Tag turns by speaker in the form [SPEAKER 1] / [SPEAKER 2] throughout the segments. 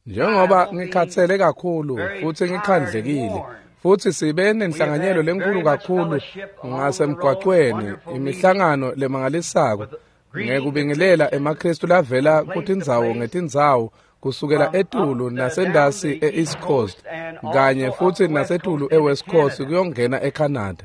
[SPEAKER 1] Njengoba ngikhathele kakhulu futhi ngikhandlekile, futhi sibe nenhlanganyelo lenkulu kakhulu ngasemgwaqweni, imihlangano lemangalisako ngekubingelela emaKristu lavela kutindzawo ngetindzawo kusukela etulu nasendasi e-East Coast kanye futhi nasetulu e-West Coast kuyongena eCanada.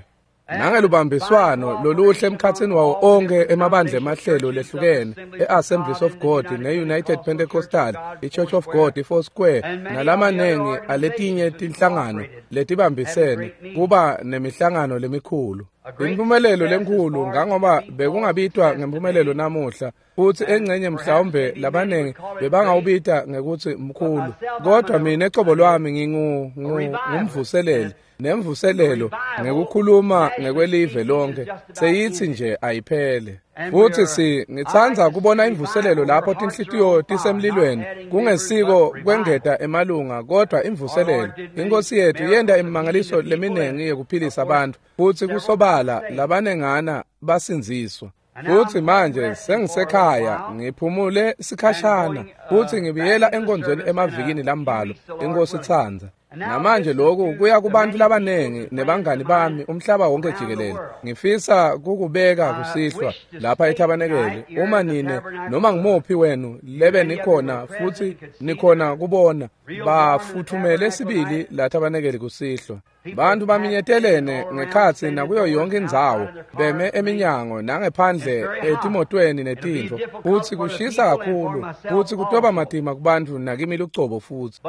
[SPEAKER 1] Nangelubambiswano loluhle emkhatsini wawo onke emabandla emahlelo lehlukene e-Assemblies of God ne-United Pentecostal, i-Church of God, i-Four Square nalamanengi aletinye tinhlangano letibambisene kuba nemihlangano lemikhulu. Impumelelo lenkhulu ngangoba bekungabitwa ngempumelelo namuhla, futhi engcenye mhlawumbe labanengi bebangawubita ngekuthi mkhulu, kodwa mina ecobo lwami ngingumvuseleli nemvuselelo ngekukhuluma ngekwelive lonke seyithi nje ayiphele. Futhi ngitsandza kubona imvuselelo lapho tinhlitiyo tisemlilweni, kungesiko kwengeta emalunga kodwa imvuselelo. Inkosi yethu yenta imimangaliso leminengi yekuphilisa abantu, futhi kusobala labanengana basindziswa. Futhi manje sengisekhaya ngiphumule sikhashana futhi ngibuyela enkonzweni emavikini lambalwa, inkosi itsandza. Namanje lokhu kuya kubantu labanengi nebangani bami umhlaba wonke jikelele. Ngifisa kukubeka kusihlwa lapha ethabanekele, uma nine noma ngimuphi wenu lebe nikhona futhi nikhona kubona bafuthumele sibili la thabanekele kusihlwa. Bantu baminyetelene ngekhatsi nakuyo yonke indzawo, beme eminyango nangephandle etimotweni netintfo, futhi kushisa kakhulu futhi kutoba matima kubantu nakimi lucobo futhi.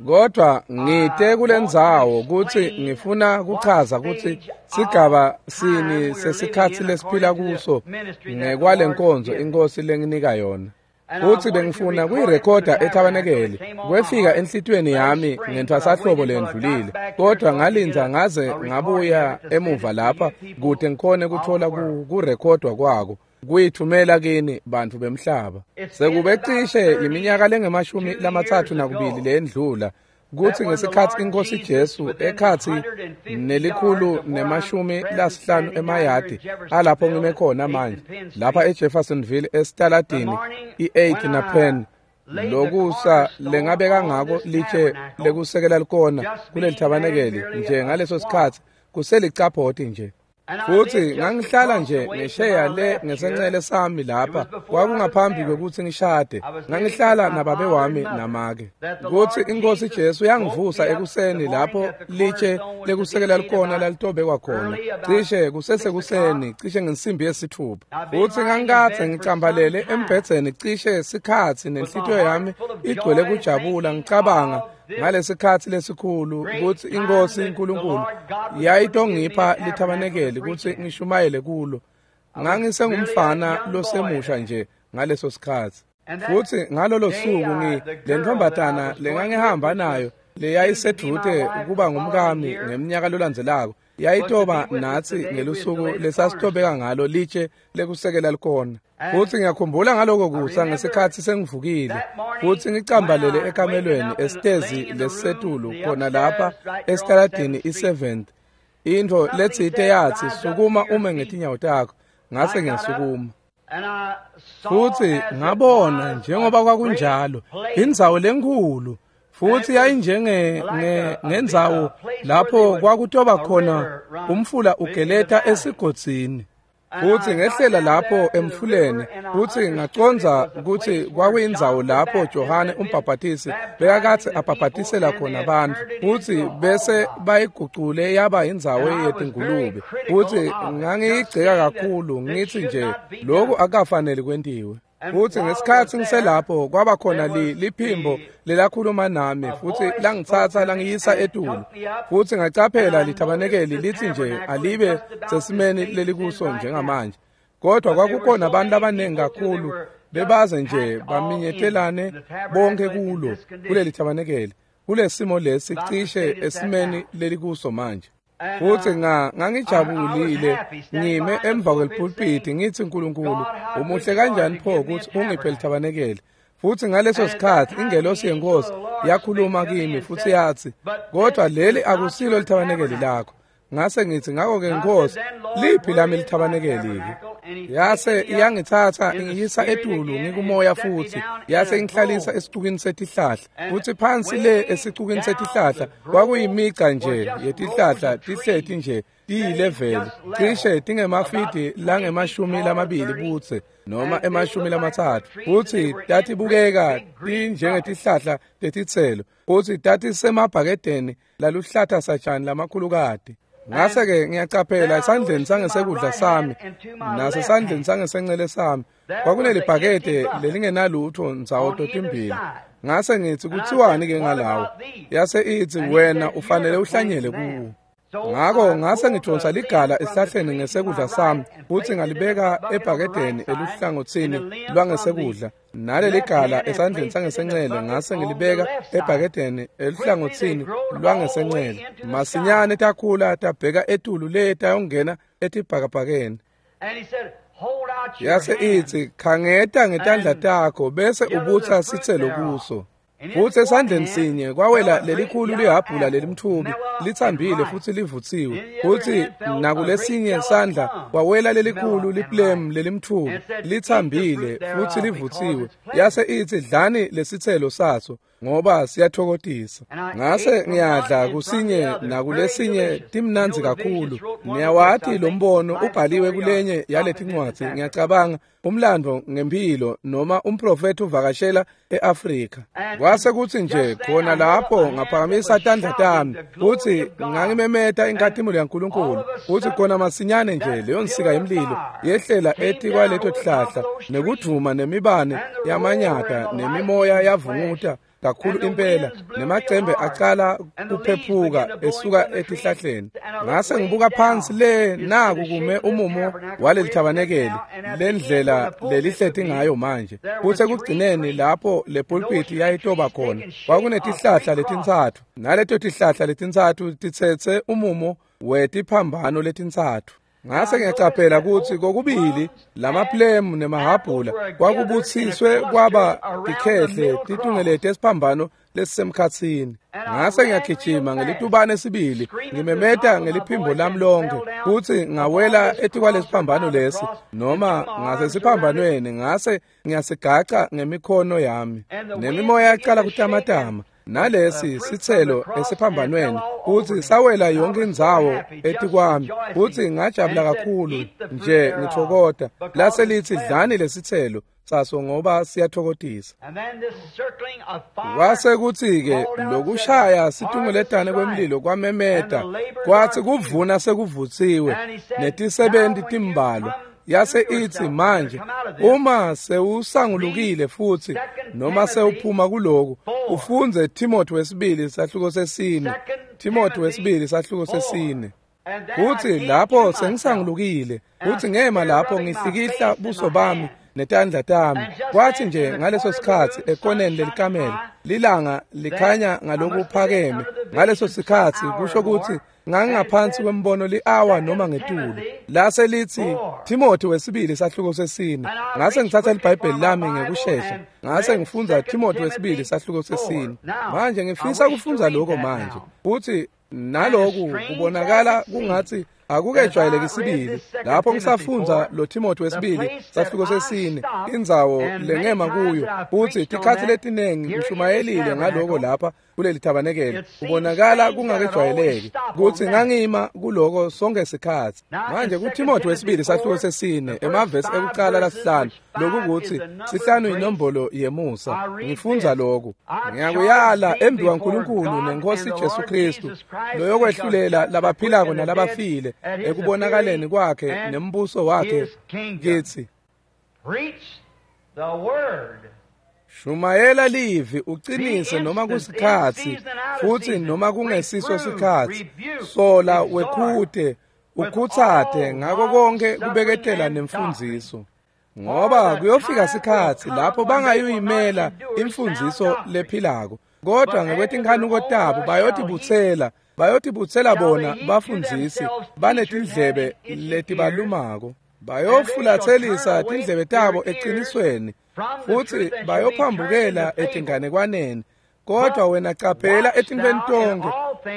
[SPEAKER 1] Kodwa ngite kulendzawo kutsi ngifuna kuchaza kutsi sigaba sini sesikhatsi lesiphila kuso ngekwalenkonzo inkosi lenginika yona. Futhi bengifuna kuyirekhoda ethabanekeli, kwefika enhlitiyweni yami ngentfwasahlobo lendlulile, kodwa ngalindza ngaze ngabuya emuva lapha kude ngikhone kuthola kurekhodwa kwako, kuyithumela kini bantu bemhlaba. Sekube cishe iminyaka lengemashumi 32 lendlula kuthi ngesikhathi inkosi Jesu ekhathi 150 emayadi alapho ngime khona manje lapha eJeffersonville esitaladini i-8 na Penn, lokusa lengabeka ngako litshe lekusekela likona kuleli thabanekeli nje ngaleso sikhathi kuselicapoti nje. Futhi ngangihlala nje ngesheya le ngesencele sami lapha, kwakungaphambi kwekuthi ngishade. Ngangihlala nababe wami namake. Kuthi inkosi Jesu yangivusa ekuseni lapho litshe lekusekela likona lalitobekwa khona, cishe kusesekuseni, cishe ngensimbi yesithupha. Futhi ngangikathe ngicambalele embhedzeni cishe sikhatsi nenhlitiyo yami igcwele kujabula, ngicabanga ngalesikhatsi lesikhulu kutsi inkosi uNkulunkulu yayitongipha lithabanekeli kutsi ngishumayele kulo. Ngangisengumfana losemusha nje ngaleso sikhatsi. Futhi ngalolo suku lentombatana lengangihamba nayo leyayisedvute kuba ngumkami ngeminyaka lolandzelako yayitoba natsi ngelusuku lesasitobeka ngalo litshe lekusekela likona. Futhi ngiyakhumbula ngaloko kusa ngesikhatsi sengivukile futhi ngicambalele ekamelweni esitezi lesisetulu khona lapha esitaladini i-7th. Intfo letsite yatsi, sukuma ume ngetinyawo takho. Ngase ngiyasukuma. Futhi ngabona njengoba kwakunjalo indzawo lenkhulu, futhi yayinjenge ngendzawo lapho kwakutoba khona umfula ugeleta esigodzini. Futhi ngehlela lapho emfuleni, futhi ngacondza kutsi kwakuyindzawo lapho Johane umbhabhatisi bekakatsi abhabhatisela khona bantfu, futhi bese bayigucule yaba indzawo yetingulube. Futhi ngangiyigceka kakhulu ngitsi nje lokhu akukafaneli kwentiwe. Futhi ngesikhatsi ngiselapho kwaba khona liphimbo lelakhuluma nami futhi langitsatsa langiyisa etulu. Futhi ngacaphela lithabanekeli litsi nje alibe sesimeni lelikuso njengamanje. Kodwa kwakukhona abantu abanengi kakhulu bebaze nje baminyetelane bonke kulo kuleli thabanekeli kulesimo lesi cishe esimeni lelikuso manje. Futhi ngangijabulile ngime emva kwelipulpiti ngithi uNkulunkulu umuhle kanjani pho ukuthi ungiphe lithabanekeli. Futhi ngaleso sikhathi ingelosi yenkosi yakhuluma kimi futhi yathi, kodwa leli akusilo lithabanekeli lakho. Ngase ngithi, ngakho-ke Nkosi, liphi lami lithabanekeli-ke? Yase iyangitsatsa ingiyisa etulu ngikumoya futsi yase ingihlalisa esicukini setihlahla. Futsi phansi le esicukini setihlahla kwakuyimica nje yetihlahla tihleti nje tiyileveli cishe tingemafidi langama-20 budze noma 30, futsi tatibukeka tinjengetihlahla tetitselo, futsi tatisemabhakedeni laluhlata satjani lamakhulukati. Ngase-ke ngiyacaphela esandleni sangesekudla sami nasesandleni sangesencele sami kwakunelibhakede lelingenalutho ndzawo totimbili. Ngase ngitsi, kutsiwani-ke ngalawo? Yase itsi, wena ufanele uhlanyele kuwo. Ngako ngase ngidonsa ligala esihlahleni ngesekudla sami futsi ngalibeka ebhakedeni eluhlangotsini lwangesekudla, naleli gala esandleni sangesencele ngase ngilibeka ebhakedeni eluhlangotsini lwangesencele. Masinyane takhula tabheka etulu le tayongena etibhakabhakeni. Yase itsi, khangeta ngetandla takho bese ubutsa sitselo kuso. Futsi esandleni sinye kwawela lelikhulu lihhabhula lelimtfubi litsambile futsi livutsiwe, futsi nakulesinye sandla kwawela lelikhulu liplemu lelimtfubi litsambile futsi livutsiwe. Yase itsi, dlani lesitselo saso ngoba siyatfokotisa. Ngase ngiyadla kusinye nakulesinye, timnandzi kakhulu. Niyawati lo mbono ubhaliwe kulenye yaletincwadzi, ngiyacabanga umlando ngempilo noma umprofethi uvakashela eAfrika. Kwase kutsi nje khona lapho ngaphakamisa tandla tami futsi ngangimemeta inkhatimulo yaNkulunkulu, futsi khona masinyane nje leyo nsika yemlilo yehlela etikwaleto tihlahla, nekudvuma nemibane yamanyata nemimoya yavunguta kakhulu impela, nemacembe acala kuphephuka esuka etihlahleni. Ngase ngibuka phansi le, naku kume umumo waleli thabanekeli lendlela lelihleti ngayo manje. Futsi ekugcineni lapho le pulpit yayitoba khona kwakunetihlahla letintsatfu, naleto tihlahla letintsatfu titsetse umumo wetiphambano letintsatfu. Ngase ngiyacaphela kutsi kokubili lamaplemu nemahhabhula kwakubutsiswe kwaba tikhehle titungelete esiphambano lesisemkhatsini. Ngase ngiyagijima ngelitubane sibili ngimemeta ngeliphimbo lami lonke, kutsi ngawela etikwalesiphambano lesi noma ngasesiphambanweni, ngase ngiyasigaca ngemikhono yami, nemimoya yacala kutamatama nalesi sitselo esiphambanweni, kutsi sawela yonke indzawo etikwami, kutsi ngajabula kakhulu nje ngitfokota. Lase litsi, dlani lesitselo saso ngoba siyatfokotisa. Kwase kutsi-ke lokushaya situngeletane kwemlilo kwamemeta, kwatsi kuvuna sekuvutsiwe netisebenti timbalwa. Yase itsi, manje uma sewusangulukile futsi noma sewuphuma kuloku, ufundze Timothy wesibili sahluko sesine. Timothy wesibili sahluko sesine. Kutsi lapho sengisangulukile, kutsi ngema lapho ngihlikihla buso bami netandla tami. Kwathi nje ngaleso sikhatsi ekoneni lelikamelo lilanga likhanya ngalokuphakeme. Ngaleso sikhatsi kusho kutsi ngangaphansi kwembono li-awa noma ngetulu. Lase litsi, Timothy wesibili sahluko sesine. Ngase ngitsatsa liBhayibheli lami ngekushesha, ngase ngifundza Timothy wesibili sahluko sesine. Manje ngifisa kufundza lokho manje, futsi naloku kubonakala kungatsi akukejwayeleki sibili. Lapho ngisafundza lo Timothy wesibili sahluko sesine, indzawo lengema kuyo, futsi tikhatsi letinengi ngishumayelile ngaloko lapha kuleli thabanekeli, kubonakala kungakejwayeleki kutsi ngangima kuloko sonke sikhatsi. Manje kuTimothy wesibili sahluko sesine, emavesi ekucala lasihlanu, lokukuthi sihlanu inombolo yemusa. Ngifundza lokhu: ngiyakuyala embi kwaNkulunkulu nenkosi Jesu Kristu, loyokwehlulela labaphilako nalabafile ekubonakaleni kwakhe nembuso wakhe, kitsi shumayela livi, uqinise noma kusikhatsi futsi noma kungesiso sikhatsi, sola, wekhute, ukhutsate ngako konke kubeketela nemfundziso. Ngoba kuyofika sikhatsi lapho bangayuyimela imfundziso lephilako, kodwa ngekwetinkhanuko tabo bayotibutsela bona bafundzisi banetindlebe letibalumako, bayofulatselisa tindlebe tabo eqinisweni, futsi bayophambukela etinganekwaneni. Kodwa wena caphela etintfweni tonkhe,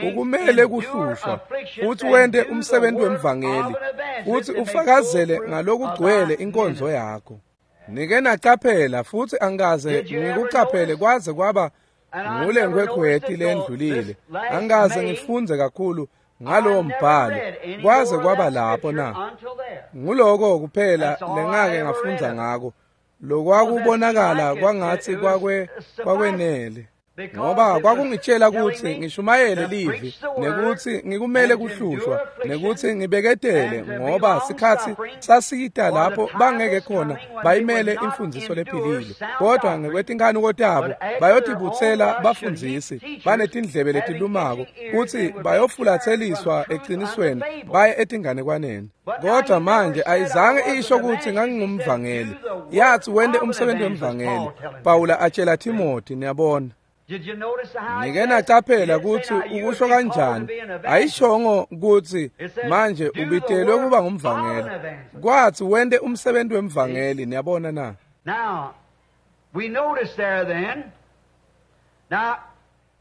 [SPEAKER 1] Ukumele kuhlushwa futhi wente umsebenzi wemvangeli futhi ufakazele ngalokugcwele inkonzo yakho. Nike nacaphela futhi angikaze ngikucaphele kwaze kwaba ngule nkhwekhweti lendlulile. Angikaze ngifunze kakhulu ngalowo mbhalo kwaze kwaba lapho na. Nguloko kuphela lengake ngafundza ngako. Lokwakubonakala kwangathi kwakwenele. Ngoba kwakungitshela ukuthi ngishumayele livi nekuthi ngikumele kuhlushwa nekuthi ngibeketele ngoba sikhathi sasita lapho bangeke khona bayimele imfundiso lephilile kodwa ngekwetinkanuko tabo bayotibutsela bafundzisi banetindlebe letilumako kuthi bayofulatseliswa eqinisweni baye etinganekwaneni. Kodwa manje ayizange isho ukuthi ngangingumvangeli. Yathi wente umsebenzi wemvangeli. Pawula atshela Timothy, niyabona. Nike nacaphela ukuthi ukusho kanjani. Ayishongo ukuthi manje ubitelwe kuba ngumvangeli. Kwathi wente umsebenzi wemvangeli, niyabona na.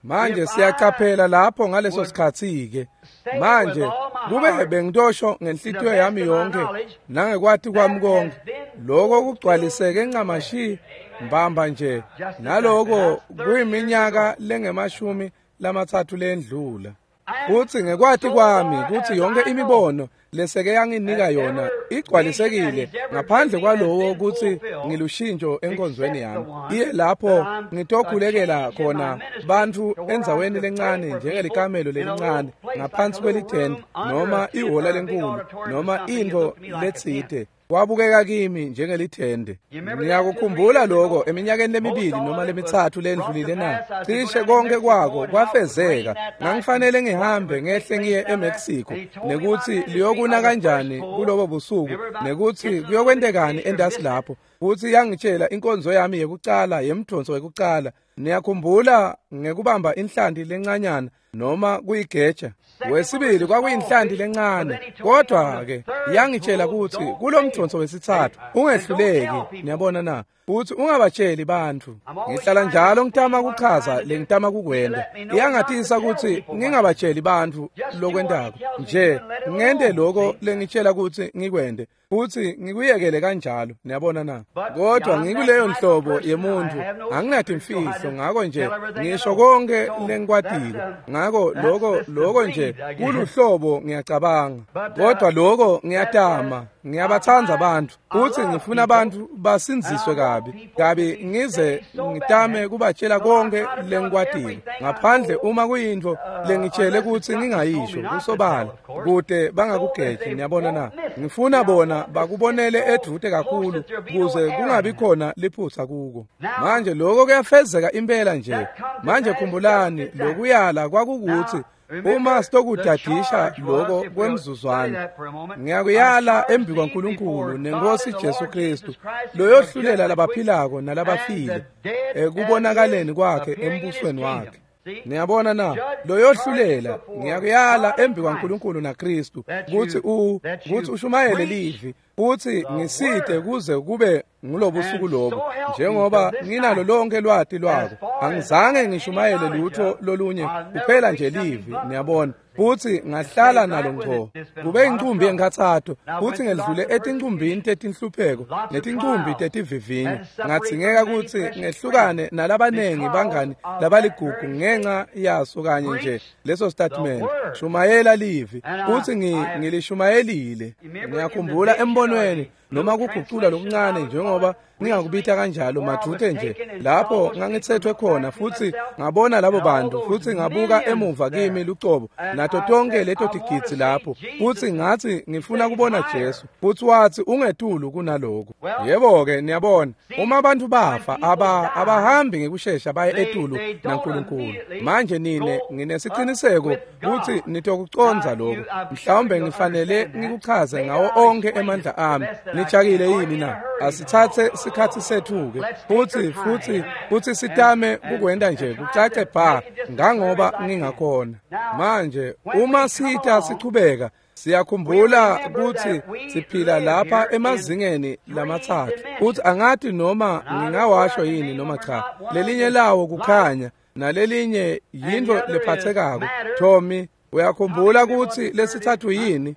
[SPEAKER 1] Manje siyacaphela lapho ngaleso sikhathi ke. Manje kube bengitosho ngenhlitiyo yami yonke nangekwati kwami konke lokho kugcwaliseke ncamashi mbamba nje naloko kuyiminyaka lengemashumi lamatsatfu lendlula. Futhi ngekwati kwami kuthi yonke imibono leseke yanginika yona igcwalisekile ngaphandle kwalowo kuthi ngilushintsho enkonzweni yami. Iye lapho ngitokhulekela khona bantfu endzaweni lencane njengelikamelo lelincane ngaphansi kwelitende noma ihhola lenkulu noma intfo letsite. Kwabukeka kimi njengelithende. Ngiyakukhumbula lokho eminyakeni lemibili noma lemithathu lendlulile na. Cishe konke kwako kwafezeka. Ngangifanele ngihambe ngehle ngiye eMexico nekuthi liyokuna kanjani kulobo busuku nekuthi kuyokwentekani endasi lapho. Futhi yangitshela inkonzo yami yekucala yemdonso wekucala. Niyakhumbula ngekubamba inhlanti lencanyana noma kuyigeja. Wesibili kwakuyinhlanti lencane. Kodwa ke yangitshela ukuthi kulomdonso wesithathu ungehluleki, niyabona na. Futhi ungabatsheli bantfu. Ngihlala njalo ngitama kuchaza lengitama kukwenda. Iyangatisa ukuthi ngingabatsheli bantfu lokwentako. Nje ngente lokho lengitshela ukuthi ngikwende futhi ngikuyekele kanjalo, niyabona na. Kodwa ngikuleyo nhlobo yemuntu anginatimfihlo ngako nje ngisho konke lengikwatile. Ngako lokho nje kuluhlobo ngiyacabanga. Kodwa lokho ngiyatama, ngiyabathanda abantu futhi ngifuna abantu basinziswe kabi. Kabi ngize ngitame kubatshela konke lengikwatile ngaphandle uma kuyintfo lengitshele ukuthi ngingayisho kusobala kude bangakugeji, niyabona na. Ngifuna bona bakubonele edvute kakhulu kuze kungabi khona liphutha kuko. Manje lokho kuyafezeka impela nje. Manje khumbulani lokuyala kwakukuthi uma sitokudadisha lokho kwemzuzwana ngiyakuyala embi kwaNkulunkulu nenkosi Jesu Kristu loyohlulela labaphilako nalabafile ekubonakaleni kwakhe embusweni wakhe. Niyabona na, loyohlulela ngiyakuyala embi kwaNkulunkulu naKristu kuthi kuthi ushumayele livi futhi ngisite kuze kube ngulobusuku lobo njengoba nginalo lonke lwati lwako. Angizange ngishumayele lutho lolunye kuphela nje livi, niyabona. Futhi ngahlala nalo ngco kube incumbi yenkhatsato futhi ngedlule etincumbini tetinhlupheko netincumbi tetivivinyo. Ngadzingeka ukuthi ngehlukane nalabanengi bangani labaligugu ngenxa yaso kanye nje leso statement. Shumayela livi futhi ngilishumayelile. Ngiyakhumbula embonweni noma kugucula lokuncane njengoba ngingakubita kanjalo madute nje lapho ngangithethwe khona futhi ngabona labo bantu futhi ngabuka emuva kimi lucobo nato tonke leto tigidzi lapho futhi ngathi ngifuna kubona Jesu futhi wathi ungetulu kunaloko. Yebo ke, niyabona uma abantu bafa abahambi ngekushesha baye etulu naNkulunkulu. Manje nine nginesiqiniseko ukuthi nitokuconza lokho. Mhlawumbe ngifanele ngikuchaze ngawo onke emandla ami. Nijakile yini na? Asithathe sikhathi sethu ke futhi sitame kukwenda nje kucace bha ngangoba ngingakhona. Manje uma sita sichubeka siyakhumbula ukuthi siphila lapha emazingeni lamathathu. Uthi angathi noma ngingawasho yini noma cha. Lelinye lawo kukhanya, nalelinye yintfo lephathekako. Tommy, uyakhumbula kutsi lesitsatfu yini?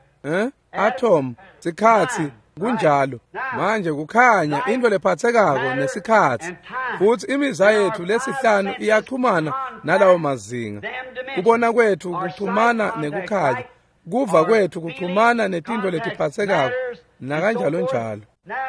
[SPEAKER 1] Atom, sikhatsi, kunjalo. Manje kukhanya into lephathekako nesikhatsi, futsi imizwa yethu lesihlanu iyachumana nalawo mazinga. Kubona kwethu kuchumana nekukhanya, kuva kwethu kuchumana netintfo letiphathekako nakanjalo njalo.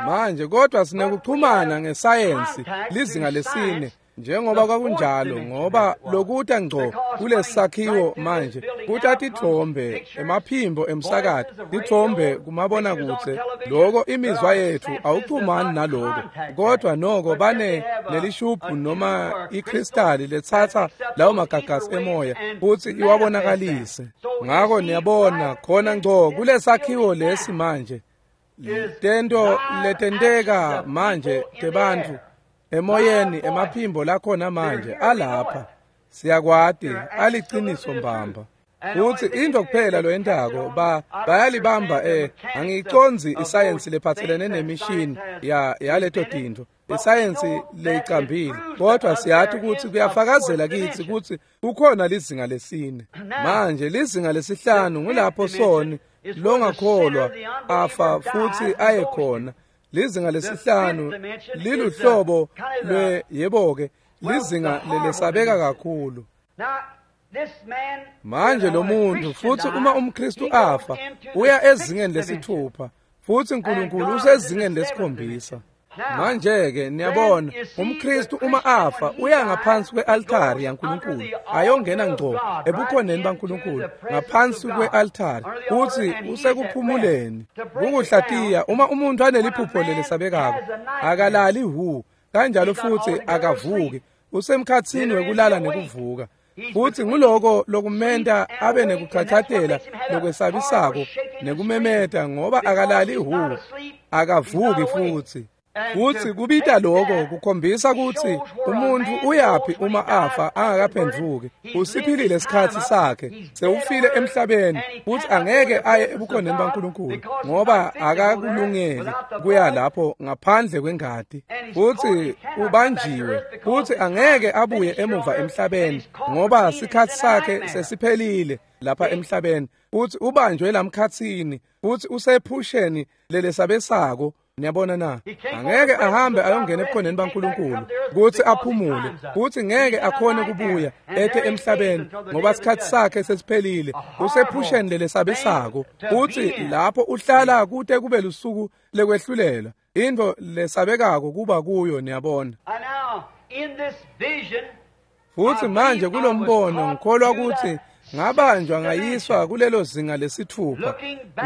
[SPEAKER 1] Manje kodwa sinekuchumana ngesayensi lizinga lesine, njengoba kwakunjalo, ngoba lokuta ngco kulesakhiwo manje kuta tithombe, emaphimbo emsakato, tithombe kumabonakudze. Loko imizwa yethu awuchumani naloko, kodwa noko bane nelishubhu noma ikristali letsatsa lawo magagasi emoya futsi iwabonakalise. Ngako niyabona khona ngco kulesakhiwo lesi manje, tento letenteka manje tebantfu emoyeni, emaphimbo lakhona manje alapha, siyakwati aliciniso mbamba. Futsi into kuphela loyentako bayalibamba. Angiyicondzi isayensi lephatselene nemishini yaleto tintfo, isayensi leyicambile, kodwa siyati kutsi kuyafakazela kitsi kutsi kukhona lizinga lesine. Manje lizinga lesihlanu ngulapho soni longakholwa afa futsi aye khona. Lizinga lesihlanu liluhlobo lwe, yebo-ke, lizinga lelesabeka kakhulu. Manje lo muntu, futsi uma umKristu afa, uya ezingeni lesithupha, futsi uNkulunkulu usezingeni lesikhombisa. Manje-ke niyabona, umKristu uma afa uya ngaphansi kwe-altari yaNkulunkulu, ayongena ngco ebukhoneni baNkulunkulu ngaphansi kwe-altari, futsi usekuphumuleni. Kukuhlatiya, uma umuntu aneliphupho lelesabekako, akalali hu kanjalo futhi akavuki, usemkhatsini wekulala nekuvuka. Futsi nguloko lokumenta abe nekuchachatela lokwesabisako nekumemeta, ngoba akalali hu, akavuki futsi. Futsi kubita loko kukhombisa kutsi umuntu uyaphi uma afa angakaphendvuki. Usiphilile isikhatsi sakhe, sewufile emhlabeni, futsi angeke aye ebukhoneni baNkulunkulu ngoba akakulungeli kuya lapho ngaphandle kwengati. Futsi ubanjiwe, futsi angeke abuye emuva emhlabeni ngoba sikhatsi sakhe sesiphelile lapha emhlabeni. Futsi ubanjwe lamkhatsini, futsi usephusheni lelesabesako. Niyabona na? Angeke ahambe ayongena ebukhoneni baNkulunkulu kutsi aphumule, futsi ngeke akhone kubuya ete emhlabeni ngoba sikhatsi sakhe sesiphelile. Usephusheni lelesabesako, futsi lapho uhlala kute kube lusuku lekwehlulela, intfo lesabekako kuba kuyo. Niyabona? Futsi manje kulombono ngikholwa kutsi ngabanjwa ngayiswa kulelo zinga lesithupha.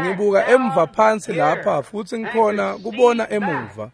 [SPEAKER 1] Ngibuka emva phansi lapha futsi ngikhona kubona emuva.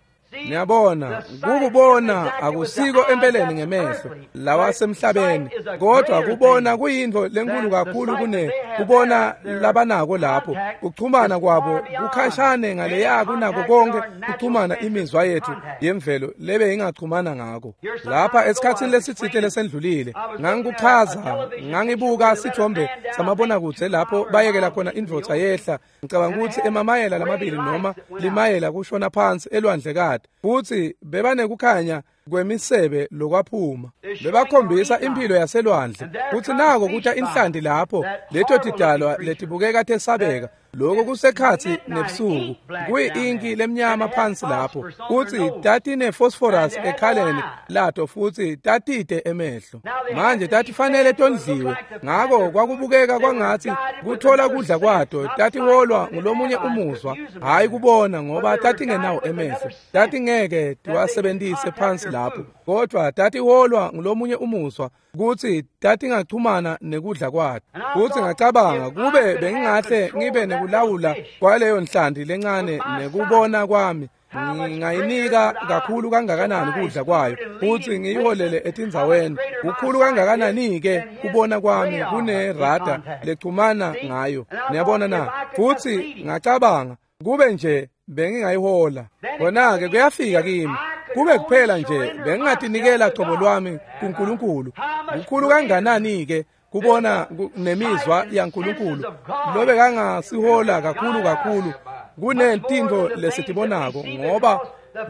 [SPEAKER 1] Niyabona, kukubona akusiko empeleni ngemehlo lawa semhlabeni, kodwa kubona kuyintfo lenkulu kakhulu kune kubona labanako lapho. Kuchumana kwabo kukhashane ngaleya kunako konke kuchumana imizwa yethu yemvelo lebe ingachumana ngako. Lapha esikhatsini lesitsite lesendlulile ngangikuchaza, ngangibuka sithombe samabonakudze lapho bayekela khona indvodza yehla, ngicabanga ukuthi emamayela lamabili noma limayela kushona phansi elwandlekati, futsi bebanekukhanya kwemisebe lokwaphuma. Bebakhombisa impilo yaselwandle, futsi nako kuta inhlanti lapho, leto tidalwa letibukeka tesabeka. Lokho kusekhatsi nebusuku, kuyi-inki lemnyama phansi lapho, futsi tatine-phosphorus ekhaleni lato, futsi tatite emehlo. Manje tatifanele tondliwe, ngako kwakubukeka kwangatsi kuthola kudla kwato tatiholwa ngulomunye umuzwa, hhayi kubona, ngoba tatingenawo emehlo, tatingeke tiwasebentise phansi lapho, kodwa tatiholwa ngulomunye umuzwa kutsi tatingachumana nekudla kwato. Futsi ngacabanga, kube bengingahle ngibe nekulawula kwaleyo nhlanti lencane nekubona kwami, ngingayinika kakhulu kangakanani kudla kwayo futsi ngiyiholele etindzaweni. Kukhulu kangakanani-ke kubona kwami kunerada lechumana ngayo. Niyabona na? Futsi ngacabanga, kube nje bengingayihola. Khona-ke kuyafika kimi, kube kuphela nje bengingatinikela cobo lwami kuNkulunkulu. Kukhulu kanganani-ke kubona nemizwa yaNkulunkulu lobekangasihola kakhulu kakhulu kunetintfo lesitibonako, ngoba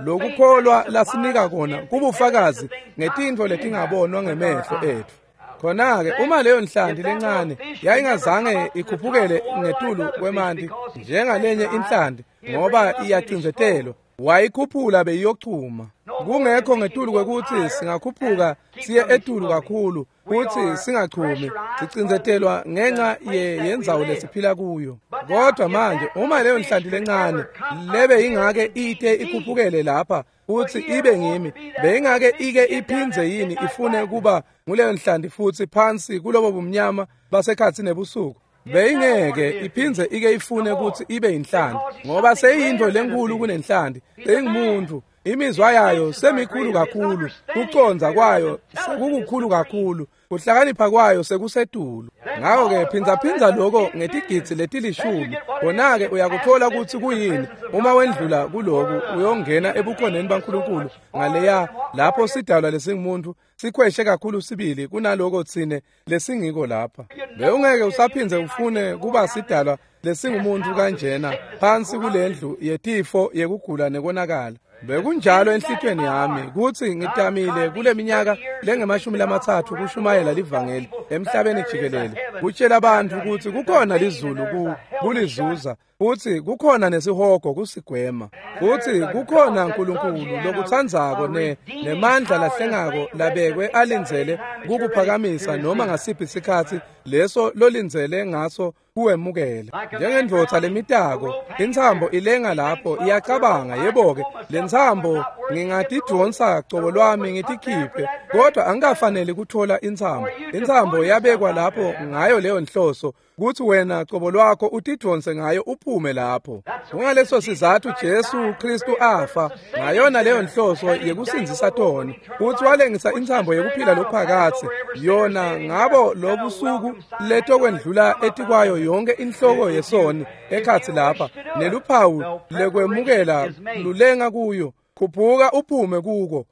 [SPEAKER 1] Lokukholwa lasinika kona kubufakazi ngetintfo letingabonwa ngemehlo etfu. Khona-ke uma leyo nhlanti lencane yayingazange ikhuphukele ngetulu kwemanti njengalenye inhlanti ngoba iyacindzetelwa, wayikhuphula beyiyochuma. Kungekho ngetulu kwekutsi singakhuphuka siye etulu kakhulu kutsi singachumi, sicindzetelwa ngenxa yendzawo lesiphila kuyo. Kodwa manje uma leyo nhlanti lencane lebe ingake ite ikhuphukele lapha kutsi ibe ngimi, beyingake ike iphindze yini ifune kuba nguleyo nhlanti futsi phansi kulobo bumnyama basekhatsi nebusuku? Beyingeke iphindze ike ifune kutsi ibe inhlanti, ngoba seyintfo lenkulu kunenhlanti, seyingumuntu. Imizwa yayo semikhulu kakhulu, kucondza kwayo sekukukhulu kakhulu, kuhlakanipha kwayo sekusetulu. Ngako-ke phindzaphindza loko ngetigidzi letilishumi, khona-ke uyakuthola kutsi kuyini. Uma wendlula kuloku uyongena ebukhoneni baNkulunkulu ngaleya lapho sidalwa lesingumuntu sikhweshe kakhulu sibili kunaloko tsine lesingiko lapha. Bewungeke usaphindze ufune kuba sidalwa lesingumuntu kanjena phansi kulendlu yetifo yekugula nekonakala. Bekunjalo enhlitiyweni yami kutsi ngitamile kule minyaka lengemashumi 30 kushumayela livangeli emhlabeni jikelele, kutshela bantfu kutsi kukhona lizulu kulizuza, futsi kukhona nesihogo kusigwema, futsi kukhona Nkulunkulu lokutsandzako nemandla lahlengako labekwe alindzele kukuphakamisa noma ngasiphi sikhatsi leso lolindzele ngaso kuwemukela. Njengendvodza lemitako, intsambo ilenga lapho iyacabanga, yebo-ke, lentsambo ngingatidvonsa cobo lwami ngitikhiphe, kodwa angikafaneli kuthola intsambo. Intsambo yabekwa lapho ngayo leyo nhloso, kutsi wena cobo lwakho utidvonse ngayo uphume lapho. Kungaleso sizatfu Jesu Kristu afa ngayona leyo nhloso yekusindzisa toni, kutsi walengisa intsambo yekuphila lokuphakadze, yona ngabo lobusuku letokwendlula etikwayo yonke inhloko yesoni ekhatsi lapha, neluphawu lekwemukela lulenga kuyo. Khuphuka uphume kuko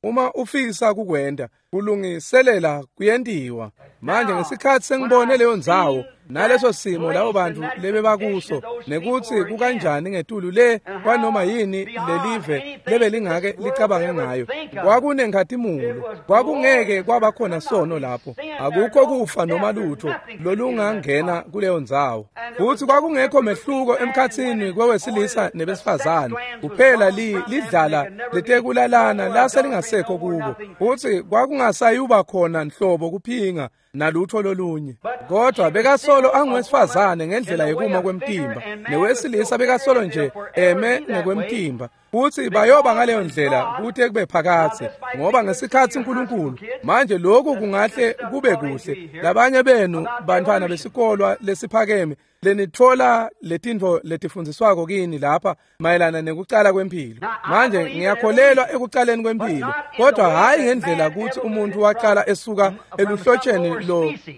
[SPEAKER 1] uma ufisa kukwenta, kulungiselela kuyentiwa. Manje ngesikhatsi sengibone leyo ndzawo naleso simo labo bantfu lebebakuso, nekutsi kukanjani ngetulu le kwanoma yini lelive lebelingake licabange ngayo, kwakunenkhatimulo, kwakungeke kwaba khona sono lapho, akukho kufa noma lutho lolungangena kuleyo ndzawo. Futsi kwakungekho mehluko emkhatsini kwewesilisa nebesifazane, kuphela lidlala letekulalana laselingasekho kubo, futsi kwakungasayuba khona nhlobo kuphinga nalutho lolunye. Kodwa bekasolo anguwesifazane ngendlela yekuma kwemtimba, newesilisa bekasolo nje eme ngekwemtimba, futsi bayoba ngaleyo ndlela kute kube phakadze, ngoba ngesikhatsi uNkulunkulu. Manje lokhu kungahle kube kuhle labanye benu bantfwana besikolwa lesiphakeme lenitfola letintfo letifundziswako kini lapha mayelana nekucala kwemphilo. Manje ngiyakholelwa ekucaleni kwemphilo, kodwa hhayi ngendlela kutsi umuntu wacala esuka eluhlotsheni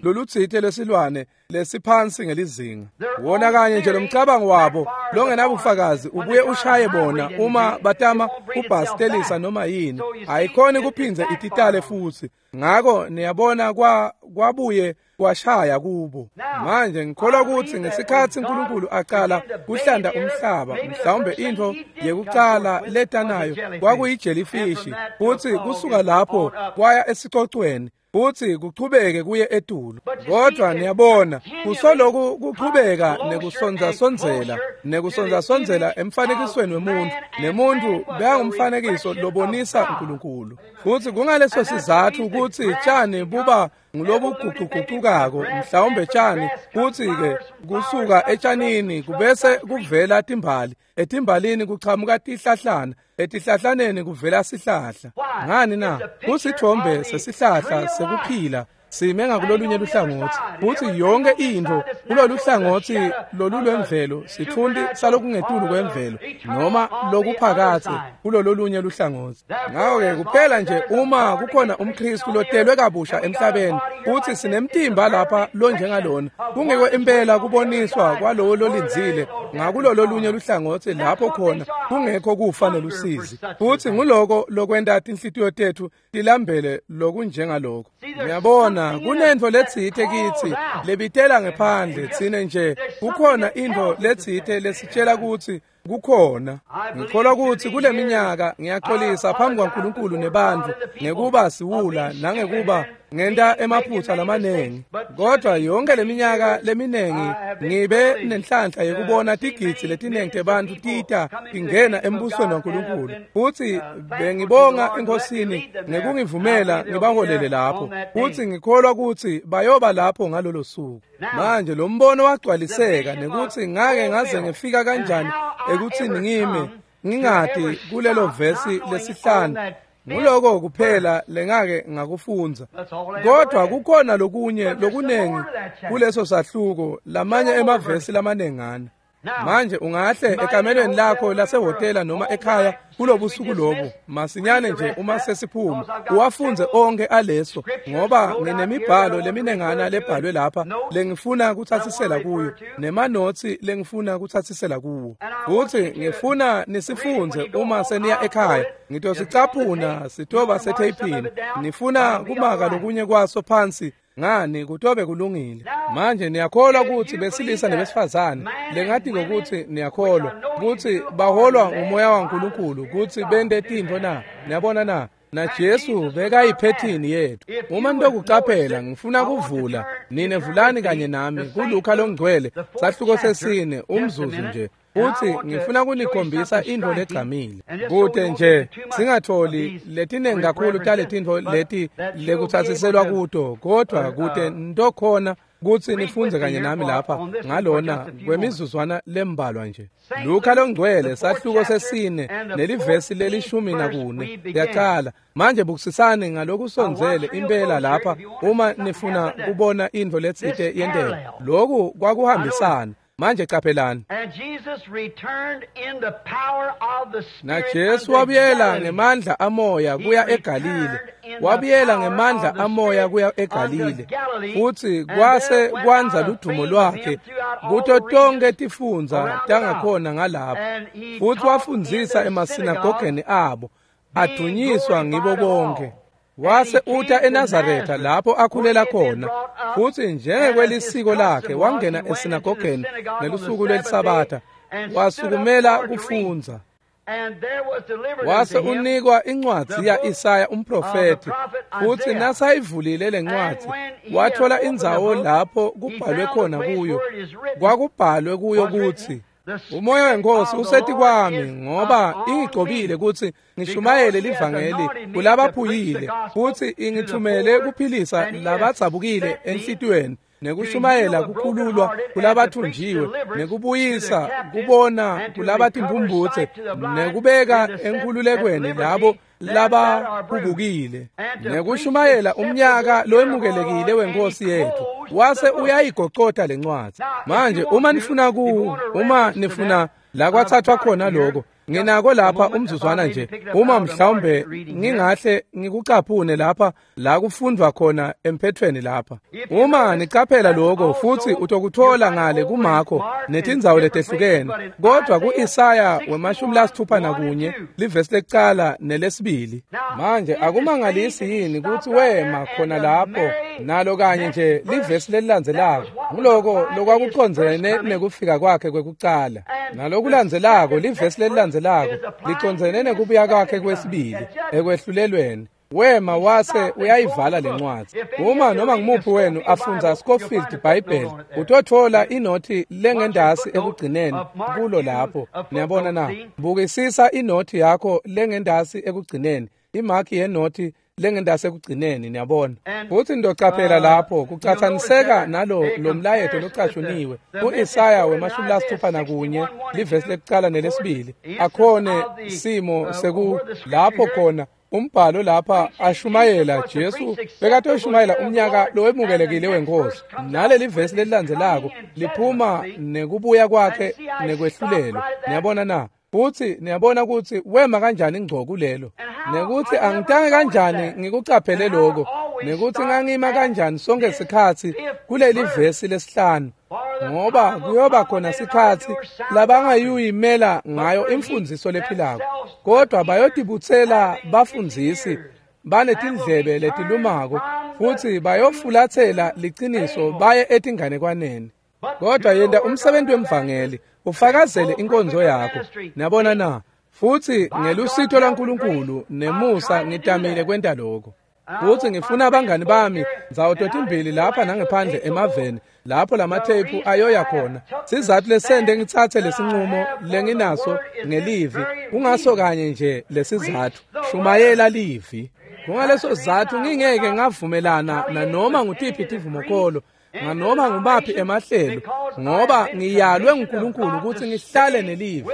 [SPEAKER 1] lolutsite lesilwane lesiphansi ngelizinga. Wona kanye nje lomcabango wabo longenabufakazi ubuye ushaye bona uma batama kubhastelisa noma yini, ayikhoni kuphindze ititale futsi. Ngako niyabona kwabuye kwashaya kubo. Manje ngikholwa kutsi ngesikhatsi uNkulunkulu acala kuhlanda umhlaba, mhlawumbe intfo yekucala letanayo kwakuyijellyfish, futsi kusuka lapho kwaya esicocweni, futsi kuchubeke kuye etulu. Kodwa niyabona kusoloku kuchubeka nekusondzasondzela emfanekisweni wemuntu, nemuntu bekangumfanekiso lobonisa uNkulunkulu. Futsi kungaleso sizatfu kutsi tjani buba ngulobugucugucukako, mhlawumbe tjani, kutsi-ke kusuka etshanini kubese kuvela timbali, etimbalini kuchamuka tihlahlana, etihlahlaneni kuvela sihlahla. Ngani na? Kusithombe sesihlahla sekuphila sime ngakulolunye luhlangotsi, futsi yonke intfo kulolu hlangotsi lolulwemvelo sitfunti salokungetulu kwemvelo noma lokuphakatse kulololunye luhlangotsi. Ngako-ke kuphela nje uma kukhona umKristu lotelwe kabusha emhlabeni, futsi sinemtimba lapha lonjengalona, kungiko impela kuboniswa kwalowo lolindzile ngakulololunye luhlangotsi lapho khona kungekho kufa nelusizi. Futsi nguloko lokwenta tinhlitiyo tetfu tilambele lokunjengaloko. Ngiyabona kunentfo letsite kitsi lebitela ngephandle tsine nje, kukhona intfo letsite lesitshela kutsi Kukhona. Ngikholwa kutsi kule minyaka ngiyaxolisa phambi kwaNkulunkulu nebantfu ngekuba siwula nangekuba ngenta emaphutsa lamanengi. Kodwa yonke leminyaka leminengi ngibe nenhlanhla yekubona tigidzi letinengi tebantfu tita tingena embusweni waNkulunkulu. Futsi bengibonga eNkosini ngekungivumela ngibaholele lapho. Futsi ngikholwa kutsi bayoba lapho ngalolo suku. Manje lo mbono wagcwaliseka nekutsi ngake ngaze ngifika kanjani ekutsini ngime ngingati kulelo vesi lesihlanu. Nguloko kuphela lengake ngakufundza. Kodwa kukhona lokunye lokunengi kuleso sahluko, lamanye emavesi lamanengana. Manje ungahle ekamelweni lakho lasehhotela noma ekhaya kulobusuku lobu masinyane nje uma sesiphuma uwafundze onke aleso, ngoba nginemibhalo leminengana lebhalwe lapha lengifuna kutsatsisela kuyo nemanotsi lengifuna kutsatsisela kuwo. Futsi ngifuna nisifundze uma seniya ekhaya. Ngitosicaphuna sitoba setheyphini. Nifuna kumaka lokunye kwaso phansi ngani kutobe kulungile. Manje niyakholwa kutsi besilisa nebesifazane lengati ngokuthi niyakholwa kutsi baholwa ngumoya waNkulunkulu kutsi bente tintfo na? Niyabona na? Na Jesu bekayiphethini yethu. Uma nitokucaphela ngifuna kuvula nine vulani kanye nami kuLuka longcwele sahluko sesine umzuzu nje. Futsi ngifuna kunikhombisa intfo legcamile kute nje singatholi letinengi kakhulu taletintfo leti lekutsatsiselwa kuto, kodwa kute ntokhona kutsi nifundze kanye nami lapha ngalona kwemizuzwana lembalwa nje. Luka longcwele sahluko sesine nelivesi leli-14 liyaqala. Manje bukisisani ngalokusondzele impela lapha uma nifuna kubona intfo letsite yenteka. Loku kwakuhambisana. Manje caphelani. Na Jesu wabuyela ngemandla amoya kuya eGalile. Wabuyela ngemandla amoya kuya eGalile. Futsi kwase kwandza ludumo lwakhe kuto tonke tifundza tangakhona ngalapho. Futsi wafundzisa emasinagogeni abo, adunyiswa ngibo bonke. Wase uta eNazaretha lapho akhulela khona. Futsi njengekwelisiko lakhe wangena esinagogeni ngelusuku lweliSabatha, wasukumela kufundza. Wase unikwa incwadzi ya-Isaya umprofethi. Futsi nasayivulile lencwadzi wathola indzawo lapho kubhalwe khona kuyo. Kwakubhalwe kuyo kutsi umoya weNkosi usetikwami ngoba ingigcobile kutsi ngishumayele livangeli kulabaphuyile, futsi ingithumele kuphilisa labadzabukile enhlitiyweni, nekushumayela kukhululwa kulabathunjiwe, nekubuyisa kubona kulabatimphumphutse, nekubeka enkhululekweni labo labahubukile, nekushumayela umnyaka lowemukelekile wenkosi yethu. Wase uyayigocota lencwadzi. Manje uma nifuna uma nifuna la kwathathwa khona lokho, nginako lapha umzuzwana nje, uma mhlawumbe ngingahle ngikucaphune lapha la kufundvwa khona emphethweni lapha. Uma nicaphela lokho futhi utokuthola ngale kuMakho netindzawo letehlukene, kodwa ku-Isaya 61 livesi lekucala nelesibili. Manje akumangalisi yini kutsi wema khona lapho nalo kanye nje livesi lelilandzelako? Nguloko lokwakucondzene nekufika kwakhe kwekucala. Nalokulandzelako livesi lelilandzelako licondzene nekubuya kwakhe kwesibili ekwehlulelweni. Wema wase uyayivala lencwadzi. Uma noma ngumuphi wenu afundza Scofield Bible, utothola inothi lengendasi ekugcineni kulo lapho. Niyabona na? Bukisisa inothi yakho lengendasi ekugcineni, imaki yenothi lengendasi ekugcineni, niyabona. Futsi ndocaphela lapho kucatsaniseka nalo lo mlayeto locashuniwe ku-Isaya 61 livesi lekucala nelesibili. Akhone simo seku lapho khona umbhalo lapha ashumayela Jesu bekatoshumayela umnyaka lowemukelekile wenkosi. Naleli vesi lelilandzelako liphuma nekubuya kwakhe nekwehlulelwa. Niyabona na? Futsi niyabona kutsi wema kanjani ngco kulelo, nekuthi angitange kanjani ngikucaphele lokho, nekuthi ngangima kanjani sonke sikhatsi kuleli vesi lesihlanu, ngoba kuyoba khona sikhatsi labangayuyimela ngayo imfundziso lephilako, kodwa bayotibutsela bafundzisi banetindlebe letilumako, futhi bayofulathela liciniso baye etinganekwaneni. Kodwa yenta umsebenzi wemvangeli ufakazele inkonzo yakho. Niyabona na? Futhi ngelusito laNkulunkulu nemusa ngitamile kwenta lokho. Futhi ngifuna abangani bami ndzawo totimbili lapha nangephandle emaveni lapho lamatheyiphu ayoya khona. Sizathu lesende ngitsatse lesinqumo lenginaso ngelivi kungaso kanye nje lesizathu. Shumayela livi. Kungaleso sizathu ngingeke ngavumelana nanoma ngutiphi tivumokolo nganoma ngubaphi emahlelo, ngoba ngiyalwe nguNkulunkulu ukuthi ngihlale nelivi.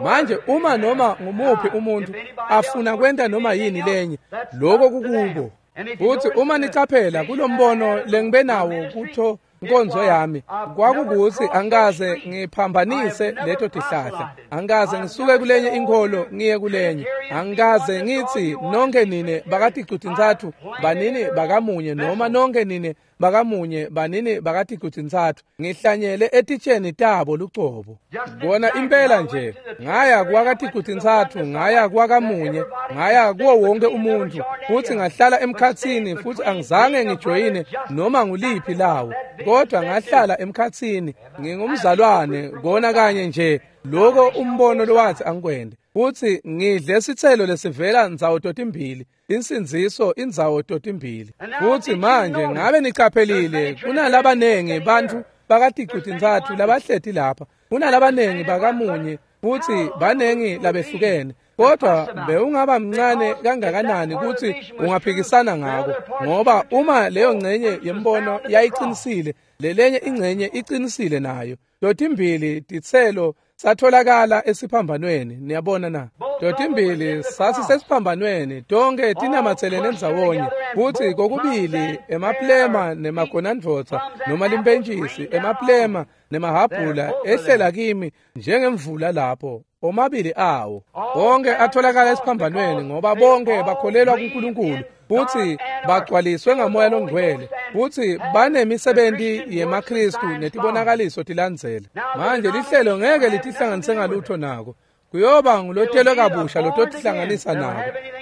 [SPEAKER 1] Manje uma noma ngumuphi umuntu afuna kwenta noma yini lenye, lokho kukubo. Futhi uma nicaphela kulombono lengibe nawo kutho inkonzo yami, kwakukuthi angikaze ngiphambanise leto tihlahla, angikaze ngisuke kulenye inkolo ngiye kulenye, angikaze ngithi nonke nine bakaticutintsatfu banini bakamunye noma nonke nine bakamunye banini bakaticutintsatfu. Ngihlanyele etitsheni tabo lucobo. Bona impela nje ngaya kwakaticutintsatfu, ngaya kwakamunye, ngaya kuwo wonke umuntu, futhi ngahlala emkhatsini, futhi angizange ngijoyine noma nguliphi lawo, kodwa ngahlala emkhatsini ngingumzalwane kona kanye nje lokho umbono lowathi angikwende. Futhi ngidle sitselo lesivela ndzawo totimbili, insindziso indzawo totimbili. Futhi manje ngabe niqaphelile kunalabanengi bantfu bakaticutintsatfu labahleti lapha, kunalabanengi bakamunye, futhi banengi labehlukene. Kodwa bewungaba mncane kangakanani ukuthi ungaphikisana ngako, ngoba uma leyo ngcenye yembono yayiqinisile, lelenye ingcenye iqinisile nayo. Totimbili titselo satholakala esiphambanweni. Niyabona na? Totimbili sasisesiphambanweni, tonke tinamatselene ndzawonye, futhi kokubili emaplema nemagonandvodza noma limpentshisi, emaplema nemahabhula ehlela kimi njengemvula lapho, omabili awo. Bonke atholakala esiphambanweni ngoba bonke bakholelwa kuNkulunkulu futhi bagcwaliswe ngamoya longcwele, futhi banemisebenti yemaKristu netibonakaliso tilandzele. Manje lihlelo ngeke litihlanganise ngalutho nako. Kuyoba ngulotelwe kabusha lototihlanganisa nako.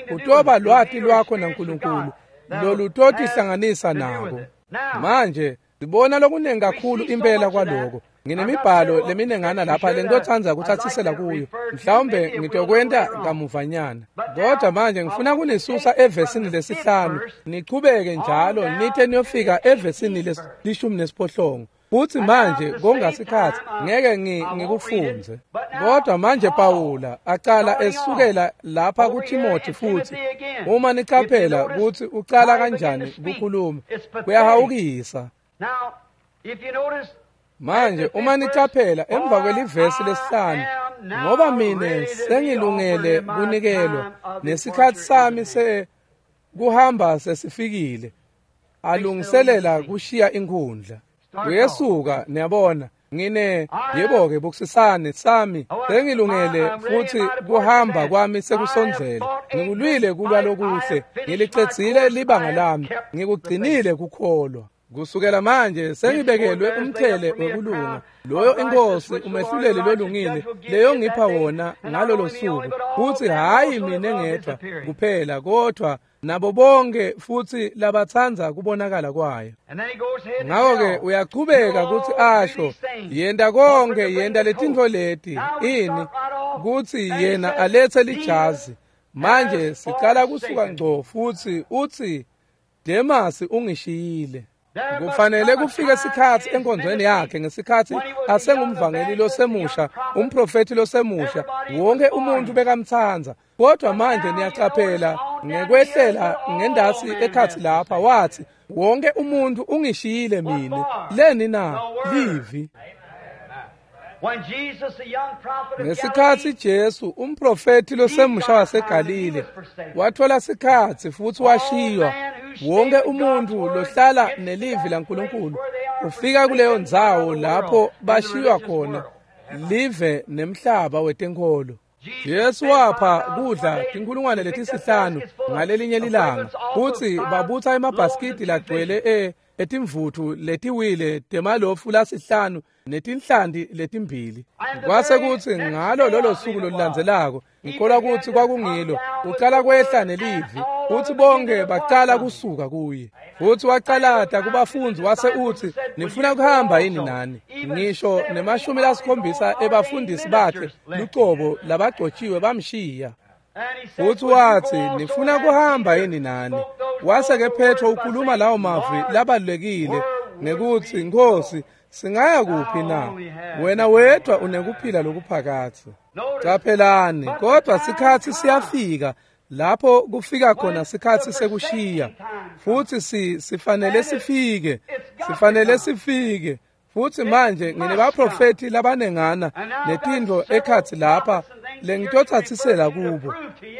[SPEAKER 1] Kutoba lwati lwakho naNkulunkulu lolutotihlanganisa nako. Manje sibona lokunengi kakhulu impela kwaloko. Nginemibhalo leminengana lapha lengitotsandza kutsatsisela kuyo, mhlawumbe ngitokwenta kamuvanyana. Kodwa manje ngifuna kunisusa evesini 5 nichubeke njalo nithe niyofika evesini 18. Futhi manje kongasikhathi ngeke ngikufunze. Kodwa manje Pawula acala esukela lapha kuTimothy, futhi uma nicaphela ukuthi ucala kanjani kukhuluma kuyahawukisa. Manje uma nicaphela emva kwelivesi 5, ngoba mine sengilungele kunikelwa nesikhathi sami sekuhamba sesifikile, alungiselela kushiya inkhundla. Uyesuka, niyabona, ngine yebo-ke bukusisane sami sengilungele futhi kuhamba kwami sekusondzele. Ngikulwile kulwa lokuhle, ngilicedzile libanga lami, ngikugcinile kukholwa. Kusukela manje sengibekelwe umthele wekulunga, loyo inkosi umehluleli lolungile leyo ngipha wona ngalolo suku, futhi hayi mina ngedwa kuphela kodwa nabo bonke futhi labatsandza kubonakala kwayo. Ngakho-ke uyachubeka ukuthi asho yenta konke, yenta letintfo leti ini kutsi yena alethe lijazi. Manje sicala kusuka ngco futhi uthi Demasi ungishiyile. Kufanele kufike isikhathi enkonzweni yakhe ngesikhathi asengumvangeli losemusha, umprofeti losemusha, wonke umuntu bekamtsandza. Kodwa manje niyacaphela ngekwehlela ngendasi ekhathi lapha wathi wonke umuntu ungishiyile mina. Leni na? Livi. Ngesikhathi Jesu umprofeti losemusha waseGalile wathola sikhathi futhi washiywa, wonke umuntu lohlala nelivi laNkulunkulu ufika kuleyo ndzawo lapho bashiywa khona live nemhlaba wetenkholo. Jesu wapha kudla 5,000 ngalelinye lilanga, futhi babutha emabhasikidi lagcwele etimvuthu letiwile temalofu lasihlanu netinhlanti letimbili. Kwase kuthi ngalo lolo suku lolulandzelako, ngikholwa ukuthi kwakungilo, ucala kwehla nelivi, futhi bonke bacala kusuka kuye. Futhi wacalata kubafundzi wase utsi, nifuna kuhamba yini nani? Ngisho ne-70 ebafundisi bakhe lucobo labagcotshiwe bamshiya. Futhi wathi, nifuna kuhamba yini nani? Wase-ke Petro ukhuluma lawo mavi labalulekile ngekutsi, Nkosi, singaya kuphi na? Wena wedwa unekuphila lokuphakadze. Caphelani, kodwa sikhatsi siyafika lapho kufika khona sikhatsi sekushiya. Futhi sifanele sifike. Sifanele sifike. Futhi manje nginebaprofeti labanengana netintfo ekhatsi lapha lengitotsatsisela kubo.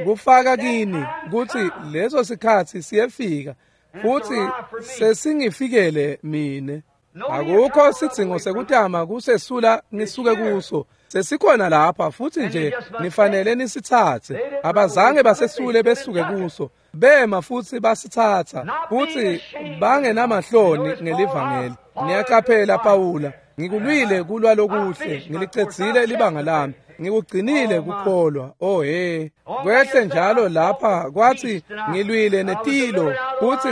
[SPEAKER 1] Kufaka kini kutsi leso sikhatsi siyefika. Futhi sesingifikele mine. Akukho sidzingo sekutama kusesula ngisuke kuso. Sesikhona lapha futhi nje nifanele nisitsatse. Abazange basesule besuke kuso. Bema futhi basitsatsa futhi bangenamahloni ngelivangeli. Niyaqaphela Pawula, ngikulwile kulwa lokuhle, ngilicedzile libanga lami, ngikugcinile kukholwa. Oh he, kwehle njalo lapha kwathi ngilwile netilo futhi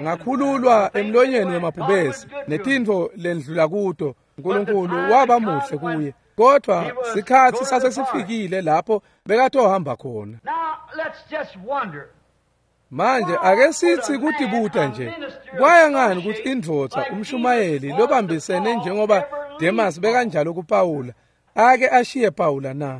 [SPEAKER 1] ngakhululwa emlonyeni wemabhubesi netintfo lendlula kuto. uNkulunkulu waba muhle kuye. Kodwa sikhatsi sasesifikile lapho bekatohamba khona. Manje ake sithi kutibuta nje, kwaya ngani ukuthi indvodza umshumayeli lobambisene njengoba Demas bekanjalo kuPawula ake ashiye Pawula na?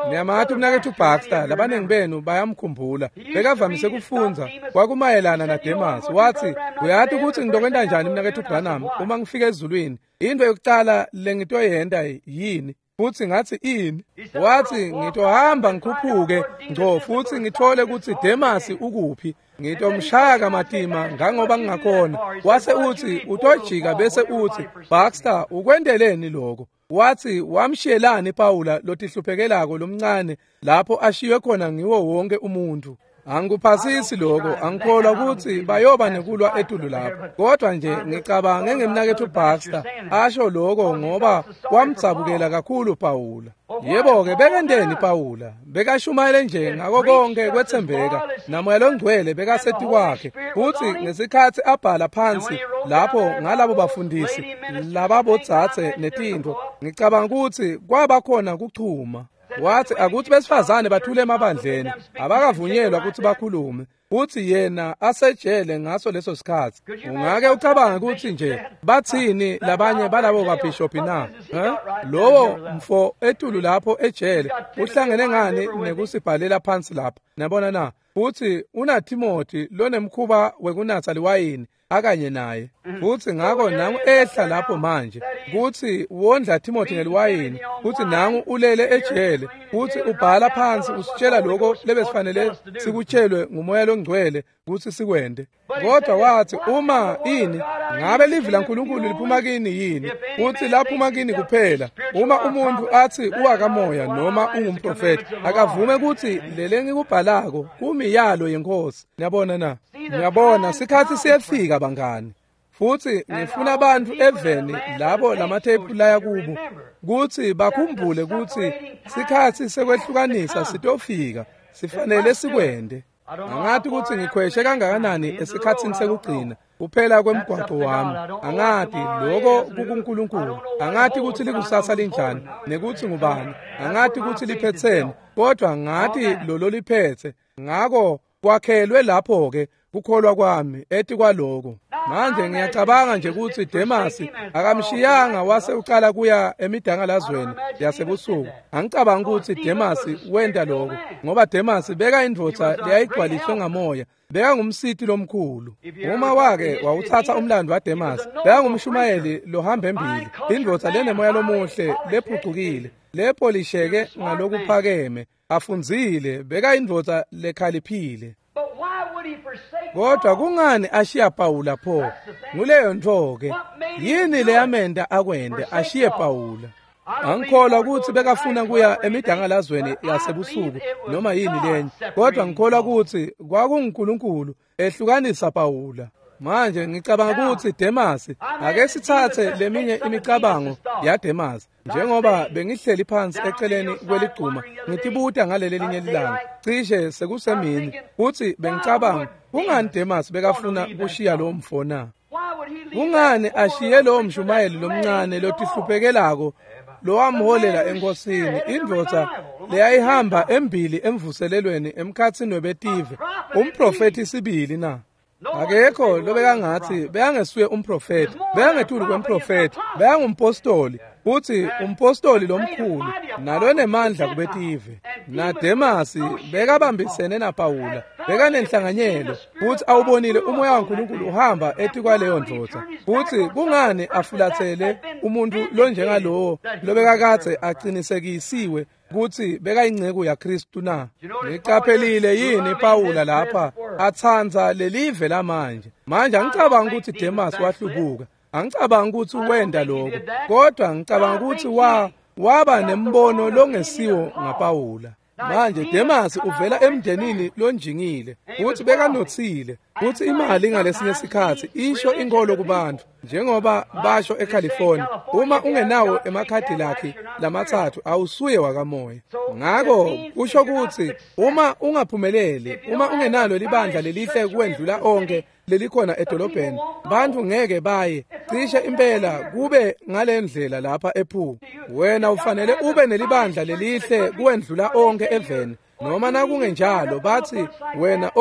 [SPEAKER 1] Niyamati umnaketfu Baxter, labaningi benu bayamkhumbula. Bekavamise kufundza kwakumayelana naDemas. Wathi, uyati ukuthi ngitokwenta njani mnaketfu Branham uma ngifika ezulwini? Into yokucala lengitoyenta yini? Futhi ngathi ini? Wathi, ngitohamba ngikhuphuke ngco futhi ngithole ukuthi Demas ukuphi. Ngitomshaya kamatima ngangoba ngingakhona. Wase uthi utojika bese uthi, Baxter, ukwenteleni lokho? Wathi, wamshiyelani Pawula lotihluphekelako lomncane lapho ashiywe khona ngiwo wonke umuntu? Angikuphasisi lokho, angikholwa ukuthi bayoba nekulwa etulu lapho. Kodwa nje ngicabange ngemnaketfu Baxter asho lokho ngoba wamdzabukela kakhulu Pawula. Yebo-ke bekenteni Pawula? Bekashumayele nje ngako konke kwetsembeka, naMoya loNgcwele bekasetikwakhe. Futhi ngesikhatsi abhala phansi lapho ngalabo bafundisi lababodzadze netintfo, ngicabanga ukuthi kwaba khona kuchuma. Wathi akuthi besifazane bathule emabandleni, abakavunyelwa ukuthi bakhulume. Futhi yena asejele ngaso leso sikhatsi. Ungake ucabange ukuthi nje bathini labanye balabo babhishophi na? Lowo mfo etulu lapho ejele uhlangene ngani nekusibhalela phansi lapha? Nabona na? Futhi unaTimothy lonemkhuba wekunatsa liwayini akanye naye. Futhi ngako nangu ehla lapho manje kuthi wondla Timothy ngeliwayini, futhi nangu ulele ejele, futhi ubhala phansi usitshela lokho lebesifanele sikutshelwe nguMoya loNgcwele kuthi sikwende. Kodwa wathi, uma ini ngabe livi laNkulunkulu liphuma kini yini? Futhi laphuma kini kuphela. Uma umuntu athi uwakamoya noma ungumprofeti, akavume ukuthi lele ngikubhalako kumiyalo yenkosi. Niyabona na? Niyabona sikhatsi siyefika bangani. Futhi ngifuna abantu eveni labo lamathephu laya kubo kuthi bakhumbule ukuthi sikhatsi sekwehlukanisa sitofika, sifanele sikwende. Angathi ukuthi ngikhweshe kangakanani esikhatsini sekugcina kuphela kwemgwaqo wami. Angathi lokho kukuNkulunkulu. Angathi ukuthi likusasa linjani nekuthi ngubani. Angathi ukuthi liphetheni, kodwa ngathi lolo liphethe. Ngako kwakhelwe lapho ke kukholwa kwami ethi kwaloko. Manje ngiyacabanga nje ukuthi Demas akamshiyanga wase uqala kuya emidangalazweni yasebusuku. Angicabanga ukuthi Demas wenta lokho, ngoba Demas beka indvodza leyayigcwaliswe ngamoya, beka ngumsiti lomkhulu. Uma wake wawuthatha umlando waDemas, beka ngumshumayeli lohamba embili, indvodza lenemoya lomuhle lephucukile, lepolisheke ngalokuphakeme, afundzile, beka indvodza lekhaliphile. Kodwa kungani ashiya Pawula pho? Nguleyo ntfo-ke. Yini leyamenta akwende ashiye Pawula? Angikholwa ukuthi bekafuna kuya emidangalazweni yasebusuku noma yini lenye, kodwa ngikholwa ukuthi kwakunguNkulunkulu ehlukanisa Pawula. Manje ngicabanga ukuthi Demas, ake sithathe leminye imicabango yaDemas. Njengoba bengihleli phansi eceleni kweligcuma ngitibuta ngaleli linye ilanga, cishe sekusemini, kuthi bengicabanga Kungani Demas bekafuna kushiya lo mfo na? Kungani ashiye lo mshumayeli lomncane lotihluphekelako lowamholela enkosini, indvodza leyayihamba embili emvuselelweni emkhatsini webetive, umprofethi sibili na? Akekho lobekangathi bekangesuye umprofethi, bekangetulu kwemprofethi, bekangumpostoli, futhi umpostoli lomkhulu nalonemandla kubetive. NaDemasi bekabambisene naPawula, bekanenhlanganyelo, futhi awubonile umoya waNkulunkulu uhamba etikwaleyo ndvodza. Futhi kungani afulathele umuntu lonjengalowo lobekakadze aqinisekisiwe kutsi bekayinceku yaKristu na? Niqaphelile yini Pawula lapha atsandza lelive lamanje? Manje angicabanga ukuthi Demas wahlubuka, angicabanga ukuthi wenda lokho, kodwa ngicabanga ukuthi waba nembono longesiwo ngaPawula. Manje Demas uvela emndenini lonjingile, futhi bekanothile, futhi imali ngalesinye sikhathi isho inkolo kubantu, njengoba basho eCalifornia, uma ungenawo emakhadi lakhe lamathathu awusuye wakamoya. Ngakho kusho ukuthi uma ungaphumeleli, uma ungenalo libandla lelihle kuwendlula onke lelikhona edolobheni, bantu ngeke baye cishe impela kube ngalendlela lapha ePhu. Wena ufanele ube nelibandla lelihle kuwendlula onke eveni, noma nakungenjalo bathi wena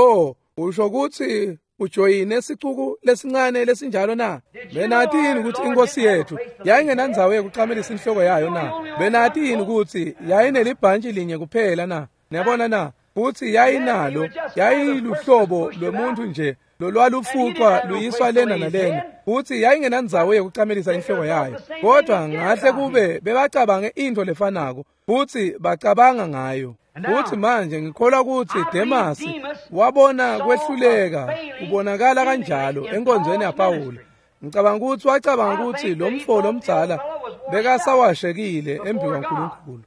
[SPEAKER 1] usho ukuthi ujoyine sicuku lesincane lesinjalo na? Benathi yini ukuthi inkosi yethu yayingenandzawo yokuqamelisa inhloko yayo na? Benathi yini ukuthi yayinelibhantshi linye kuphela na? Niyabona na? Futhi yayinalo, yayiluhlobo lwemuntu nje lolwalufuqwa luyiswa lena nalena, futhi yayingenandzawo yokuqamelisa inhloko yayo. Kodwa ngahle kube bebacabange into lefanako, futhi bacabanga ngayo. Futhi manje ngikholwa ukuthi Demas wabona kwehluleka kubonakala kanjalo enkonzweni yaPawula. Ngicabanga ukuthi wacabanga ukuthi lo mfo lomdzala bekasawashekile embi kwaNkulunkulu.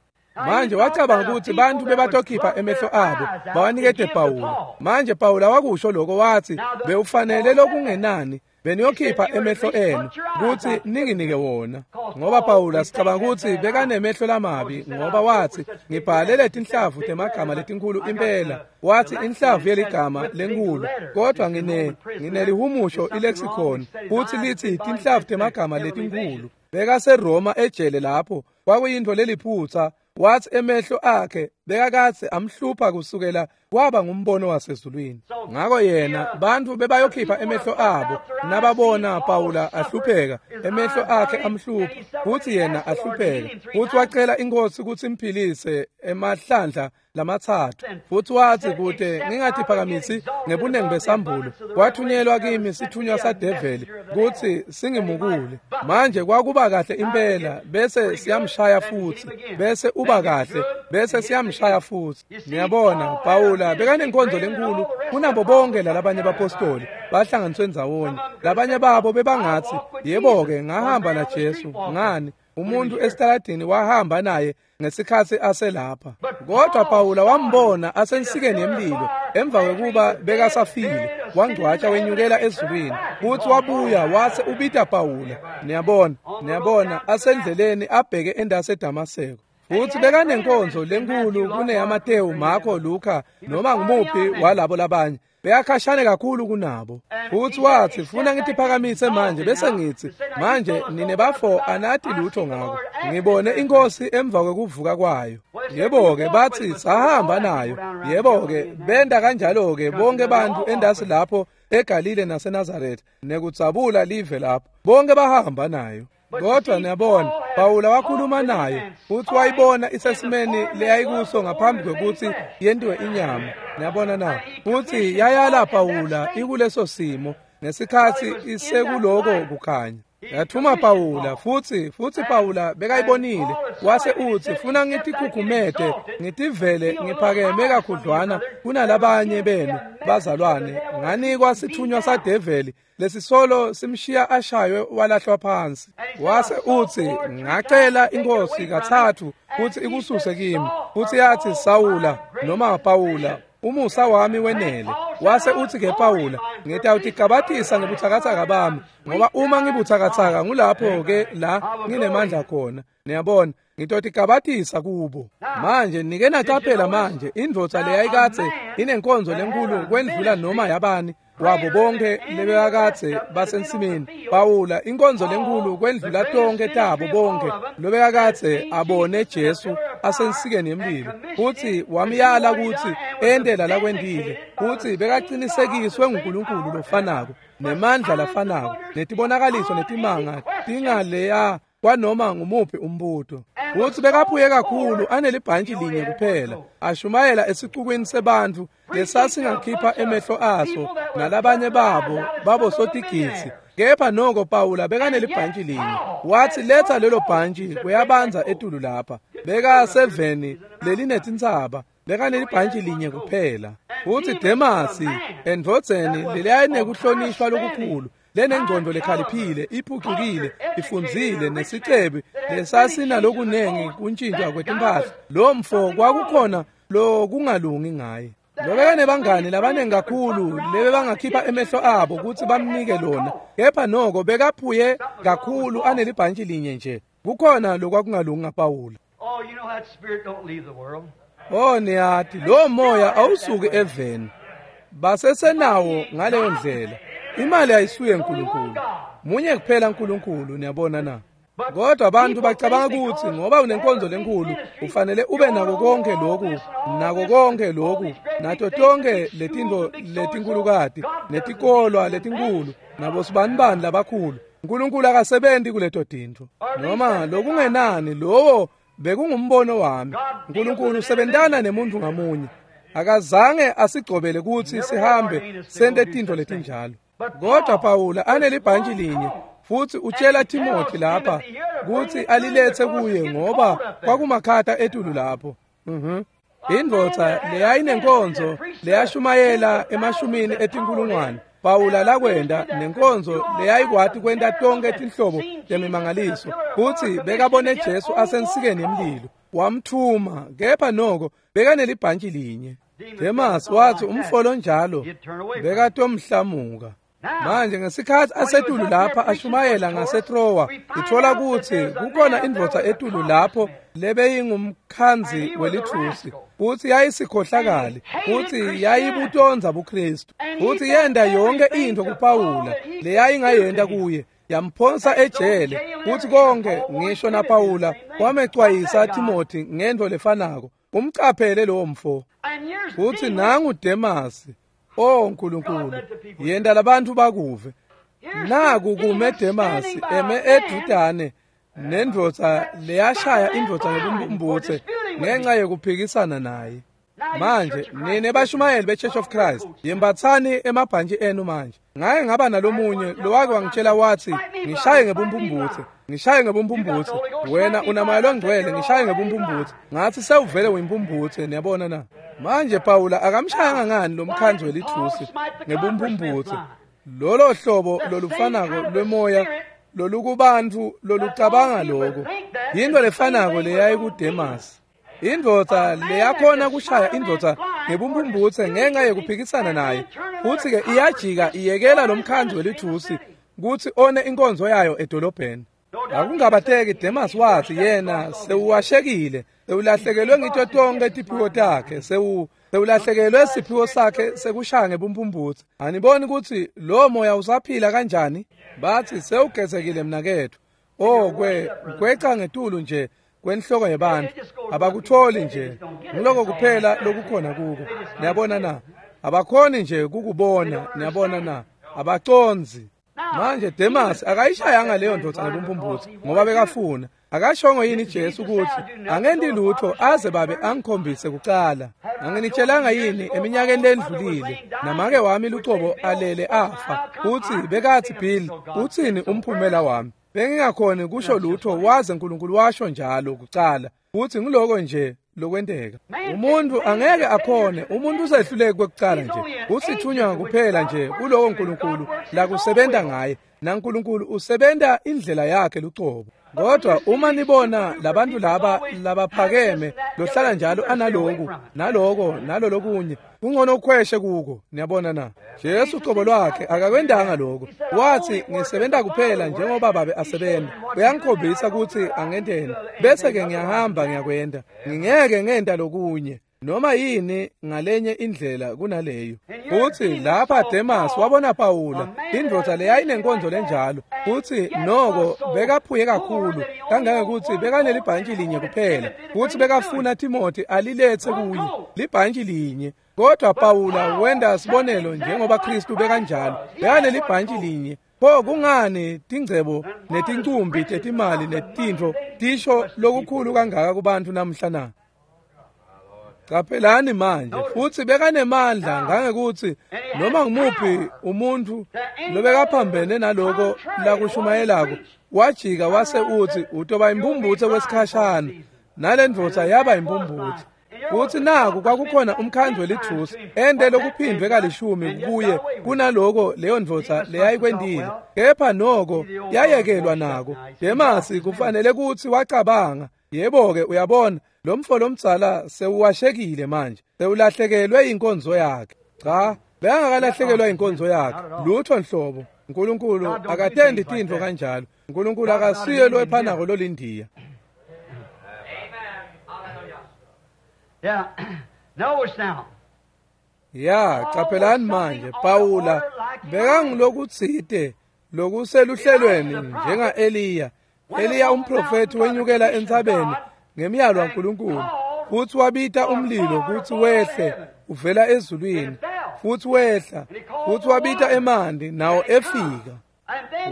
[SPEAKER 1] Manje wacabanga ukuthi bantu bebatokhipha emehlo abo bawanikete Pawula. Manje Pawula wakusho lokho, wathi bewufanele lokungenani beniyokhipha emehlo enu ukuthi ninginike wona. Ngoba Pawula sicabanga ukuthi bekanemehlo lamabi, ngoba wathi ngibhale letinhlavu temagama letinkulu impela, wathi inhlavu yeligama lenkulu, kodwa nginelihumusho ilexicon futhi lithi tinhlavu temagama letinkulu. BekaseRoma ejele lapho kwakuyinto leliphutha, wathi emehlo akhe bekakathe amhlupha kusukela kwaba ngumbono wasezulwini. Ngakho yena bantu bebayokhipha emehlo abo nababona Pawula ahlupheka, emehlo akhe amhlupha, futhi yena ahlupheka. Futhi wacela inkosi ukuthi imphilise emahlandla lamathathu, futhi wathi kude ngingathiphakamisi ngebuningi besambulo, kwathunyelwa kimi sithunywa sadeveli kuthi singimukule. Manje kwakuba kahle impela, bese siyamshaya futhi, bese uba kahle, bese siyamshaya futhi. Niyabona Pawula bekanenkonzo lenkulu kunabo bonke lalabanye bapostoli bahlanganiswe ndzawonye. Labanye babo bebangathi yebo-ke ngahamba naJesu, ngani umuntu esitaladini wahamba naye ngesikhathi aselapha. Kodwa Pawula wambona asensikeni yemlilo emva kwekuba bekasafile, wangcwatsha wenyukela ezulwini, futhi wabuya wase ubita Pawula. Niyabona, niyabona asendleleni abheke endase eDamaseko. Futhi bekanenkonzo lenkulu kuneyaMatewu, Marko, Luka noma ngumuphi walabo labanye, beyakhashane kakhulu kunabo. Futhi wathi funa ngitiphakamise manje, bese ngithi manje nine bafo anathi lutho ngako, ngibone inkosi emva kwekuvuka kwayo. Yebo-ke bathi sahamba nayo. Yebo-ke benda kanjalo-ke bonke bantu endasi lapho eGalile naseNazaretha nekudzabula live lapho, bonke bahamba nayo. Kodwa niyabona Pawula wakhuluma naye, futhi wayibona isesimeni leyayikuso ngaphambi kwekuthi yentiwe inyama. Niyabona na? Futhi yayala Pawula ikuleso simo ngesikhathi isekuloko kukhanya. Yathuma Pawula, futhi Pawula bekayibonile, wase uthi funa ngitikhukhumete ngitivele ngiphakeme kakhudlwana kunalabanye benu bazalwane, nganikwa sithunywa sadeveli lesisolo simshiya ashaywe walahlwa phansi. Wase uthi ngacela inkosi kathathu ukuthi ikususe kimi, futhi yathi Sawula noma Pawula umusa wami wenele. Wase uthi ke Pawula ngitawutigabatisa ngebuthakathaka bami, ngoba uma ngibuthakathaka ngulapho ke la nginemandla khona. Niyabona, Ngitotigabatisa kubo. Manje nike nacaphela manje indvodza leyayikadze inenkonzo lenkulu kwendlula noma yabani wabo bonke lebekakadze basensimini. Pawula inkonzo lenkulu kwendlula tonke tabo bonke lobekakadze abone Jesu asensikeni yemlilo, futsi wamyala kutsi ente lalakwentile, futsi bekacinisekiswe nguNkulunkulu lofanako nemandla lafanako netibonakaliso netimanga tingaleya kwanoma ngumuphi umbuto. Futsi bekaphuye kakhulu anelibhantshi linye kuphela, ashumayela esicukwini sebantfu lesasingakhipha emehlo aso nalabanye babo babosotigitsi. Kepha noko Pawula bekanelibhantshi linye. Watsi letha lelo bhantshi kuyabanza etulu lapha. Bekaseveni lelinetintsaba, bekanelibhantshi linye kuphela. Futsi Demasi endvodzeni leyayinekuhlonishwa lokukhulu, lenengcondo lekhaliphile, iphucukile, ifundzile, nesicebi lesasinalokunengi kuntjintjwa kwetimpahla, lo mfo kwakukhona lokungalungi ngaye. Lobekanebangani labanengi kakhulu lebebangakhipha emehlo abo kutsi bamnike lona, kepha noko bekaphuye kakhulu anelibhantshi linye nje. Kukhona lokwakungalungi ngaPawula. Oh, niyati lo moya awusuki eveni, basesenawo ngaleyo ndlela. Imali ayisuye uNkulunkulu, munye kuphela uNkulunkulu, niyabona na? Kodwa abantu bacabanga ukuthi ngoba unenkonzo lenkulu ufanele ube nako konke lokhu, nako konke lokhu, nato tonke letinto letinkulukati netikolwa letinkulu nabo sibanibani labakhulu. uNkulunkulu akasebenzi kuleto tintfo, noma lokungenani lowo bekungumbono wami. uNkulunkulu usebentana nemuntu ngamunye. Akazange asigcobele kutsi sihambe sente tintfo letinjalo. Kodwa Pawula anelibhantshi linye, futsi utshela Timothy lapha kutsi alilethe kuye ngoba kwakumakhata etulu lapho. Indvodza leyayinenkonzo leyashumayela emashumini etinkulungwane, Pawula lakwenda nenkonzo leyayikwati kwenta tonke tinhlobo temimangaliso, futsi bekabone Jesu asensikeni yemlilo, wamthuma, kepha noko bekanelibhantshi linye. Demas watsi umfolo njalo bekatomhlamuka. Manje ngesikhatsi asetulu lapha ashumayela ngaseTrowa, ithola kutsi kukhona indvodza etulu lapho lebeyingumkhandzi welithusi, futsi yayisikhohlakali, futsi yayibutonza buKristu, futsi yenta yonke intfo kuPawula leyayingayenta kuye, yamphonsa ejele. Futsi konke ngisho naPawula wamecwayisa Timothy ngentfo lefanako, umcaphele lowo mfo. Futsi nangu Demasi. Oh Nkulunkulu, yenta labantu bakuve. Naku kume Demasi eme edudane nendvodza leyashaya indvodza ngebumbumbutse ngenxa yekuphikisana naye. Manje nine bashumayeli be-Church of Christ, yembatsani emabhantshi enu manje. Ngaye ngaba nalomunye lowake wangitshela wathi ngishaye ngebumbumbutse, ngishaye ngebumbumbutse, wena unamoya longcwele, ngishaye ngebumbumbutse. Ngathi sewuvele uyimbumbutse, niyabona na? Manje Pawula akamshayanga ngani lo mkhandzi welithusi ngebumbumbutse? Lolo hlobo lolufanako lwemoya lolukubantfu lolucabanga loko yinto lefanako leyayikuDemasi. Indvodza leyakhona kushaya indvodza ngebumbumbutse ngenxa yekuphikisana naye, futsi-ke iyajika iyekela lo mkhandzi welithusi kutsi one inkonzo yayo edolobheni. Akungabateki Demas watsi yena sewuwashekile, sewulahlekelwe ngito tonke tiphiwo takhe, sewulahlekelwe siphiwo sakhe sekushaya ngebumbumbutse. Aniboni kutsi lo moya usaphila kanjani? Batsi sewugezekile mnaketfu. Oh, kweca ngetulu nje kwenhloko yebantu, abakutholi nje, ngiloko kuphela lokukhona kuko. Niyabona na? Abakhoni nje kukubona, niyabona na? Abaconzi. Manje Demas akayishayanga leyo ndvodza ngebumbumbutse ngoba bekafuna. Akashongo yini Jesu kutsi angenti lutho aze babe angikhombise kucala? Anginitshelanga yini eminyakeni lendlulile namake wami lucobo alele afa, utsi bekathi Bill utsini umphumela wami? Bengingakhoni kusho lutho waze uNkulunkulu washo njalo kucala. Futhi ngiloko nje lokwenteka. Umuntu angeke akhone, umuntu usehluleke kwekucala nje. Usithunywa kuphela nje kuloko uNkulunkulu la kusebenta ngaye, naNkulunkulu usebenta indlela yakhe lucobo. Kodwa uma nibona labantu laba labaphakeme lohlala njalo analoku naloko nalolokunye, kungcono ukhweshe kuko. Niyabona na? Jesu ucobo lwakhe akakwendanga lokho. Wathi ngisebenza kuphela njengoba babe asebenza. Uyangikhombisa ukuthi angenteni, bese ke ngiyahamba ngiyakwenda. Ngingeke ngenta lokunye noma yini ngalenye indlela kunaleyo. Futhi lapha Demas wabona Pawula, indvodza leyayinenkonzo lenjalo, futhi noko bekaphuye kakhulu kangangekuthi bekanelibhantshi linye kuphela, futhi bekafuna Timothy alilethe kuye libhantshi linye. Kodwa Pawula wenda sibonelo njengoba Kristu bekanjalo, bekanelibhantshi linye. Pho kungani tingcebo netincumbi tetimali netintfo tisho lokukhulu kangaka kubantu namhla na? Qaphelani manje, futhi bekanemandla ngangekuthi noma ngumuphi umuntu lobekaphambene naloko lakushumayelako wajika wase uthi utoba impumbuthe kwesikhashana, nalendvodza yaba impumbuthe. Futhi naku kwakukhona umkhandlu welithusi ende lokuphindwe kalishumi kuye kunaloko leyo ndvodza leyayikwendile, kepha noko yayekelwa nako. Demasi kufanele kuthi wacabanga, yebo-ke uyabona, lo mfo lomdzala sewuwashekile manje, sewulahlekelwe inkonzo yakhe. Cha, bekangakalahlekelwa inkonzo yakhe lutho nhlobo. uNkulunkulu akatendi tintfo kanjalo. uNkulunkulu akasiye loephanako lolindiya. Ya, qaphelani manje, Pawula bekangilokutsite lokuseluhlelweni njenga Eliya. Eliya umprofeti wenyukela entsabeni ngemiyalo kaNkulunkulu, futhi wabita umlilo kuthi wehle uvela ezulwini, futhi wehla, futhi wabita emanti nawo efika.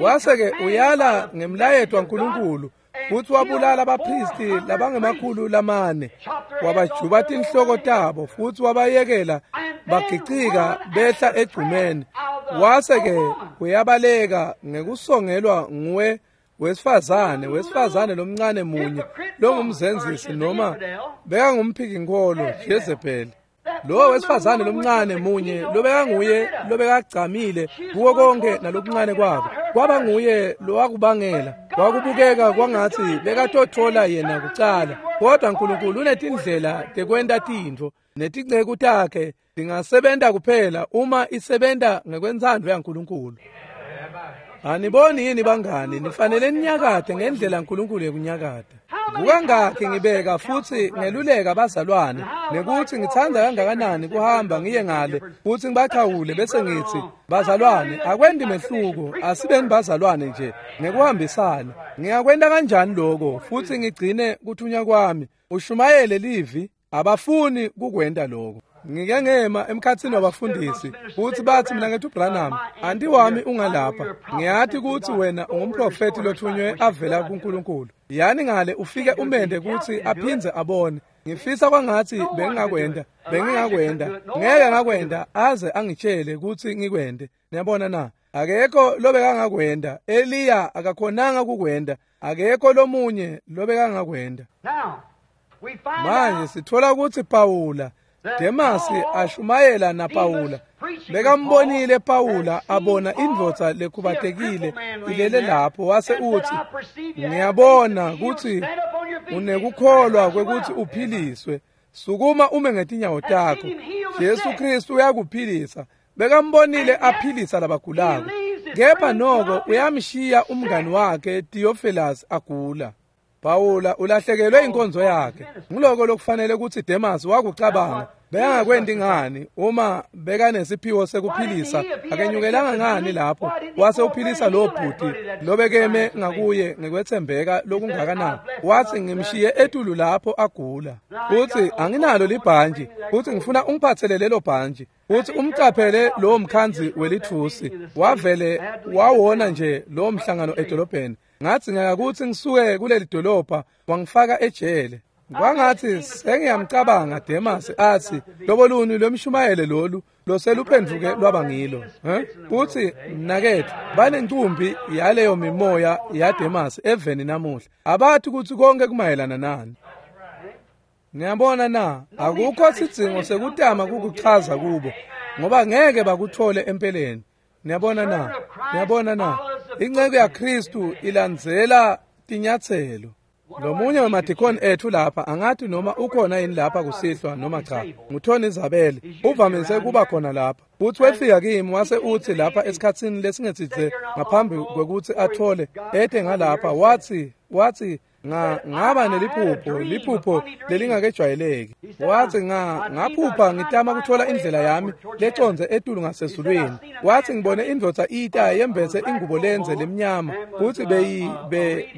[SPEAKER 1] Wase-ke uyala ngemlayeto waNkulunkulu, futhi wabulala abaphristi labangemakhulu lamane, wabajuba tinhloko tabo, futhi wabayekela bagicika behla egcumeni. Wase-ke uyabaleka ngekusongelwa nguwe wesifazane lomncane munye longumzenzisi, noma bekangumphiki-nkholo Jezebeli. Lo wesifazane lomncane munye lobekanguye lobekagcamile kuwo konke nalokuncane kwabo, kwaba nguye lowakubangela kwakubukeka kwangathi bekatothola yena kucala. Kodwa uNkulunkulu unetindlela tekwenta tintfo, netinceku takhe tingasebenta kuphela uma isebenta ngekwentsandvo yaNkulunkulu. Aniboni yini bangani, nifanele ninyakade ngendlela uNkulunkulu yekunyakada. Kukangakhi ngibeka futhi ngeluleka bazalwane nekuthi ngithanda kangakanani kuhamba ngiye ngale futhi ngibachawule bese ngithi, bazalwane, akwendi mehluko, asibeni bazalwane nje ngekuhambisana. Ngiyakwenta kanjani lokho futhi ngigcine kuthunywa kwami, ushumayele livi? Abafuni kukwenta lokho. Ngike ngema emkhathini wabafundisi futhi bathi mina ngethu Branham, anti wami ungalapha, ngiyathi ukuthi wena ungumprofeti lothunywe avela kuNkulunkulu. Yani ngale ufike umende ukuthi aphindze abone. Ngifisa kwangathi bengingakwenda, ngeke ngakwenda aze angitshele ukuthi ngikwende. Niyabona na? Akekho lobekangakwenda. Eliya akakhonanga kukwenda, akekho lomunye lobekangakwenda. Manje sithola ukuthi Pawula, Demasi ashumayela naPawula, bekambonile Pawula abona indvodza lekhubatekile ilele lapho, wase uthi, ngiyabona ukuthi unekukholwa kwekuthi uphiliswe, sukuma ume ngetinyawo takho, Jesu Kristu uyakuphilisa. Bekambonile aphilisa labagulako, kepha noko uyamshiya umngani wakhe Theophilus agula. Pawula ulahlekelwe inkonzo yakhe. Ngiloko lokufanele ukuthi Demas wakucabanga. Bekangakwendi ngani uma bekanesiphiwo sekuphilisa, akenyukelanga ngani lapho wase uphilisa lo bhuti lobekeme ngakuye ngekwethembeka lokungakanani. Wathi ngimshiye etulu lapho agula, futhi anginalo libhantshi, futhi ngifuna ungiphathele lelo bhantshi. Futhi umcaphele lowo mkhanzi welithusi, wavele wawona nje lowo mhlangano edolobheni. Ngathi ngiyakakuthi ngisuke kuleli dolobha, wangifaka ejele. Kwangathi sengiyamcabanga Demas athi loboluni lwemshumayele lolu loseluphenduke lwaba ngilo. Futhi mnakethu, banencumbi yaleyo mimoya yaDemas eveni namuhla. Abathi ukuthi konke kumayelana nani. Ngiyabona na, akukho sidzingo sekutama kukuchaza kubo, ngoba ngeke bakuthole empeleni. Niyabona na? Niyabona na? Inceku yaKristu ilandzela tinyatselo. Lomunye wemadikoni ethu lapha, angathi noma ukhona yini lapha kusihlwa noma cha, nguTony Zabel, uvamise kuba khona lapha. Uthi wefika kimi wase uthi lapha esikhatsini lesingetsitse ngaphambi kwekuthi athole ete ngalapha, wathi ngaba neliphupho, liphupho lelingakejwayeleki. Wathi ngaphupha ngitama kuthola indlela yami leconze etulu ngasezulwini. Wathi ngibone indvodza ita yembetse ingubo lenze lemnyama, kuthi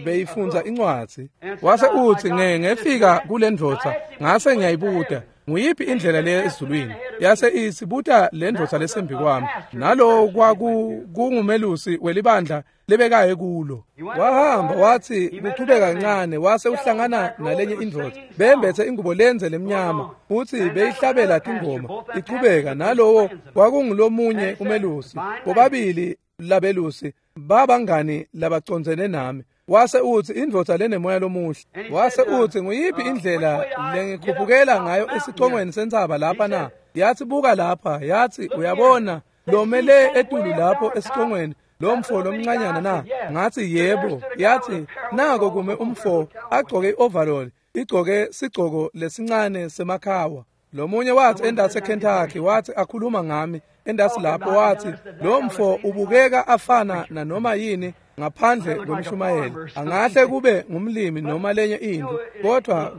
[SPEAKER 1] beyifunza incwadzi. Wase uthi ngefika kule ndvodza ngase ngiyayibuta, nguyiphi indlela leya ezulwini? Yase isibuta le ndvodza lesembi kwami, nalowo kwakungumelusi welibandla lebekaye kulo. Wahamba wathi kuchubeka kancane, wase uhlangana nalenye indvodza bembethe ingubo lenze lemnyama, uthi beyihlabela tingoma ichubeka, nalowo kwakungulomunye umelusi. Bobabili labelusi babangani labacondzene nami. Wase uthi indvodza lenemoya lomuhle. Wase uthi nguyiphi indlela lengikhuphukela ngayo esicongweni sentsaba lapha na? Yathi buka lapha, yathi uyabona lomele etulu lapho esicongweni lo mfo lomncanyana na? Ngathi yebo. Yathi nako kume umfo agcoke i-overall, igcoke sigcoko lesincane semakhawa. Lomunye wathi endase eKentucky, wathi akhuluma ngami endasi lapho, wathi lo mfo ubukeka afana nanoma yini ngaphandle kwemshumayeli, angahle kube ngumlimi noma lenye into,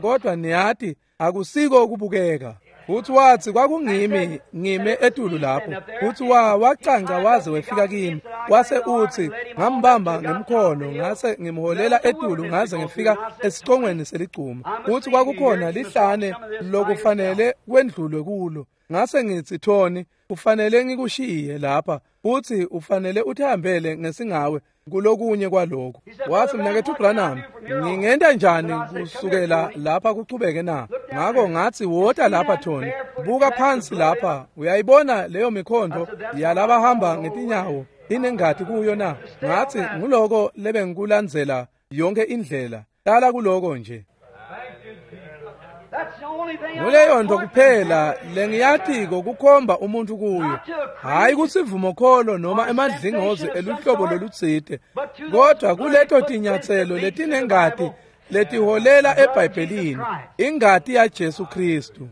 [SPEAKER 1] kodwa niyati akusiko ukubukeka. Futhi wathi kwakungimi ngime etulu lapho, futhi wacanca waze wefika kimi. Wase uthi ngambamba ngemkhono ngase ngimholela etulu ngaze ngifika esicongweni seligcuma. Futhi kwakukhona lihlane lokufanele kwendlulwe kulo. Ngase ngithi Tony, ufanele ngikushiye lapha, futhi ufanele uthambele ngesingawe kulokunye kwalokho. Wathi mnakethu Branham, ngingenta njani kusukela lapha kuchubeke na? Ngakho ngathi wota lapha Tony, buka phansi lapha, uyayibona leyo mikhondo yalabahamba ngetinyawo inengati kuyo na? Ngathi nguloko lebengikulandzela yonke indlela, hlala kuloko nje. Nguleyo nto kuphela lengiyatiko kukhomba umuntu kuyo, hayi kusivumokholo noma emadlingozi eluhlobo lolutsite, kodwa kuleto tinyatselo letinengati letiholela eBhayibhelini, ingati yaJesu Kristu.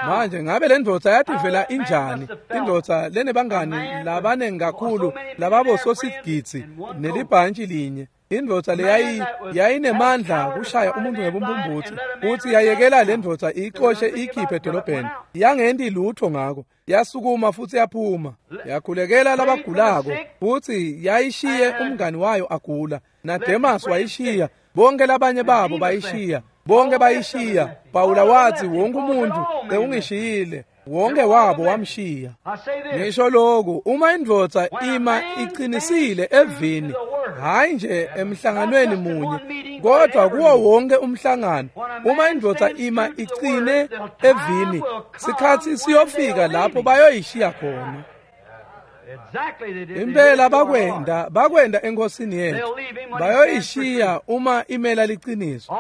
[SPEAKER 1] Manje ngabe le ndvodza yativela injani, indvodza lenebangani labanengi kakhulu lababososigidzi nelibhantshi linye, indvodza leyayinemandla kushaya umuntu ngebumbumbutsi, futhi yayekela le ndvodza iyixoshe iyikhiphe edolobheni, yangenti lutho ngako, yasukuma futhi yaphuma, yakhulekela labagulako, futhi yayishiye umngani wayo agula, naDemas wayishiya, bonke labanye babo bayishiya, bonke bayishiya. Pawula wathi wonke umuntu sewungishiyile, wonke wabo wamshiya. Ngisho lokhu, uma indvodza ima iqinisile evini, hayi nje emhlanganweni munye, kodwa kuwo wonke umhlangano, uma indvodza ima iqine evini, sikhathi siyofika lapho bayoyishiya khona. Impela bakwenda enkosini yethu, bayoyishiya uma imela liqiniso.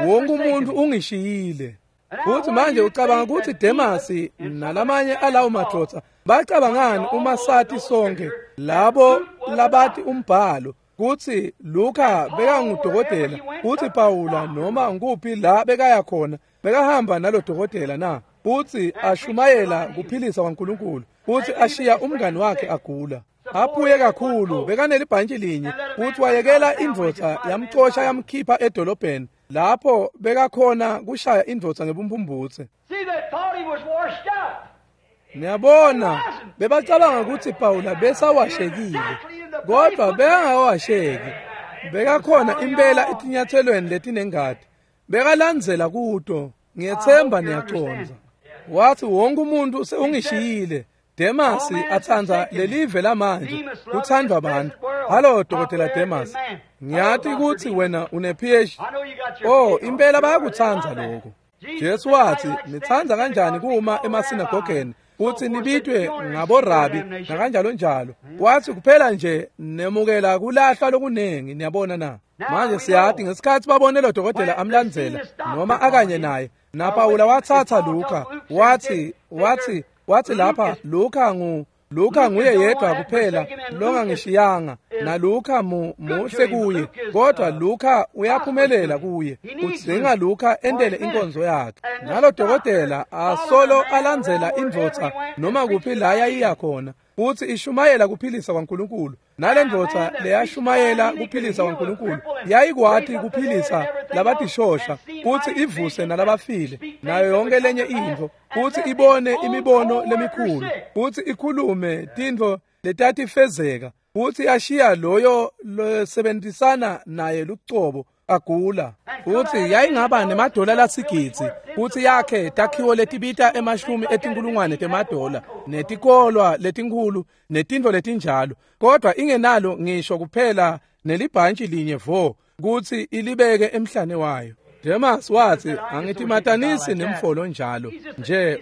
[SPEAKER 1] Wonke umuntu ungishiyile. Futhi manje ucabanga ukuthi Demasi nalamanye alawo madoda bacabangani uma sathi sonke labo labathi umbhalo kuthi Luka bekangudokotela, kuthi Pawula noma nguphi la bekaya khona bekahamba nalo dokotela na, futhi ashumayela kuphilisa kwaNkulunkulu, futhi ashiya umngani wakhe agula aphuye kakhulu, bekanelibhantshi linye, futhi wayekela indvodza yamxosha yamkhipha edolobheni lapho bekakhona kushaya indvodza ngebumbumbutse. Niyabona, bebacabanga ukuthi Pawula besawashekile, kodwa bekangawasheki, bekakhona impela etinyathelweni letinengati, bekalandzela kuto. Ngiyethemba niyacondza. Wathi wonke umuntu sewungishiyile. Demasi atsandza lelive lamanje, kuthandwa abantu. Hallo Dokotela Demas, ngiyati ukuthi wena une PhD. Oh, impela bayakutsandza lokho. Jesu wathi nitsandza kanjani kuma emasinagogeni futhi nibitwe ngaborabi nakanjalo njalo. Wathi kuphela nje nemukela kulahlwa lokunengi, niyabona na. Manje siyathi ngesikhathi babone lo dokotela amlandzela noma akanye naye, naPawula wathatha Luka, wathi lapha Luka nguye yedwa kuphela longangishiyanga. naLukha muhle kuye, kodwa Lukha uyaphumelela kuye. Udzinga Lukha entele inkonzo yakhe. Nalo dokotela asolo alandzela indvodza noma kuphi la yayiya khona, futhi ishumayela kuphilisa kwaNkulunkulu. Nale ndvodza leyashumayela kuphilisa kwaNkulunkulu yayikwati kuphilisa labatishosha, futhi ivuse nalabafile, nayo yonke lenye intfo, futhi ibone imibono lemikhulu, futhi ikhulume tintfo letatifezeka, futhi yashiya loyo losebentisana naye lucobo agula. Futhi yayingaba nemadola lasigidzi, futhi yakhe takhiwo letibita emashumi etinkulungwane temadola, netikolwa letinkhulu, netintfo letinjalo, kodwa ingenalo ngisho kuphela nelibhantshi linye vo kutsi ilibeke emhlane wayo. Demas wathi, angitimatanisi nemfolo njalo nje,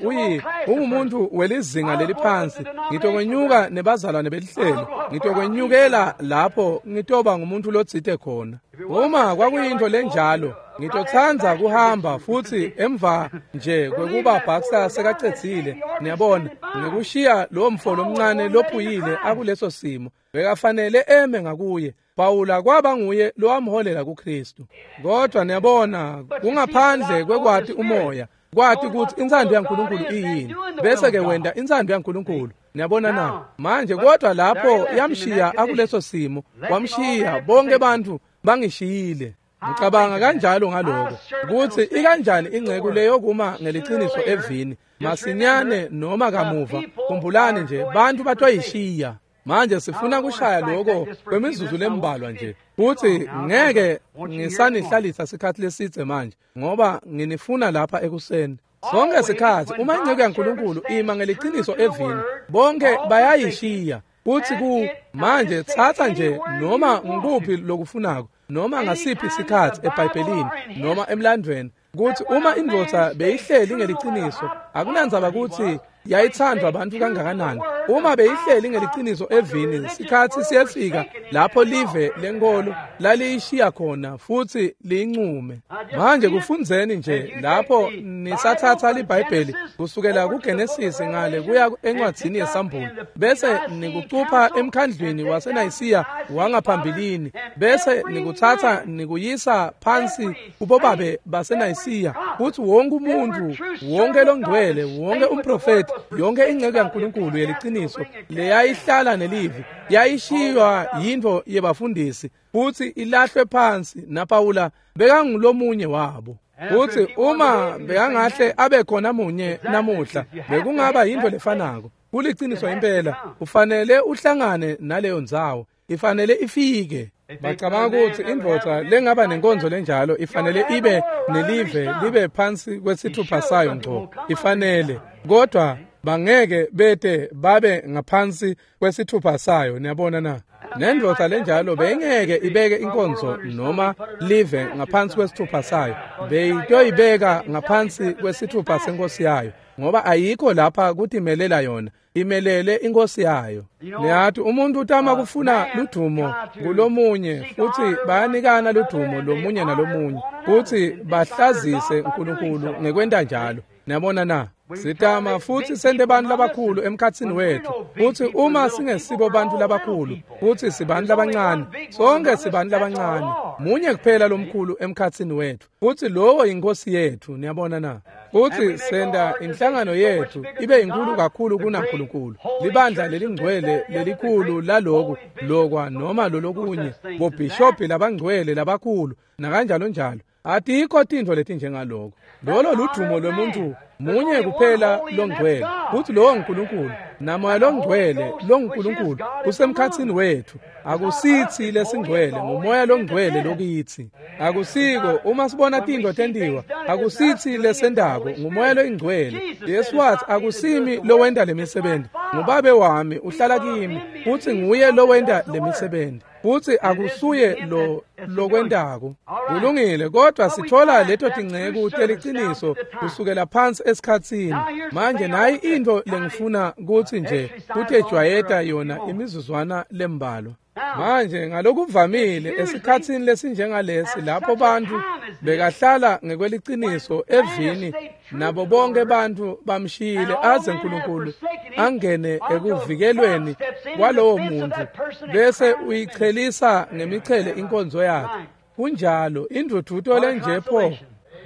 [SPEAKER 1] ungumuntu welizinga leliphansi. Ngitokwenyuka nebazalwane belihlelo, ngitokwenyukela lapho ngitoba ngumuntu lotsite khona. Uma kwakuyinto lenjalo, ngitotsandza kuhamba futhi emva nje kwekuba Baxter sekacedzile, niyabona, ngikushiya lo mfolo omncane lophuyile akuleso simo. Bekafanele eme ngakuye. Pawula kwaba nguye lowamholela kuKristu. Kodwa niyabona, kungaphandle kwekwati umoya, kwati ukuthi intsando yaNkulunkulu iyini, bese ke wenta intsando yaNkulunkulu. Niyabona na? Manje kodwa lapho yamshiya akuleso simo, wamshiya, bonke bantu bangishiyile. Ngicabanga kanjalo ngaloko, ukuthi ikanjani ingceku leyo kuma ngeliciniso evini masinyane noma kamuva. Khumbulani nje, bantu batoyishiya. Manje sifuna kushaya lokho kwemizuzu lembalwa nje, futhi ngeke ngisanihlalisa sikhathi lesidze manje, ngoba nginifuna lapha ekuseni. Sonke sikhathi uma ingceku yaNkulunkulu ima ngeliciniso evini, bonke bayayishiya. Futhi ku manje thatha nje noma ngikuphi lokufunako, noma ngasiphi isikhathi eBhayibhelini noma emlandweni, kuthi uma indvodza beyihleli ngeliciniso, akunandzaba ukuthi yayithandwa abantu kangakanani, uma beyihleli ngeliciniso evini, sikhathi siyefika lapho live lenkolo laliyishiya khona futhi liyincume. Manje kufundzeni nje lapho nisathatha liBhayibheli kusukela kuGenesis ngale kuya encwadzini yeSambulo, bese nikucupha emkhandlwini waseNayisiya wangaphambilini, bese nikuthatha nikuyisa phansi kubobabe baseNayisiya, futhi wonke umuntu, wonke longcwele, wonke umprofeti, yonke ingceku yaNkulunkulu yeliciniso leyayihlala nelivi yayishiywa yintfo yebafundisi futhi ilahlwe phansi, naPawula bekangulomunye wabo. Futhi uma bekangahle abe khona munye namuhla, bekungaba yintfo lefanako. Kuliciniso impela, ufanele uhlangane naleyo ndzawo, ifanele ifike. Bacabanga ukuthi indvodza lengaba nenkonzo lenjalo ifanele ibe nelive libe phansi kwesithupha sayo ngco, ifanele, kodwa bangeke bete babe ngaphansi kwesithupha sayo. Niyabona na? Nendvodza lenjalo beyingeke ibeke inkonzo noma live ngaphansi kwesithupha sayo, beyitoyibeka ngaphansi kwesithupha senkosi yayo, ngoba ayikho lapha kutimelela yona, imelele inkosi yayo. Niyathi umuntu utama kufuna ludumo kulomunye, futhi bayanikana ludumo lomunye nalomunye, futhi bahlazise uNkulunkulu ngekwenta njalo. Niyabona na? Sitama futhi sente bantu labakhulu emkhatsini wethu, futhi uma singesibo bantu labakhulu, futhi sibantu labancane, sonke sibantu labancane, munye kuphela lomkhulu emkhatsini wethu, futhi lowo inkosi yethu. Niyabona na? Futhi senda inhlangano yethu ibe inkulu kakhulu kunaNkulunkulu, libandla lelingcwele lelikhulu laloku lokwa noma lolokunye, bobhishobhi labangcwele labakhulu nakanjalo njalo. Atikho tintfo letinjengaloko. Lolo ludumo lwemuntu munye kuphela longcwele, futhi lowo nguNkulunkulu, namoya longcwele longuNkulunkulu usemkhatsini wethu. Akusithi lesingcwele, ngumoya longcwele lokithi. Akusiko uma sibona tintfo tentiwa, akusithi lesendako, ngumoya loyingcwele. Yesu wathi, akusimi lowenta lemisebenzi, ngubabe wami uhlala kimi, futhi nguye lowenta lemisebenzi, futhi akusuye lo lokwentako. Kulungile, kodwa sithola leto tingceku teliciniso kusukela phansi esikhatsini. Manje nayi intfo lengifuna kutsi nje kutejwayeta yona imizuzwana lembalwa. Manje ngalokuvamile esikhatsini lesinjengalesi, lapho bantu bekahlala ngekweliciniso evini, nabo bonke bantu bamshiyile aze uNkulunkulu angene ekuvikelweni kwalowo muntu bese uyichelisa ngemichele inkonzo yakhe. Kunjalo, indvudvuto lenje pho.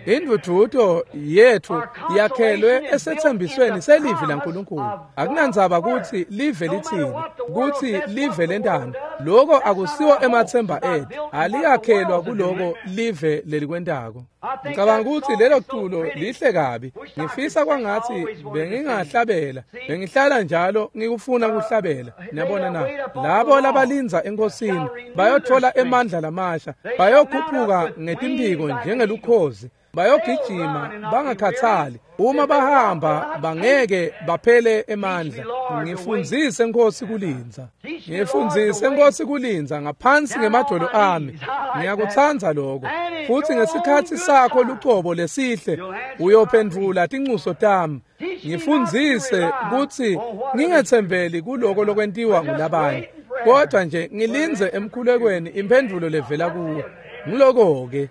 [SPEAKER 1] Indvudvuto yethu yakhelwe esethembisweni selivi laNkulunkulu. Akunandzaba kutsi live lithini, kutsi live lentani. Lokho akusiwo emathemba ethu. Aliyakhelwa kuloko live lelikwentako. Ngicabanga ukuthi lelo culo lihle kabi. Ngifisa kwangathi bengingahlabela. Bengihlala njalo ngikufuna kuhlabela. Niyabona na? Labo labalindza enkosini bayothola emandla lamasha, bayokhuphuka ngetimphiko njengelukhozi. Bayogijima bangakhathali, uma bahamba bangeke baphele emandla. Ngifundzise Nkosi kulindza, ngifundzise Nkosi kulindza ngaphansi ngemadolo ami. Ngiyakutsandza lokho. Futhi ngesikhatsi sakho lucobo lesihle uyophendvula tincuso tami. Ngifundzise kutsi ngingetsembeli kuloko lokwentiwa ngulabanye, kodwa nje ngilindze emkhulekweni imphendvulo levela kuwe. Ngiloko-ke.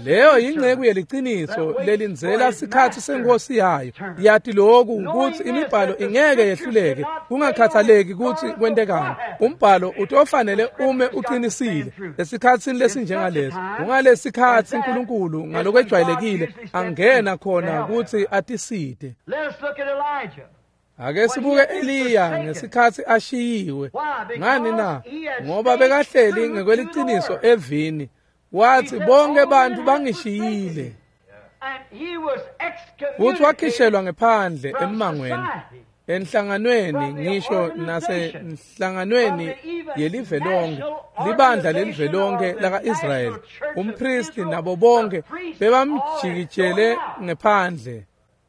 [SPEAKER 1] Leyo yingceku yeliciniso lelindzela sikhatsi senkosi yayo. Yati lokhu kutsi imibhalo ingeke yehluleke, kungakhathaleki kutsi kwentekani. Umbhalo utofanele ume uqinisile esikhatsini lesinjengaleso. Kungalesikhatsi uNkulunkulu ngalokwejwayelekile angena khona kutsi atisite. Ake sibuke Eliya ngesikhatsi ashiyiwe. Ngani na? Ngoba bekahleli ngekweliciniso evini. Wathi bonke bantu bangishiyile. Futhi wakhishelwa ngephandle emmangweni, enhlanganweni, ngisho nasenhlanganweni yelive lonke, libandla lelive lonke laka-Israyeli. Umpristi nabo bonke bebamjikijele ngephandle.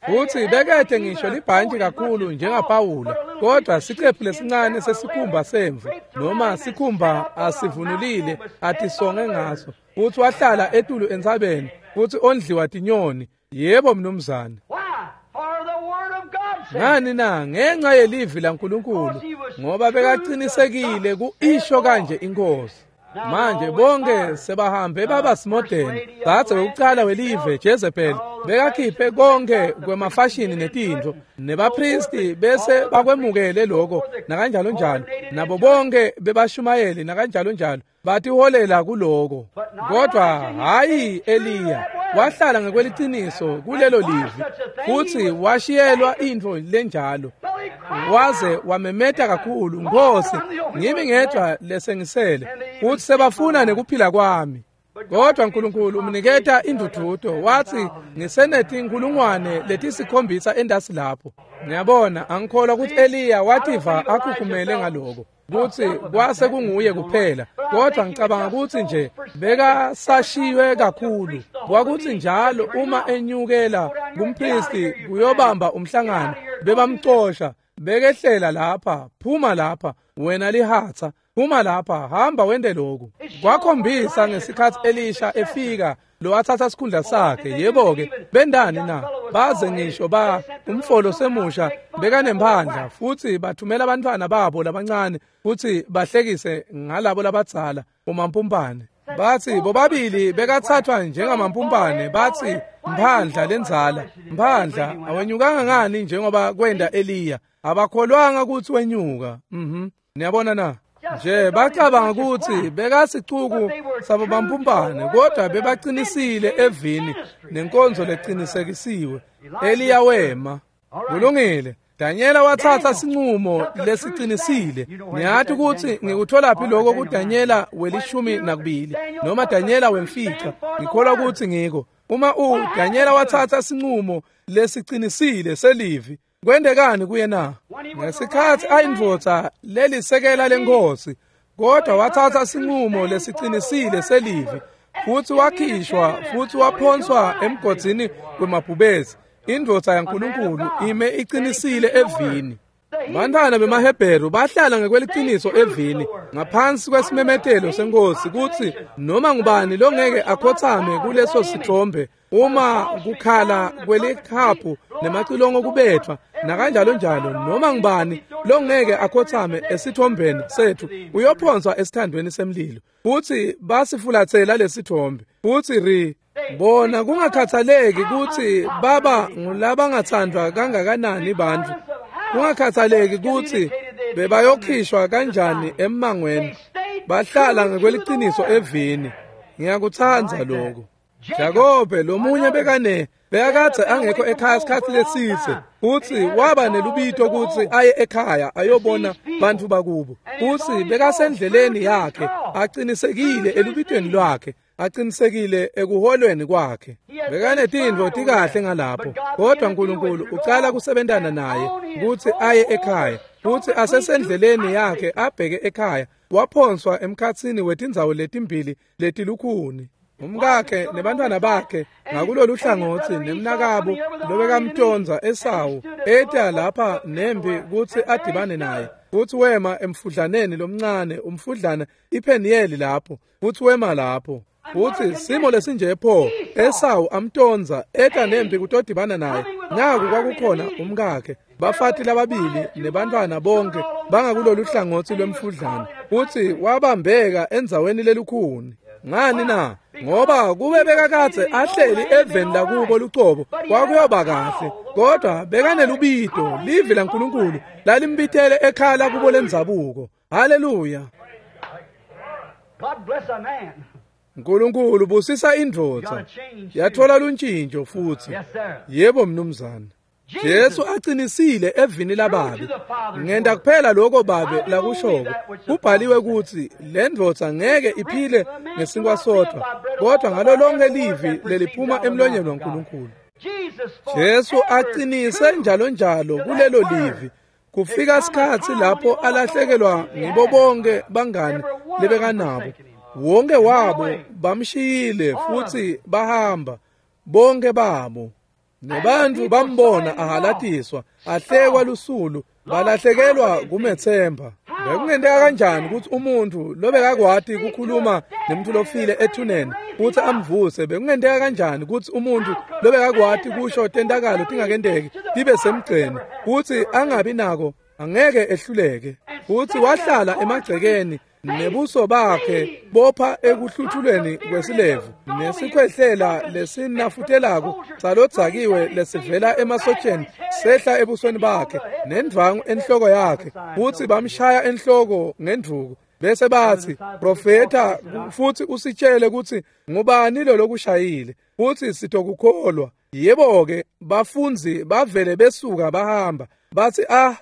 [SPEAKER 1] Futhi bekede ngisho libhantshi kakhulu njengaPawula, kodwa siqephu lesincane sesikhumba semvu noma sikhumba asivunulile atisonge ngaso. Futhi wahlala etulu entsabeni futhi ondliwa tinyoni. Yebo mnumzane. Ngani na? Ngenxa yelivi laNkulunkulu, ngoba bekaqinisekile kuisho kanje inkosi. Manje bonke sebahambe baba simodeni. Dzadze wekucala welive Jezebel bekakhiphe konke kwemafashini netintfo, nebapristi bese bakwemukele lokho nakanjalo njalo, nabo bonke bebashumayeli nakanjalo njalo batiholela kuloko. Kodwa hayi Eliya, wahlala ngekweliciniso kulelo livi futhi washiyelwa intfo lenjalo. Waze wamemeta kakhulu, Nkosi, ngimi ngedwa lesengisele futhi sebafuna nekuphila kwami. Kodwa uNkulunkulu umniketa indvudvuto, wathi ngisenetinkulungwane letisikhombisa endasi lapho. Ngiyabona, angikholwa ukuthi Eliya wativa akhukhumele ngaloko, kutsi kwase kunguye kuphela. Kodwa ngicabanga kutsi nje bekasashiywe kakhulu. Kwakuthi njalo uma enyukela kumpristi kuyobamba umhlangano, bebamcosha, bekehlela lapha, phuma lapha, wena lihatsa, phuma lapha, hamba wente lokhu. Kwakhombisa ngesikhatsi Elisha efika lowathatha sikhundla sakhe. Yebo-ke, bendani na? Baze ngisho ba umfolo semusha bekanemphandla, futhi bathumela abantwana babo labancane futhi bahlekise ngalabo labadzala umampumpane. Bathi bobabili bekathathwa njengamampumpane. Bathi mphandla lendzala, mphandla awenyukanga ngani njengoba kwenda Eliya? Abakholwanga ukuthi wenyuka. Niyabona na? Nje bacabanga ukuthi bekasicuku sabo bampumpane, kodwa bebaqinisile evini nenkonzo leqinisekisiwe. Eliya wema. Kulungile. Danyela wathatha sinqumo lesiqinisile. Niyathi ukuthi ngikutholaphi lokho kuDanyela we-12 noma Danyela wemfica. Ngikholwa ukuthi ngiko. Uma uDanyela wathatha sinqumo lesiqinisile selivi, kwendekani kuye na? Ngesikhatsi ayindvodza lelisekela lenkosi, kodwa wathatha sinqumo lesiqinisile selivi futhi wakhishwa futhi waphonswa emgodzini wemabhubesi. Indvodza yaNkulunkulu ime iqinisile evini. Bantwana bemaHebheru bahlala ngekweliciniso evini ngaphansi kwesimemetelo senkosi kutsi noma ngubani longeke akhothame kuleso sithombe uma kukhala kwelikhaphu nemacilongo kubethwa nakanjalo njalo, noma ngubani longeke akhothame esithombeni sethu uyophonswa esithandweni semlilo. Futhi basifulathela lesithombe futhi bona kungakhathaleki kutsi baba ngulabangathandwa kangakanani bantfu. Kungakhathaleki kutsi bebayokhishwa kanjani emmangweni, bahlala ngekweliciniso evini. Ngiyakutsandza lokho. Jakobe lomunye bekakadze angekho ekhaya isikhatsi lesitse, futsi waba nelubito kutsi aye ekhaya ayobona bantfu bakubo. Futsi bekasendleleni yakhe, aqinisekile elubitweni lwakhe, aqinisekile ekuholweni kwakhe. Bekanetintfo tikahle ngalapho, kodwa uNkulunkulu ucala kusebentana naye kutsi aye ekhaya. Futsi asesendleleni yakhe abheke ekhaya, waphonswa emkhatsini wetindzawo letimbili letilukhuni. Umkakhe nebantwana bakhe ngakulolu hlangotsi nemnakabo lobekamtonza Esawu eta lapha nembi kutsi adibane naye. Futsi wema emfudlaneni lomncane, umfudlana iPeniyeli lapho, futsi wema lapho. Futsi simo lesinje pho, Esawu amtonza eta nembi kutodibana naye. Naku kwakukhona umkakhe, bafati lababili nebantwana bonke bangakulolu hlangotsi lwemfudlana. Futsi wabambeka endzaweni lelukhuni. Ngani na? Ngoba kube bekakadze ahleli eveni lakubo lucobo kwakuyoba kahle, kodwa bekanelubito livi laNkulunkulu lalimbitele ekhaya lakubo lendzabuko. Haleluya! Nkulunkulu busisa indvodza yathola luntshintsho futsi. Yebo mnumzane. Jesu aqinisile evini lababe. Ngenta kuphela lokho babe lakushoko. Kubhaliwe kutsi le ndvodza ngeke iphile ngesinkwa sodwa, kodwa ngalo lonke livi leliphuma emlonyeni waNkulunkulu. Jesu aqinise njalo njalo kulelo livi. Kufika isikhatsi lapho alahlekelwa ngibo bonke bangani lebekanabo. Wonke wabo bamshiyile futsi bahamba, bonke babo. Nebantu bambona ahalatiswa, ahlekwa lusulu, balahlekelwa kumethemba. Bekungenteka kanjani kutsi umuntu lobekakwati kukhuluma nemuntu lofile ethuneni futsi amvuse? Bekungenteka kanjani kutsi umuntu lobekakwati kusho tentakalo tingakenteki tibe semgceni futsi angabi nako, angeke ehluleke? Futsi wahlala emagcekeni nebuso bakhe bopha ekuhluthulweni kwesilevu nesikhwehlela lesinafutelako salodzakiwe lesivela emasotsheni sehla ebusweni bakhe nendvangu enhloko yakhe, futsi bamshaya enhloko ngendvuku bese batsi, "Profeta, futsi usitshele kutsi ngubani lo lokushayile, futsi sitokukholwa." Yebo-ke, bafundzi bavele besuka bahamba batsi, "Ah,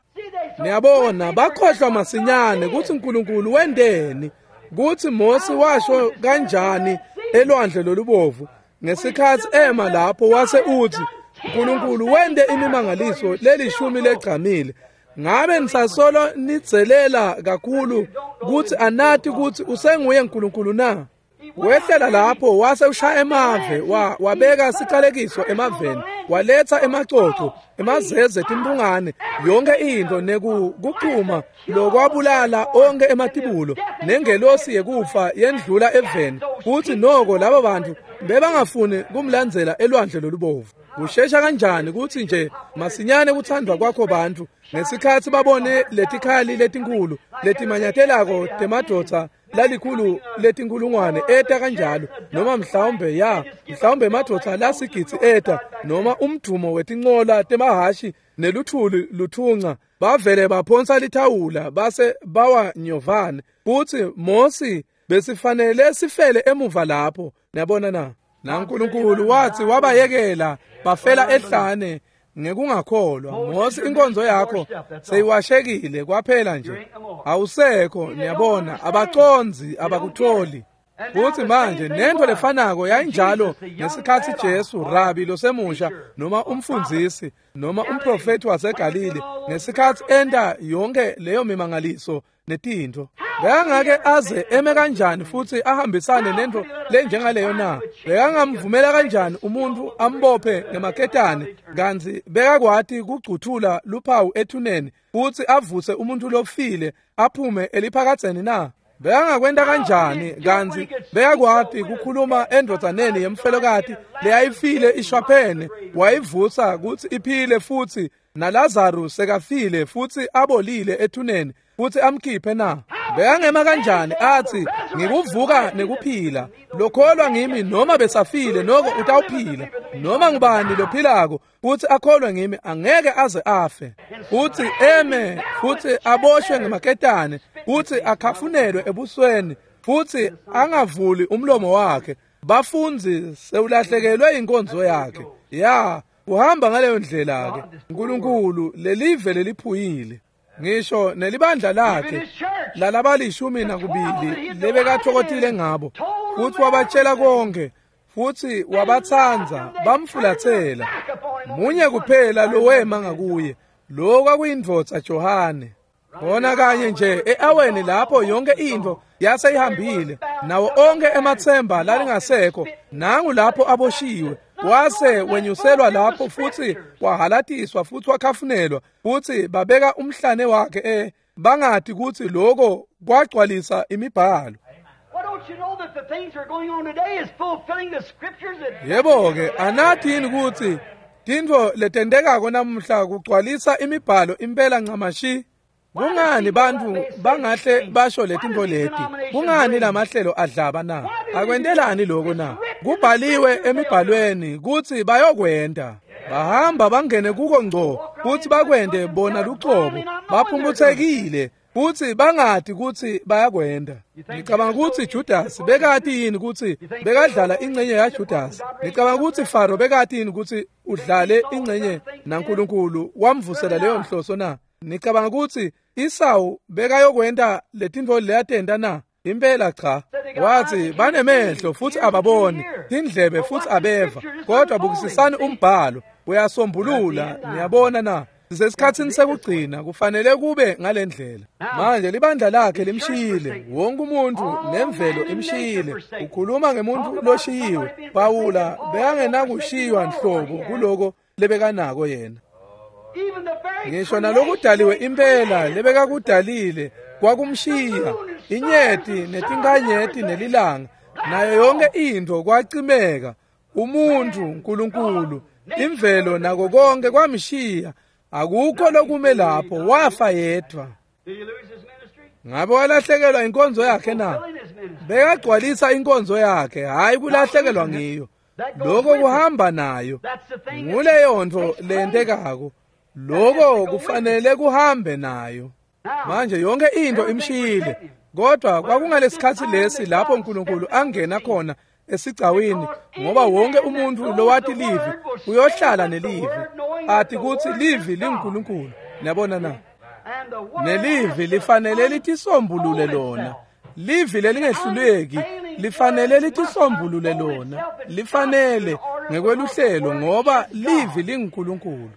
[SPEAKER 1] niyabona, bakhohlwa masinyane kutsi uNkulunkulu wenteni, kutsi Mosi washo kanjani elwandle lolubovu ngesikhatsi ema lapho wase utsi uNkulunkulu wente imimangaliso lelishumi legcamile. Ngabe nisasolo nidzelela kakhulu kutsi anati kutsi usenguye uNkulunkulu na?" Wehlela lapho wase ushaya emave, wabeka sicalekiso emaveni, waletha emacoco, emazeze, timbungane, yonke into nekuchuma lokwabulala onke ematibulo, nengelosi yekufa yendlula eveni. Futsi noko laba bantu bebangafuni kumlandzela elwandle lolubovu. Kushesha kanjani kutsi nje masinyane kuthandwa kwakho bantu ngesikhatsi babone letikhali letinkhulu letimanyatelako temadvodza lalikhulu letinkulungwane eta kanjalo, noma mhlawumbe mhlawumbe emadvodza lasigidzi eta, noma umdumo wetincola temahashi neluthuli luthunca, bavele baphonsa lithawula base bawa nyovane. Futsi Mosi besifanele sifele emuva lapho, niyabona na? NaNkulunkulu wathi wabayekela bafela ehlane ngekungakholwa. Mosi, inkonzo yakho seyiwashekile kwaphela nje, awusekho, niyabona, abaconzi, abakutholi. Futhi manje nento lefanako yayinjalo ngesikhatsi Jesu, rabi losemusha noma umfundzisi noma umprofeti waseGalile, ngesikhatsi enta yonke leyo mimangaliso netintfo. Bekangake aze eme kanjani futsi ahambisane nento lenjengaleyo na? Bekangamvumela kanjani umuntu ambophe ngemaketane, kantsi bekakwati kugcuthula luphawu ethuneni futsi avuse umuntu lofile aphume eliphakadzeni na? Bekangakwenta kanjani kantsi bekakwati kukhuluma endvodzaneni yemfelokati leyayifile ishwaphene, wayivusa kutsi iphile futsi, naLazaru sekafile futsi abolile ethuneni futsi amkhiphe na? Bekangema kanjani athi, "Ngikuvuka nekuphila, lokholwa ngimi noma besafile noko utawuphila"? Noma ngubani lophilako futhi akholwe ngimi angeke aze afe. Futhi eme futhi aboshwe ngemaketane futhi akhafunelwe ebusweni futhi angavuli umlomo wakhe. Bafunzi sewulahlekelwe inkonzo yakhe. Ya, uhamba ngaleyo ndlela ke. uNkulunkulu lelive leliphuyile. Ngisho nelibandla lakhe lalabalishumi nakubili lebekathokotile ngabo futhi wabatshela konke futhi wabathanza bamfulathela. Munye kuphela lowema ngakuye, lo kwakuyindvodza Johane. Bona kanye nje eaweni lapho yonke into yaseyihambile nawo onke emathemba lalingasekho, nangu lapho aboshiwe wase wenyuselwa lapho futhi wahalatiswa futhi wakhafunelwa futhi babeka umhlane wakhe bangathi ukuthi lokho kwagcwalisa imibhalo. Yebo ke, anathi yini ukuthi tintfo letentekako namuhla kugcwalisa imibhalo impela ncamashi? Kungani bantu bangahle basho letintfo leti? Kungani lamahlelo adlaba na? Akwentelani lokho na? Kubhaliwe emibhalweni kutsi bayokwenta. Bahamba bangene kuko ngco kutsi bakwente bona lucobo, baphumutsekile kutsi bangati kutsi bayakwenta. Ngicabanga kutsi Judas bekati yini kutsi bekadlala ingcenye yaJudas? Ngicabanga kutsi Faro bekati yini kutsi udlale ingcenye naNkulunkulu wamvusela leyo nhloso na? Ngicabanga kutsi Isawu bekayokwenta letintfo leyatenta na? Impela cha. Wathi banemehlo futhi ababoni, tindlebe futhi abeva, kodwa bukisisani umbhalo uyasombulula. Niyabona na? Sisesikhatsini sekugcina, kufanele kube ngalendlela. Manje libandla lakhe limshiyile, wonke umuntu nemvelo imshiyile. Ukhuluma ngemuntu loshiyiwe. Pawula bekangenakushiywa nhlobo kuloko lebekanako yena. Ngisho nalokudaliwe impela lebekakudalile kwakumshiya, inyeti netinkanyeti nelilanga nayo yonke into kwacimeka. Umuntu, uNkulunkulu, imvelo nako konke kwamshiya. Akukho lokume lapho, wafa yedwa. Ngabe walahlekelwa inkonzo yakhe na? Bekagcwalisa inkonzo yakhe, hayi kulahlekelwa ngiyo. Lokho kuhamba nayo. Nguleyo nto lentekako. Lokho kufanele kuhambe nayo. Manje yonke into imshiyile, kodwa kwakungalesikhathi lesi lapho uNkulunkulu angena khona esigcawini, ngoba wonke umuntu lowati livi uyohlala nelivi, athi kutsi livi linguNkulunkulu. Niyabona na? Nelivi lifanele litisombulule lona. Livi lelingehluleki lifanele litisombulule lona, lifanele ngekweluhlelo, ngoba livi linguNkulunkulu.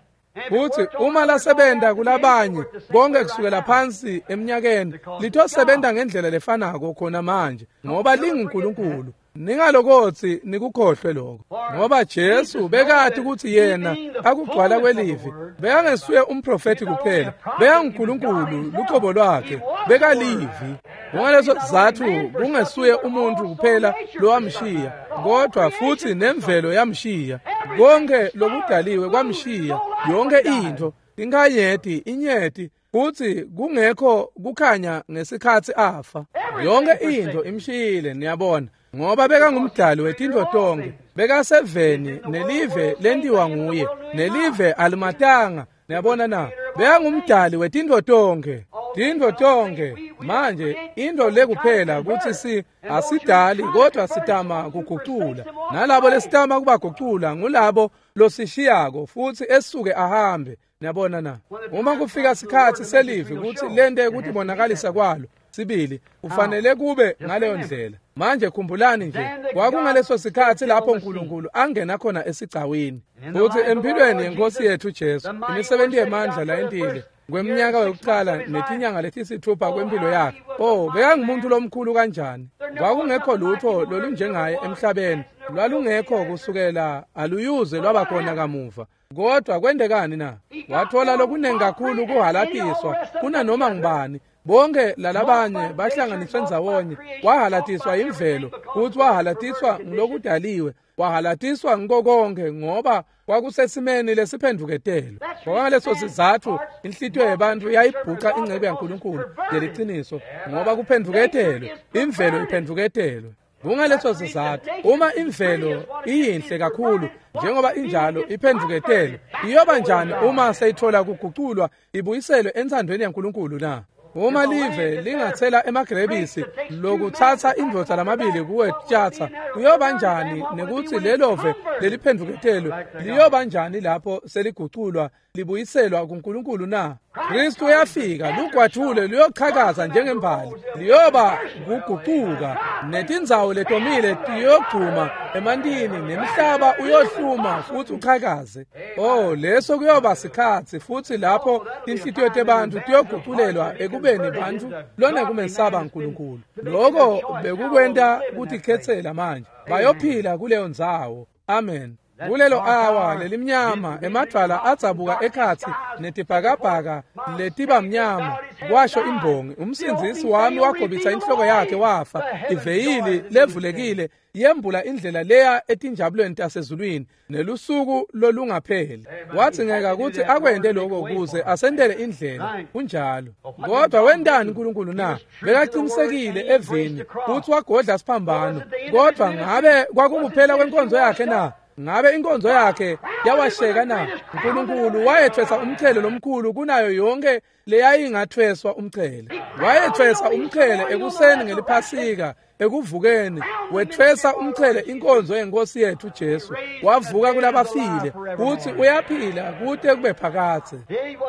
[SPEAKER 1] Futhi uma lasebenta kulabanye konke kusukela phansi eminyakeni, litosebenta ngendlela lefanako khona manje, ngoba linguNkulunkulu. Ningalokothi nikukhohlwe lokho, ngoba Jesu bekati ukuthi yena akugcwala kwelivi bekangesuye umprofeti kuphela, bekanguNkulunkulu lucobo lwakhe, bekalivi. Kungaleso sizatfu kungesuye umuntu kuphela lowamshiya, kodwa futhi nemvelo yamshiya. Konke lokudaliwe kwamshiya, yonke into, inkanyeti, inyeti, futhi kungekho kukhanya ngesikhathi afa. Yonke into imshiyile, niyabona, ngoba bekangumdali wetintfo tonke, bekaseveni nelive lentiwa nguye, nelive alimatanga. Niyabona na? Bekangumdali wetintfo tonke, tintfo tonke. Manje into lekuphela kutsi asidali kodwa sitama kugucula, nalabo lesitama kubagucula ngulabo losishiyako futhi esuke ahambe. Niyabona na? Uma kufika sikhathi selivi kutsi lente kutibonakalisa kwalo sibili, kufanele kube ngaleyo ndlela. Manje khumbulani nje, kwakungaleso sikhathi lapho uNkulunkulu angena khona esigcawini. Futhi empilweni yenkosi yethu Jesu, imisebenzi yemandla layentile kweminyaka yokuqala netinyanga letisithupha kwempilo yakhe. Oh, bekangumuntu lomkhulu kanjani! Kwakungekho lutho lolunjengaye emhlabeni, lwalungekho kusukela aluyuze lwaba khona kamuva. Kodwa kwendekani na? Wathola lokunengi kakhulu kuhalatiswa kunanoma ngubani. Bonke lalabanye bahlanganiswe ndzawonye. Wahalatiswa imvelo, futhi wahalatiswa ngilokudaliwe, wahalatiswa ngiko konke, ngoba kwakusesimeni lesiphendvuketelwe. Ngaleso sizatfu inhlitiyo yebantfu yayibhuca ingcebo yaNkulunkulu leliciniso, ngoba kuphendvuketelwe, imvelo iphendvuketelwe. Kungaleso sizatfu uma imvelo iyinhle kakhulu njengoba injalo iphendvuketele, iyoba njani uma seyithola kuguculwa ibuyiselwe entsandvweni yaNkulunkulu na? Uma live lingathela emagrebisi lokutsatsa indvodza lamabili kuwetshatsa, kuyoba njani nekutsi lelove leliphendvuketelwe liyoba njani lapho seliguculwa libuyiselwa kuNkulunkulu na? Kristu uyafika, lugwajule luyochakaza njengembali, liyoba kugucuka, netindzawo letomile tiyogcuma emantini, nemhlaba uyohluma futhi uchakaze. Oh, leso kuyoba sikhatsi futhi lapho tinhlitiyo tebantfu tiyoguculelwa ekubeni bantfu lonekumesaba uNkulunkulu. Lokho bekukwenta kutikhetsela manje. Bayophila kuleyo ndzawo. Amen. Kulelo awa lelimnyama emadvwala adzabuka ekhatsi netibhakabhaka letiba mnyama, kwasho imbongi. Umsindzisi wami wagobisa inhloko yakhe wafa. Iveyili levulekile yembula indlela leya etinjabulweni tasezulwini nelusuku lolungapheli. Wadzingeka ukuthi akwente lokho ukuze asentele indlela. Kunjalo. Kodwa wentani uNkulunkulu na? Bekaqinisekile evini futhi wagodla siphambano. Kodwa ngabe kwakukuphela kwenkonzo yakhe na? Ngabe inkonzo yakhe yawasheka na? uNkulunkulu wayethwesa umchele lomkhulu kunayo yonke leyayingathweswa umchele. Wayethwesa umchele ekuseni ngeliphasika, ekuvukeni wethwesa umchele inkonzo yenkosi yethu Jesu. Wavuka kulabafile futhi uyaphila kute kube phakadze.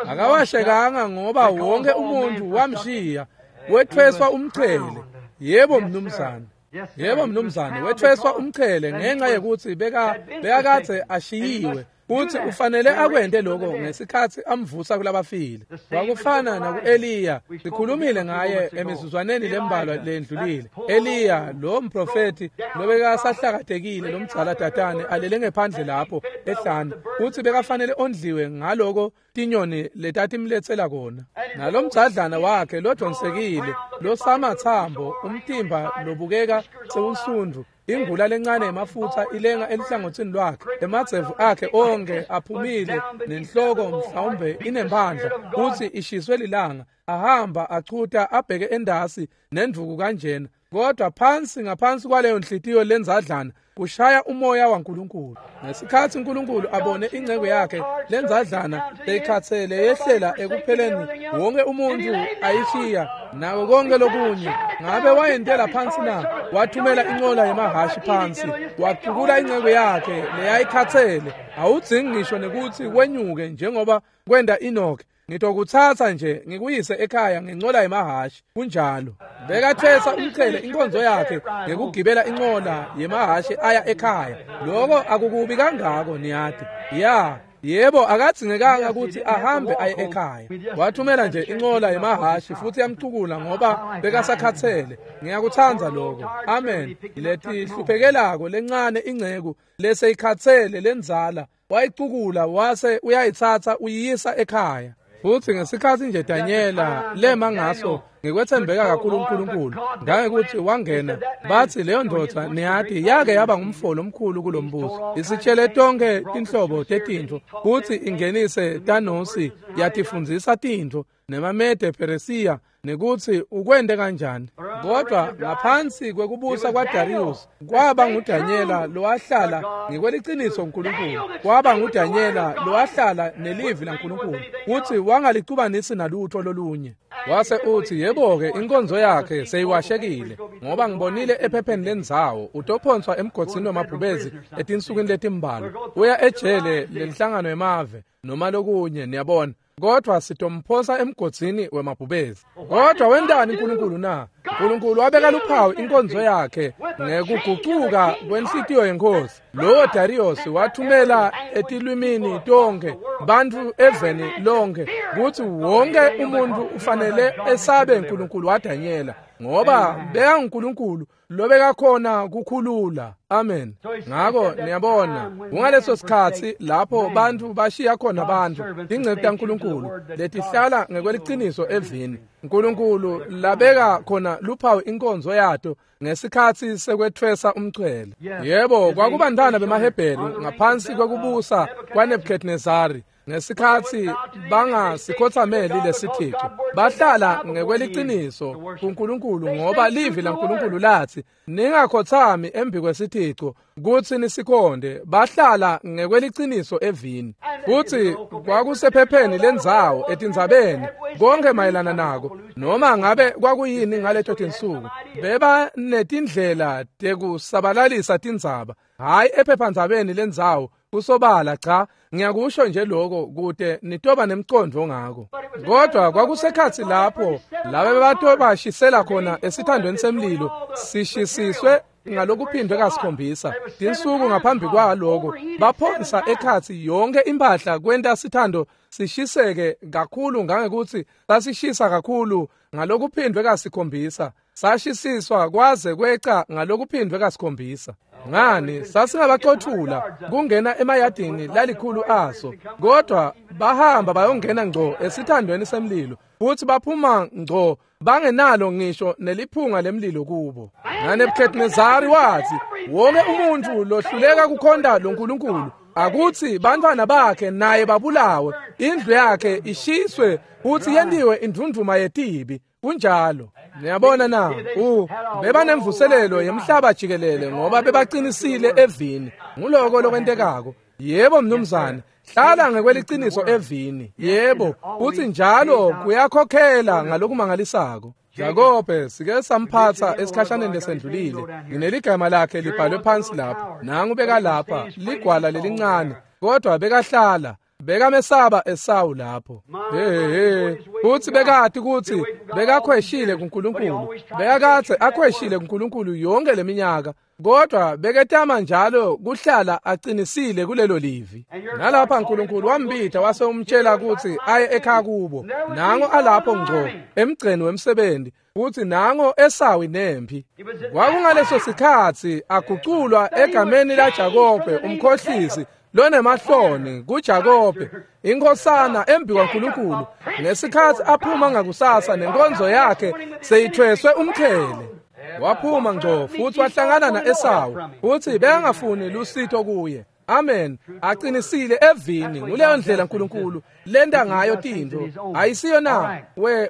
[SPEAKER 1] Akawashekanga ngoba wonke umuntu wamshiya. Wethweswa umchele. Yebo mnumzane. Yebo mnumzane, wethweswa umchele ngenxa yokuthi bekakadze ashiyiwe futhi ufanele akwente lokho ngesikhatsi amvusa kulabafile. Kwakufana naku-Eliya, sikhulumile ngaye emizuzwaneni lembalwa lendlulile. Eliya lo mprofethi lobekasahlakatekile lomdzala tatane alele ngephandle lapho ehlane, futhi bekafanele ondliwe ngaloko tinyoni letatimletsela kona. Nalomdzadlana wakhe lodonsekile losamathambo, umtimba lobukeka sewunsundvu, ingula lencane emafutha ilenga eluhlangothini lwakhe, emadzevu akhe onke aphumile, nenhloko mhlawumbe inemphandla futhi ishiswe lilanga. Ahamba achuta abheke endasi nendvuku kanjena, kodwa phansi ngaphansi kwaleyo nhliziyo lenzadlana kushaya umoya waNkulunkulu. Ngesikhatsi uNkulunkulu abone inceku yakhe lenzadlana leyikhatsele yehlela ekupheleni, wonke umuntu ayishiya nako konke lokunye, ngabe wayentela phansi na? Wathumela inqola yemahhashi phansi, wacukula inceku yakhe leyayikhatsele. Awudzingi ngisho nekutsi wenyuke njengoba kwenta Enoch. Ngitokutsatsa nje ngikuyise ekhaya ngencola yemahhashi. Kunjalo. Bekathwesa umchele inkonzo yakhe ngekugibela incola yemahhashi aya ekhaya. Lokho akukubi kangako niyati. Ya, yebo, akadzingekanga ukuthi ahambe aye ekhaya. Wathumela nje incola yemahhashi futhi yamcukula ngoba bekasakhatsele. Ngiyakutsandza lokho. Amen. Letihluphekelako lencane inceku leseyikhatsele lenzala wayicukula wase uyayitsatsa uyiyisa ekhaya. Futhi ngesikhatsi nje Danyela lema ngaso ngikwethembeka kakhulu uNkulunkulu, ngangekuthi wangena, bathi leyo ndvodza niyati yake yaba ngumfolo omkhulu kulombuso, isitshele tonke tinhlobo tetintfo futhi ingenise Tanosi yatifundzisa tintfo nemaMede Peresiya nekutsi ukwente kanjani. Kodwa ngaphansi kwekubusa kwaDarius kwaba nguDanyela lowahlala ngekweliciniso uNkulunkulu, kwaba nguDanyela lowahlala nelivi laNkulunkulu futhi wangalicubanisi nalutho lolunye. Wase uthi yebo-ke inkonzo yakhe seyiwashekile ngoba ngibonile ephepheni lendzawo utophonswa emgodzini wemabhubezi etinsukwini letimbalwa, uya ejele lenhlangano yemave noma lokunye, niyabona. Kodwa sitomphosa emgodzini wemabhubezi. Kodwa wentani uNkulunkulu na? uNkulunkulu wabeka luphawu inkonzo yakhe ngekugucuka kwenhlitiyo yenkosi. Lowo Darius wathumela etilwimini tonke bantfu eveni lonke kutsi wonke umuntu ufanele esabe uNkulunkulu waDanyela, ngoba bekanguNkulunkulu lobekakhona kukhulula. Amen. Ngako niyabona, kungaleso sikhatsi lapho bantfu bashiya khona bantfu tinceku taNkulunkulu letihlala ngekweliciniso evini uNkulunkulu labeka khona luphawu inkonzo yato ngesikhatsi sekwethwesa umchele. Yebo, kwakubantwana bemaHebheru ngaphansi kwekubusa kwaNebuchadnezzari. Ngesikhatsi bangasikhothameli lesithixo, bahlala ngekweliciniso kuNkulunkulu, ngoba livi laNkulunkulu lathi ningakhothami embi kwesithixo kutsi nisikhonde. Bahlala ngekweliciniso evini. Futsi kwakusephepheni lendzawo etindzabeni konke mayelana nako, noma ngabe kwakuyini ngaleto tinsuku. Beba netindlela tekusabalalisa tindzaba, hhayi ephephandzabeni lendzawo kusobala, cha, ngiyakusho nje lokho kute nitoba nemcondvo ngako. Kodwa kwakusekhatsi lapho laba bebatobashisela khona esithandweni semlilo sishisiswe ngalokuphindwe kasikhombisa. Tinsuku ngaphambi kwaloko baphonsa ekhatsi yonke impahla kwenta sithando sishiseke kakhulu ngangekutsi sasishisa kakhulu ngalokuphindwe kasikhombisa, sashisiswa kwaze kweca ngalokuphindwe kasikhombisa. Ngani, sasingabacothula kungena emayadini lalikhulu aso, kodwa bahamba bayongena ngco esithandweni semlilo futhi baphuma ngco bangenalo ngisho neliphunga lemlilo kubo. NaNebuchadnezzari wathi wonke umuntu lohluleka kukhonta loNkulunkulu akuthi bantwana bakhe naye babulawe, indlu yakhe ishiswe futhi yentiwe indvundvuma yetibi. Kunjalo. Niyabona na, bebanemvuselelo yemhlaba jikelele ngoba bebaqinisile evini. Nguloko lokwentekako. Yebo mnumzane, hlala ngekweliciniso evini. Yebo, uthi njalo kuyakhokhela ngalokumangalisako. Jakobe sike samphatsa esikhashaneni lesendlulile. Ngineligama lakhe libhalwe phansi lapha. Nangu beka lapha ligwala lelincane, kodwa bekahlala bekamesaba Esawu lapho. Hey, uthi bekati ukuthi bekakhweshile kuNkulunkulu, bekakathe akhweshile kuNkulunkulu yonke leminyaka, kodwa beketama njalo kuhlala aqinisile kulelo livi. Nalapha uNkulunkulu wambita wase umtshela ukuthi aye ekhaya kubo. Nango alapho ngco emgceni wemsebenzi, uthi nango Esawu nempi. Kwakungaleso sikhatsi aguculwa egameni laJakobe umkhohlisi lonemahloni kuJakobe inkhosana embi kwaNkulunkulu, ngesikhatsi aphuma ngakusasa nenkonzo yakhe seyithweswe umqhele. Waphuma ngco futhi wahlangana na-Esawu, futhi bekangafuni lusito kuye. Amen. Aqinisile evini. Nguleyo ndlela uNkulunkulu lenta ngayo tintfo. Ayisiyo na?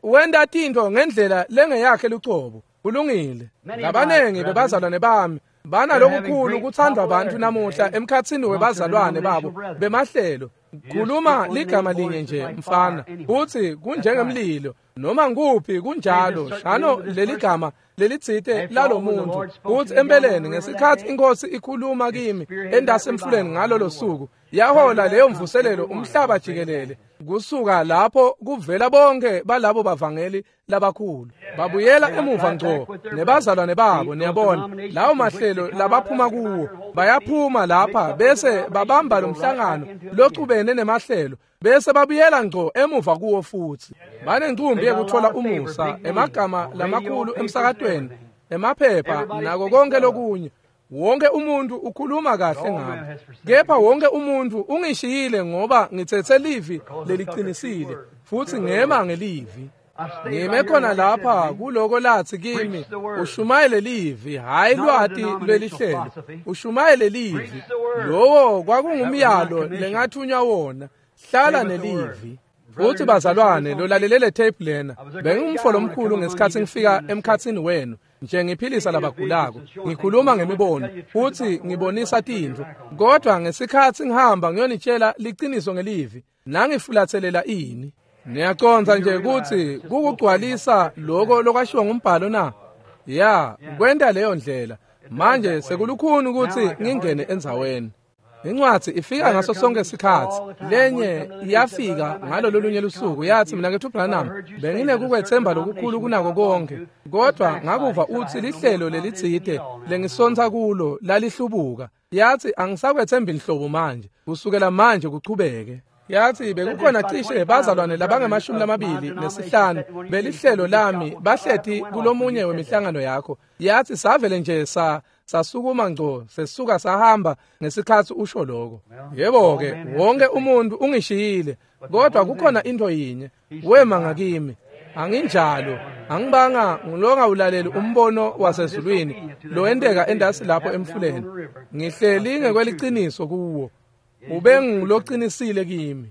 [SPEAKER 1] Wenta tintfo ngendlela lengeyakhe lucobo. Kulungile. Labanengi bebazalwane bami banalokukhulu kuthandwa abantu namuhla emkhatsini webazalwane babo bemahlelo. Khuluma ligama linye nje mfana, uthi kunjengemlilo noma nguphi kunjalo. Shano leligama lelitsite lalomuntu, uthi empeleni ngesikhatsi inkosi ikhuluma kimi endasemfuleni ngalolo suku, yahola leyo mvuselelo umhlaba jikelele. Kusuka lapho kuvela bonke balabo bavangeli labakhulu babuyela emuva ngco nebazalwane babo. Niyabona lawo mahlelo labaphuma kuwo, bayaphuma lapha bese babamba lomhlangano locubene nemahlelo, bese babuyela ngco emuva kuwo futhi. Banencumbi yekuthola umusa, emagama lamakhulu emsakatweni, emaphepha nako konke lokunye. Wonke umuntu ukhuluma kahle ngabo, kepha wonke umuntu ungishiyile ngoba ngithethe livi leliqinisile futhi ngema ngelivi. Ngime khona lapha kuloko lathi kimi, ushumayele livi, hhayi lwati lwelihlelo, ushumayele livi. Lowo kwakungumyalo lengathunywa wona, hlala nelivi. Futhi bazalwane, lolalele le tape lena, bengingumfo lomkhulu ngesikhatsi ngifika emkhatsini wenu, nje ngiphilisa labagulako, ngikhuluma ngemibono futhi ngibonisa tintfo. Kodwa ngesikhatsi ngihamba ngiyonitshela liciniso ngelivi, nangifulatselela ini. Niyacondza nje ukuthi kukugcwalisa lokho lokwashiwo ngumbhalo na? Ya, kwenta leyo ndlela. Manje sekulukhuni ukuthi ngingene endzaweni. Incwadi ifika ngaso sonke isikhatsi. Lenye iyafika ngalolo lunye lusuku yathi, mina kethu Branham, benginekukwethemba lokukhulu kunako konke, kodwa ngakuva uthi lihlelo lelitsite lengisontsa kulo lalihlubuka. Yathi angisakwethembi inhlobo manje, kusukela manje kuchubeke. Yathi bekukhona cishe bazalwane labangama-25 belihlelo lami bahleti kulomunye wemihlangano yakho. Yathi savele nje sasukuma ngco sesuka sahamba ngesikhatsi usho lokho. Yebo-ke, wonke umuntu ungishiyile, kodwa kukhona into yinye, wema ngakimi. Anginjalo, angibanga ngilongawulaleli umbono wasezulwini lowenteka endasi lapho emfuleni. Ngihleli ngekweliciniso kuwo, ube ngiloqinisile kimi.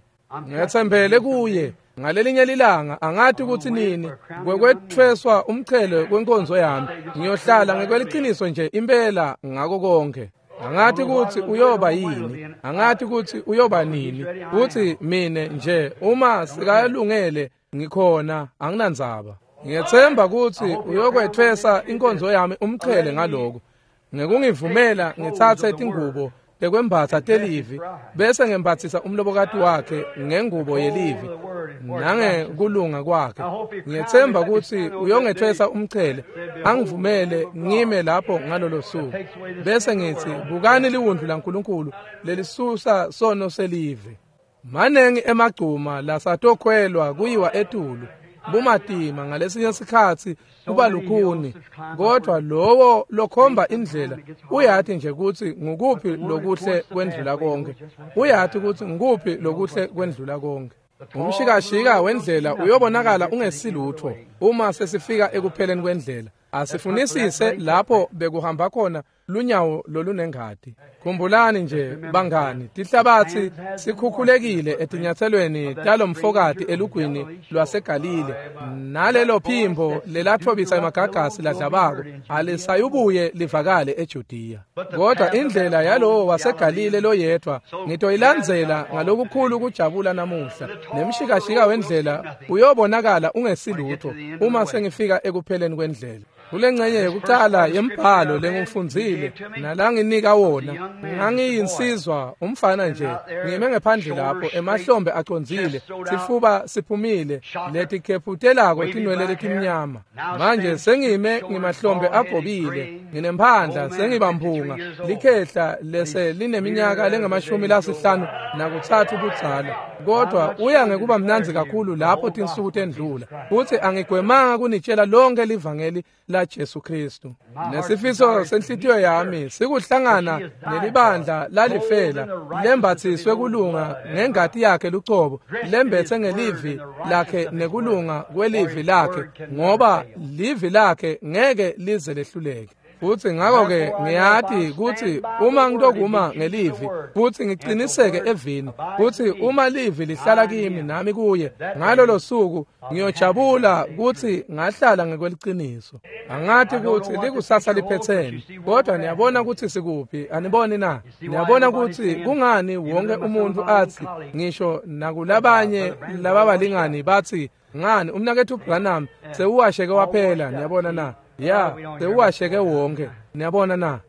[SPEAKER 1] Ngetsembele kuye ngalelinye lilanga, angathi ukuthi nini, kwekwethweswa umchele kwenkonzo yami, ngiyohlala ngekweliciniso nje impela ngako konke. Angathi ukuthi uyoba yini, angathi ukuthi uyoba nini, uthi mine nje uma sikayalungele ngikhona, anginandzaba. Ngiyethemba ukuthi uyokwethwesa inkonzo yami umchele ngaloko, ngekungivumela ngitsatse tingubo tekwembatsa telivi, bese ngembatsisa umlobokati wakhe ngengubo yelivi nangekulunga kwakhe. Ngiyethemba ukuthi uyongethwesa umchele, angivumele ngime lapho ngalolo suku, bese ngithi bukani liwundlu laNkulunkulu lelisusa sono selive. Manengi emagcuma lasatokhwelwa kuyiwa etulu, bumatima ngalesinye sikhatsi kuba lukhuni, kodwa lowo lokhomba indlela uyathi nje ukuthi ngukuphi lokuhle kwendlula konke, uyathi ukuthi ngukuphi lokuhle kwendlula konke. Umshikashika wendlela uyobonakala ungesilutho uma sesifika ekupheleni kwendlela. Asifunisise lapho bekuhamba khona lunyawo lolunengadi. Khumbulani nje bangani, tihlabatsi sikhukhulekile etinyatselweni talomfokati elugwini lwaseGalile, nalelo phimbo lelathobisa emagagasi ladlabako alisayubuye livakale eJudiya. Kodwa indlela yalowo waseGalile loyedwa ngitoyilandzela ngalokukhulu kujabula namuhla, nemshikashika wendlela uyobonakala ungesilutho uma sengifika ekupheleni kwendlela. Kulengcenye yokuqala yembhalo lengifundzile nalanginika wona, ngangiyinsizwa umfana nje, ngime ngephandle lapho emahlombe acondzile, sifuba siphumile, letikhephutelako tinwele letimnyama. Manje sengime ngimahlombe agobile, nginemphandla, sengibamphunga, likhehla lese lineminyaka lengamashumi lasihlanu nakutsatfu budzala. Kodwa uya ngekuba mnandzi kakhulu lapho tinsuku tendlula, futhi angigwemanga kunitshela lonke livangeli la Jesu Kristu. Nesifiso senhlitiyo yami sikuhlangana nelibandla lalifela, lembathiswe kulunga ngengati yakhe lucobo, lembethe ngelivi lakhe nekulunga kwelivi lakhe, ngoba livi lakhe ngeke lize lehluleke. Futhi ngakho-ke ngiyati ukuthi uma ngitokuma ngelivi futhi ngiciniseke evini, futhi uma livi lihlala kimi nami kuye, ngalolo suku ngiyojabula ukuthi ngahlala ngekweliciniso. Angathi ukuthi likusasa liphetheni, kodwa niyabona ukuthi sikuphi, aniboni na? Niyabona ukuthi kungani wonke umuntu athi, ngisho nakulabanye lababalingani bathi, ngani umnakethu Branham sewuwasheke waphela, niyabona na? Ya, sewuwasheke wonke, niyabona na?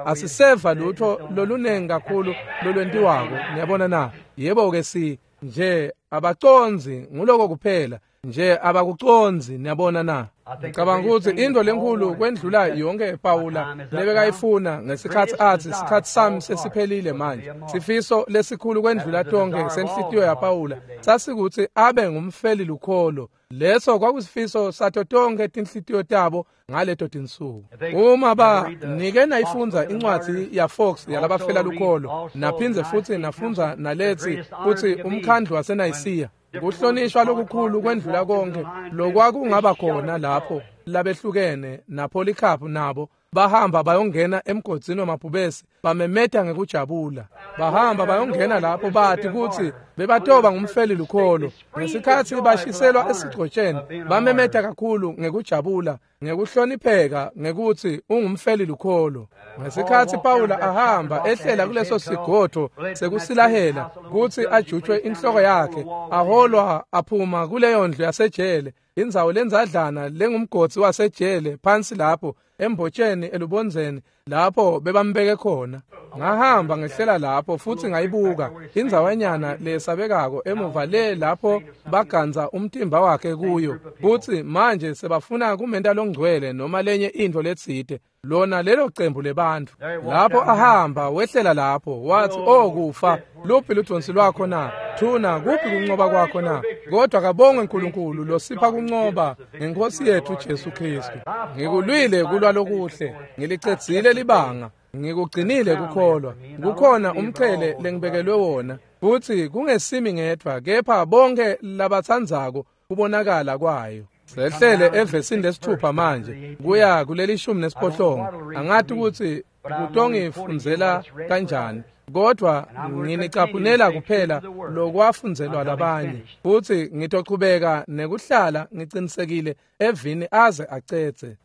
[SPEAKER 1] Asiseva lutho lolunengi kakhulu lolwentiwako, niyabona na? Yebo-ke, si nje abaconzi nguloko kuphela nje, abakuconzi, niyabona na? Ngicabanga ukuthi into lenkulu kwendlula yonke Pawula lebekayifuna ngesikhathi athi sikhathi sami sesiphelile manje, sifiso lesikhulu kwendlula tonke senhlitiyo yaPawula sasikuthi abe ngumfeli lukholo. Leso kwakusifiso sato tonke tinhlitiyo tabo ngaleto tinsuku. Uma ba nike nayifundza incwadzi yaFox yalabafela lukholo, naphindze futhi nafundza nalethi futhi umkhandlu waseNayisiya, kuhlonishwa lokukhulu kwendlula konke lokwakungaba khona lapho labehlukene naPolycarp nabo bahamba bayongena emgodzini wamabhubesi, bamemeta ngekujabula. Bahamba bayongena lapho bathi ukuthi bebatoba ngumfeli lukholo. Ngesikhathi bashiselwa esigcotsheni, bamemeta kakhulu ngekujabula, ngekuhlonipheka ngekuthi ungumfeli lukholo. Ngesikhathi Pawula ahamba ehlela kuleso sigodvo sekusilahela kuthi ajutshwe inhloko yakhe, aholwa aphuma kuleyo ndlu yasejele, indzawo lenzadlana lengumgodzi wasejele phansi lapho embotsheni elubondzeni lapho bebambeke khona. Ngahamba ngehlela lapho futhi ngayibuka indzawanyana lesabekako emuva le lapho baganza umtimba wakhe kuyo, futhi manje sebafuna kumenta longcwele noma lenye intfo letsite, lona lelo cembu lebantfu. Lapho ahamba wehlela lapho wathi, "Oh kufa, luphi ludonsi lwakho na? Thuna, kuphi kuncoba kwakho na?" Kodwa kabongwe uNkulunkulu losipha kuncoba ngenkosi yethu Jesu Kristu. Ngikulwile kulwa lokuhle, ngilicedzile libanga, ngikugcinile kukholwa. Kukhona umchele lengibekelwe wona, futhi kungesimi ngedvwa kepha bonke labatsandzako kubonakala kwayo. Sehlele evesini lesithupha manje kuya kuleli 18. Angathi ukuthi kutongifundzela kanjani. Kodwa nginicaphunela kuphela lokwafundzelwa labanye, futsi ngitochubeka nekuhlala ngicinisekile evini aze acedze.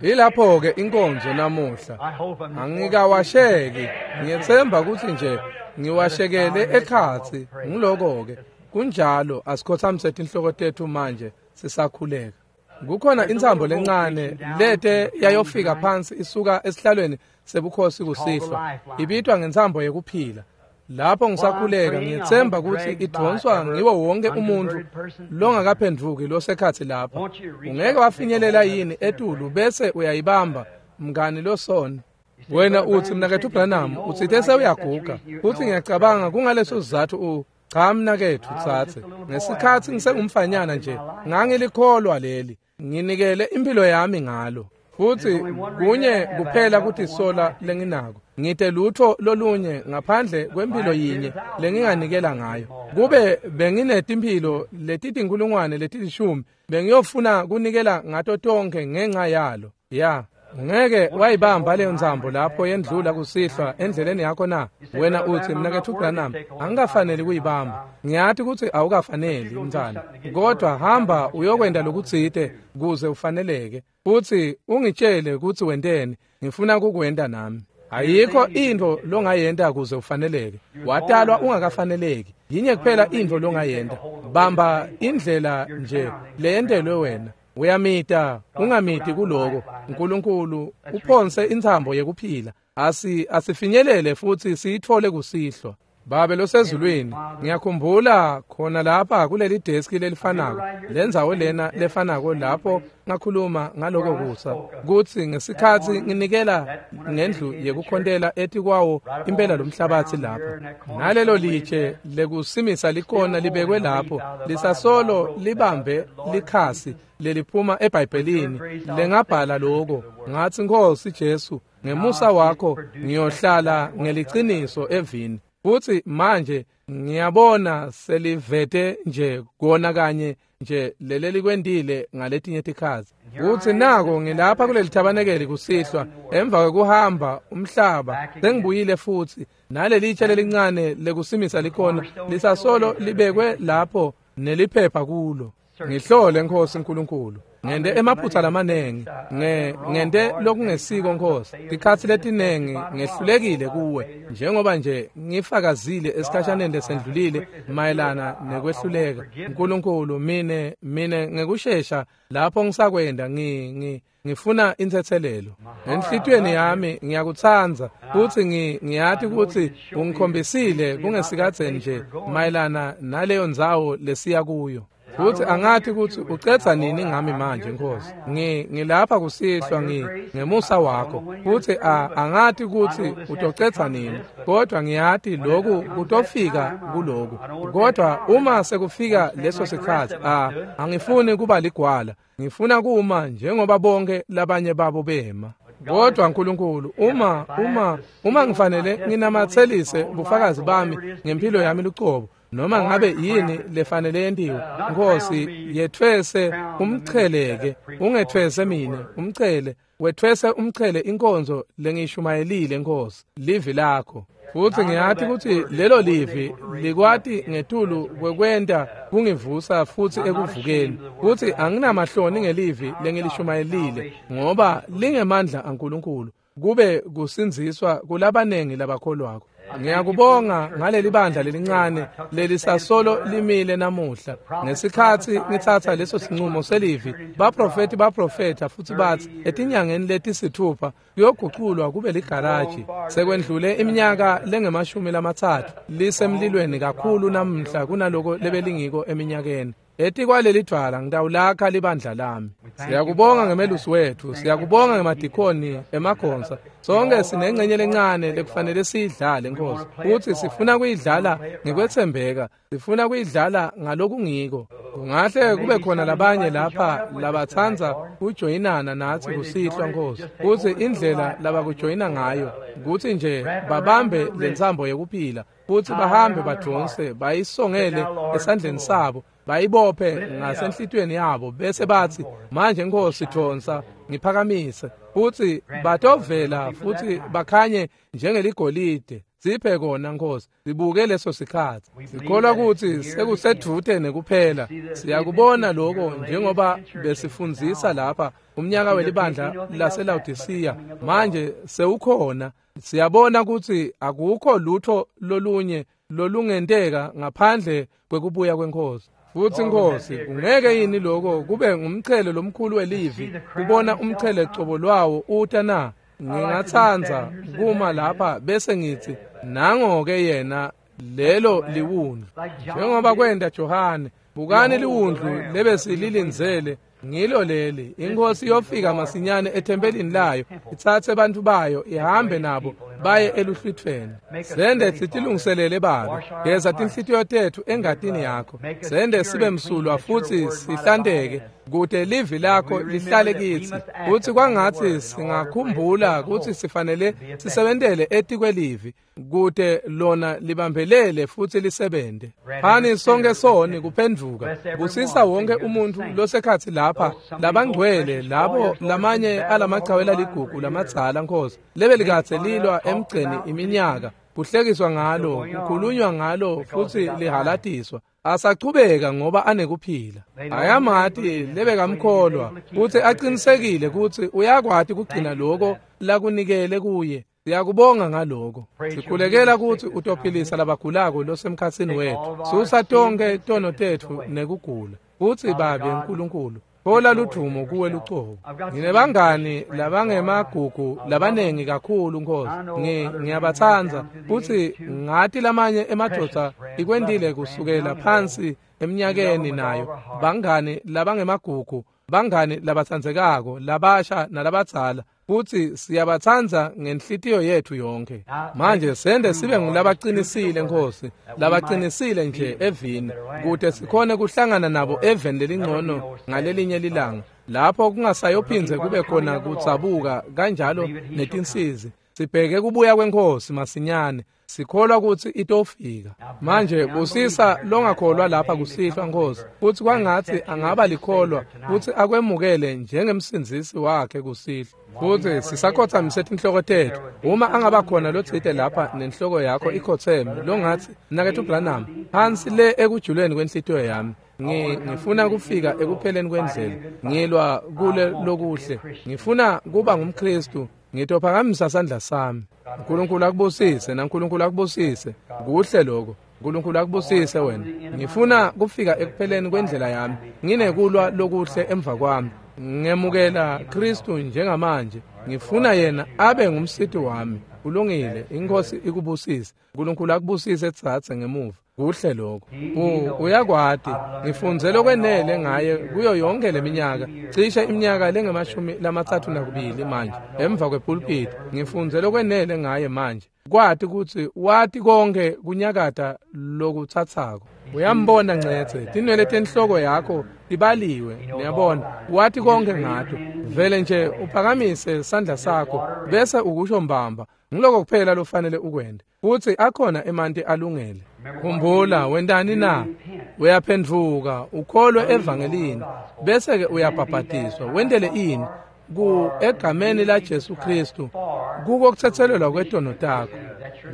[SPEAKER 1] Yilapho-ke inkonzo namuhla. Angikawasheki, ngiyetsemba kutsi nje ngiwashekele ekhatsi. Ngiloko-ke kunjalo. Asikhothamise tinhloko tetfu manje sisakhuleka. Kukhona intsambo lencane lete yayofika phansi isuka esihlalweni sebukhosi kusihlwa, ibitwa ngentsambo yekuphila. Lapho ngisakhuleka ngiyetsemba kutsi idvonswa ngiwo wonke umuntfu longakaphendvuki losekhatsi lapha. Ungeke wafinyelela yini etulu bese uyayibamba, mngani losona? Wena utsi, mnaketfu Branham, utsite sewuyaguga, futsi ngiyacabanga kungaleso sizatfu. Cha mnaketfu tsatse, ngesikhatsi ngisengumfanyana nje ngangilikholwa leli, nginikele impilo yami ngalo. Futsi kunye kuphela kutisola lenginako, ngite lutho lolunye ngaphandle kwempilo yinye lenginganikela ngayo. Kube benginetimphilo letitinkulungwane leti-10, bengiyofuna kunikela ngato tonkhe ngenxa yalo. Ya, ungeke wayibamba leyo ntsambo lapho yendlula kusihlwa endleleni yakho na? Wena utsi, mnaketfu Branham, angikafaneli kuyibamba. Ngiyati kutsi awukafaneli mntwana, kodwa hamba uyokwenta lokutsite kuze ufaneleke, futsi ungitshele kutsi wenteni. Ngifuna kukwenta nami. Ayikho intfo longayenta kuze ufaneleke. Watalwa ungakafaneleki. Yinye kuphela intfo longayenta, bamba indlela nje leyentelwe wena. Uyamita, ungamiti kuloko. Nkulunkulu uphonse intsambo yekuphila. Asifinyelele futsi siyitfole kusihlwa. Babe losezulwini, ngiyakhumbula khona lapha kuleli deski lelifanako, lendzawo lena lefanako lapho ngakhuluma ngaloko kusa, kutsi ngesikhatsi nginikela ngendlu yekukhontela etikwawo impela lomhlabatsi lapha, nalelo litshe lekusimisa likona libekwe lapho, lisasolo libambe likhasi leliphuma eBhayibhelini lengabhala loko. Ngatsi, Nkhosi Jesu, ngemusa wakho ngiyohlala ngeliciniso evini. Futsi manje ngiyabona selivete nje kona kanye nje lelelikwentile ngaletinye tikhatsi. Kutsi nako ngilapha kuleli thabanekeli kusihlwa, emva kwekuhamba umhlaba sengibuyile futsi, nalelitshe lelincane lekusimisa likona lisasolo libekwe lapho neliphepha kulo. Ngihlole, Nkhosi Nkulunkulu. Ngente emaphutsa lamanengi, ngente lokungesiko, Nkhosi. Tikhatsi letinengi ngehlulekile kuwe, njengoba nje ngifakazile esikhashaneni lesendlulile mayelana nekwehluleka. Nkulunkulu, mine ngekushesha lapho ngisakwenda ngifuna intsetselelo. Enhlitiyweni yami ngiyakutsandza, futsi ngiyati kutsi ungikhombisile kungesikadzeni nje mayelana naleyo ndzawo lesiya kuyo. Futsi angati kutsi ucedza nini ngami manje, Nkhosi. Ngilapha kusihlwa ngemusa wakho, futsi angati kutsi utocedza nini, kodwa ngiyati loku kutofika kuloku. Kodwa uma sekufika leso sikhatsi, angifuni kuba ligwala, ngifuna kuma njengoba bonke labanye babo bema. Kodwa Nkulunkulu, uma ngifanele nginamatselise bufakazi bami ngempilo yami lucobo, noma ngabe yini lefanele yentiwe, Nkhosi, yetfwese umcheleke, ungetfwese mine umchele, wetfwese umchele inkonzo lengishumayelile, Nkhosi, livi lakho. Futsi ngiyati kutsi lelo livi likwati ngetulu kwekwenta kungivusa futsi ekuvukeni. Futsi anginamahloni ngelivi lengilishumayelile, ngoba lingemandla aNkulunkulu kube kusindziswa kulabanengi labakholwako. Ngiyakubonga ngaleli bandla lelincane lelisasolo limile namuhla. Ngesikhatsi ngitsatsa leso sinqumo selivi, baprofeti baprofetha futsi batsi etinyangeni letisithupha kuyoguculwa kube ligaraji. Sekwendlule iminyaka lengama-30 lisemlilweni kakhulu namuhla kunaloko lebelingiko eminyakeni. Etikwaleli dvwala ngitawulakha libandla lami. Siyakubonga ngemelusi wethu, siyakubonga ngemadikoni emagonsa. Sonke sinengcenye lencane lekufanele siyidlale, Nkhosi. Futsi sifuna kuyidlala ngekwetsembeka, sifuna kuyidlala ngalokungiko. Kungahle kube khona labanye lapha labatsandza kujoyinana natsi kusihlwa, Nkhosi. Futsi indlela labakujoyina ngayo kutsi nje babambe lentsambo yekuphila, futsi bahambe badvonse bayisongele esandleni sabo. Bayibophe ngasenhlitiyweni yabo bese bathi, manje Nkosi thonsa ngiphakamise, futhi batovela futhi bakhanye njengeligolide. Siphe kona Nkosi, sibuke leso sikhathi. Sikholwa ukuthi sekusedvute nekuphela. Siyakubona lokho njengoba besifundzisa lapha umnyaka welibandla laseLaodicea manje sewukhona. Siyabona ukuthi akukho lutho lolunye lolungenteka ngaphandle kwekubuya kweNkosi. Futhi Nkosi, ungeke yini lokho kube ngumchele lomkhulu welivi, kubona umchele cobo lwawo uta na? Ngingatsandza kuma lapha bese ngithi, nango-ke yena lelo liwundlu. Njengoba kwenda Johane, bukani liwundlu lebesililindzele, ngilo leli. Inkosi iyofika masinyane ethempelini layo, itsatse bantu bayo, ihambe nabo baye eluhlwithweni. Sende sitilungiselele Babe, geza tinhlitiyo tetfu engatini yakho. Sende sibe msulwa futhi sihlanteke, kute livi lakho lihlale kitsi. Futsi kwangatsi singakhumbula kutsi sifanele sisebentele etikwelivi, kute lona libambelele futhi lisebente. Phani sonke soni kuphendvuka. Busisa wonke umuntfu losekhatsi lapha, labangcwele, labo lamanye alamaqhawe laligugu lamadzala Nkosi, lebelikadze lilwa emgceni iminyaka, kuhlekiswa ngalo, kukhulunywa ngalo futhi lihalatiswa. Asachubeka ngoba anekuphila. Ayamati lebekamkholwa kutsi aqinisekile kutsi uyakwati kugcina lokho lakunikele kuye. Siyakubonga ngaloko. Sikhulekela kutsi utophilisa labagulako losemkhatsini wetfu. Susa tonke tono tetfu nekugula. Futsi Babe Nkulunkulu, thola ludvumo kuwe lucobo. Nginebangani labangemagugu labanengi kakhulu Nkosi. Ngiyabatsandza futsi ngati lamanye emadvodza ikwentile kusukela phansi eminyakeni nayo. Bangani labangemagugu, bangani labatsandzekako, labasha nalabadzala. Futsi siyabatsandza ngenhlitiyo yetfu yonke. Manje sende sibe ngulabaqinisile Nkosi, labaqinisile nje evini, kute sikhone kuhlangana nabo eveni lelingcono ngalelinye lilanga, lapho kungasayophindze kube khona kudzabuka kanjalo netinsizi. Sibheke kubuya kweNkosi masinyane, sikholwa kutsi itofika. Manje busisa longakholwa lapha kusihlwa Nkosi, futsi kwangatsi angaba likholwa futsi akwemukele njengemsindzisi wakhe kusihlwa. Futsi sisakhotsamise tinhloko tetfu. Uma angaba khona lotsite lapha nenhloko yakho ikhotseme, longatsi, Mnaketfu Branham, phansi le ekujuleni kwenhlitiyo yami, ngifuna kufika ekupheleni kwendlela, ngilwa kule lokuhle, ngifuna kuba ngumKhristu, ngitophakamisa sandla sami. Nkulunkulu akubusise, naNkulunkulu akubusise. Kuhle lokho. Nkulunkulu akubusise wena. Ngifuna kufika ekupheleni kwendlela yami, nginekulwa lokuhle emva kwami. Ngemukela Kristu njengamanje. Ngifuna yena abe ngumsiti wami. Kulungile, iNkosi ikubusise. Nkulunkulu akubusise tsatse ngemuva. Kuhle lokho. Uyakwati, ngifunze lokwenele ngaye kuyo yonke leminyaka, cishe iminyaka lengamashumi-32 manje, emva kwepulpiti. Ngifunze lokwenele ngaye manje, kwati kutsi wati konke kunyakata lokutsatsako. Uyambona ncetse, tinwele tenhloko yakho tibaliwe, niyabona, wati konke ngato. Vele nje uphakamise sandla sakho bese ukusho mbamba. Ngiloko kuphela lofanele ukwente. Futsi akhona emanti alungele. Khumbula, wentani na? Uyaphendvuka, ukholwe evangelini, bese-ke uyabhabhatiswa. Wentele ini? Ku egameni la Jesu Kristu, kuko kutsetselelwa kwetono takho.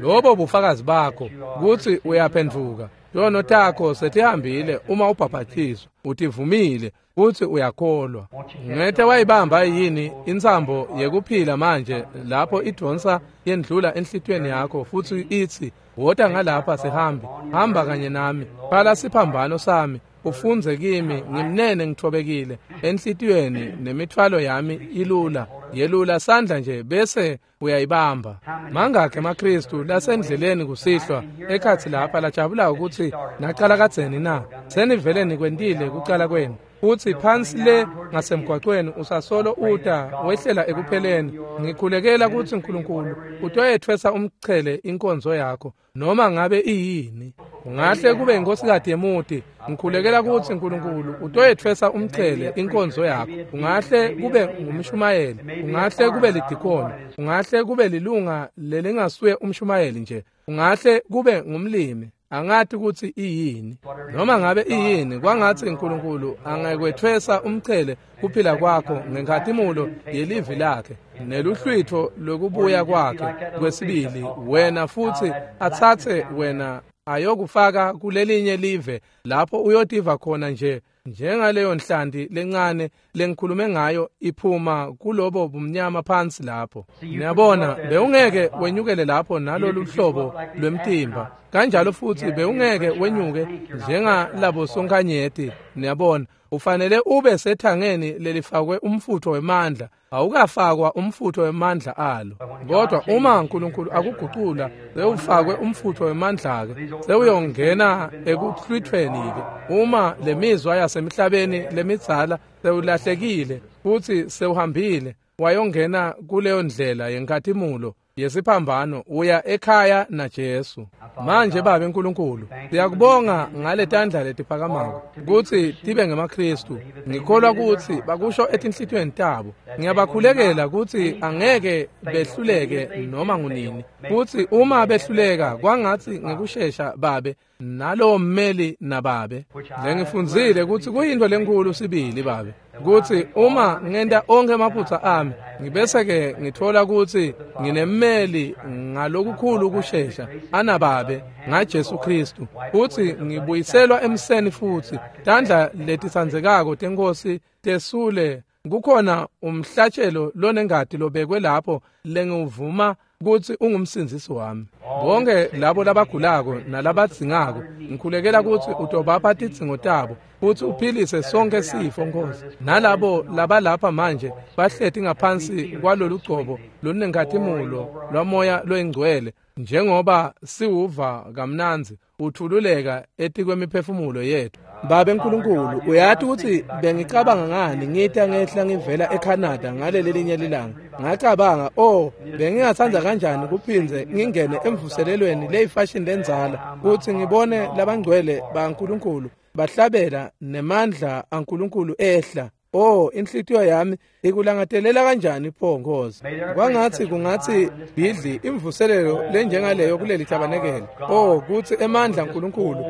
[SPEAKER 1] Lobo bufakazi bakho kutsi uyaphendvuka. Tono takho setihambile uma ubhabhatiswa, utivumile futsi uyakholwa. Ngete wayibamba yini intsambo yekuphila manje lapho idonsa yendlula enhlitiyweni yakho futsi itsi, wota ngalapha sihambe, hamba kanye nami, phala siphambano sami, ufundze kimi, ngimnene ngithobekile enhlitiyweni, nemithwalo yami ilula. Yelula sandla nje bese uyayibamba. Mangakhi emaKhristu lasendleleni kusihlwa ekhatsi lapha lajabulako kutsi nacala kadzeni na? Senivele nikwentile kucala kwenu. Futsi phansi le ngasemgwacweni usasolo uta wehlela ekupheleni. Ngikhulekela kutsi Nkulunkulu utoyetfwesa umchele inkonzo yakho, noma ngabe iyini. Ungahle kube inkosikazi yemuti. Ngikhulekela kutsi Nkulunkulu utoyetfwesa umchele inkonzo yakho. Ungahle kube ngumshumayeli, ungahle kube lidikoni, ungahle kube lilunga lelingasuye umshumayeli nje, ungahle kube ngumlimi. Angati kutsi iyini. Noma ngabe iyini, kwangatsi uNkulunkulu angakwetfwesa umchele kuphila kwakho ngenkhatimulo yelivi lakhe neluhlwitho lokubuya kwakhe kwesibili, wena futsi atsatse wena ayokufaka kulelinye live lapho uyotiva khona nje njengaleyo nhlanti lencane lengikhulume ngayo iphuma kulobo bumnyama phansi lapho. Niyabona, bewungeke wenyukele lapho nalolu hlobo lwemtimba, kanjalo futsi bewungeke wenyuke njengalabo sonkhanyeti. Niyabona, ufanele ube sethangeni lelifakwe umfutho wemandla, awukafakwa umfutho wemandla alo. Kodwa uma uNkulunkulu akugucula, sewufakwe umfutho wemandla-ke, sewuyongena ekuhlwithweni-ke. Uma lemizwa yasemhlabeni lemidzala sewulahlekile futsi sewuhambile wayongena kuleyo ndlela yenkhatimulo yesiphambano, uya ekhaya naJesu. Manje Babe Nkulunkulu, siyakubonga ngaletandla letiphakamako kutsi tibe ngemaKhristu. Ngikholwa kutsi bakusho etinhlitiyweni tabo. Ngiyabakhulekela kutsi angeke behluleke noma ngunini, futsi uma behluleka kwangatsi ngekushesha Babe nalowo mmeli nababe. Lengifundzile kutsi kuyintfo lenkhulu sibili Babe, kutsi uma ngenta onkhe emaphutsa ami, ngibese-ke ngithola kutsi nginemmeli ngalokukhulu kushesha anababe ngaJesu Khristu, futsi ngibuyiselwa emseni futsi tandla letitsandzekako teNkhosi tesule. Kukhona umhlatshelo lonengati lobekwe lapho lengiwuvuma kutsi ungumsindzisi wami. Bonke labo labagulako nalabadzingako, ngikhulekela kutsi utobapha tidzingo tabo futsi uphilise sonke sifo, Nkosi. Nalabo labalapha manje bahleti ngaphansi kwalolu gcobo lolunenkhatimulo lwaMoya loyingcwele, njengoba siwuva kamnandzi uthululeka etikwemiphefumulo yethu. Babe Nkulunkulu, uyati kutsi bengicabanga ngani ngita ngehla ngivela eCanada ngaleli linye lilanga. Ngacabanga, oh, bengingatsandza kanjani kuphindze ngingene emvuselelweni leyifashini lendzala, kutsi ngibone labangcwele baNkulunkulu bahlabela nemandla aNkulunkulu ehla. Oh, inhlitiyo yami ikulangatelela kanjani pho, Nkosi. Kwangatsi kungatsi bhidli imvuselelo lenjengaleyo kuleli tabanekele. Oh, kutsi emandla aNkulunkulu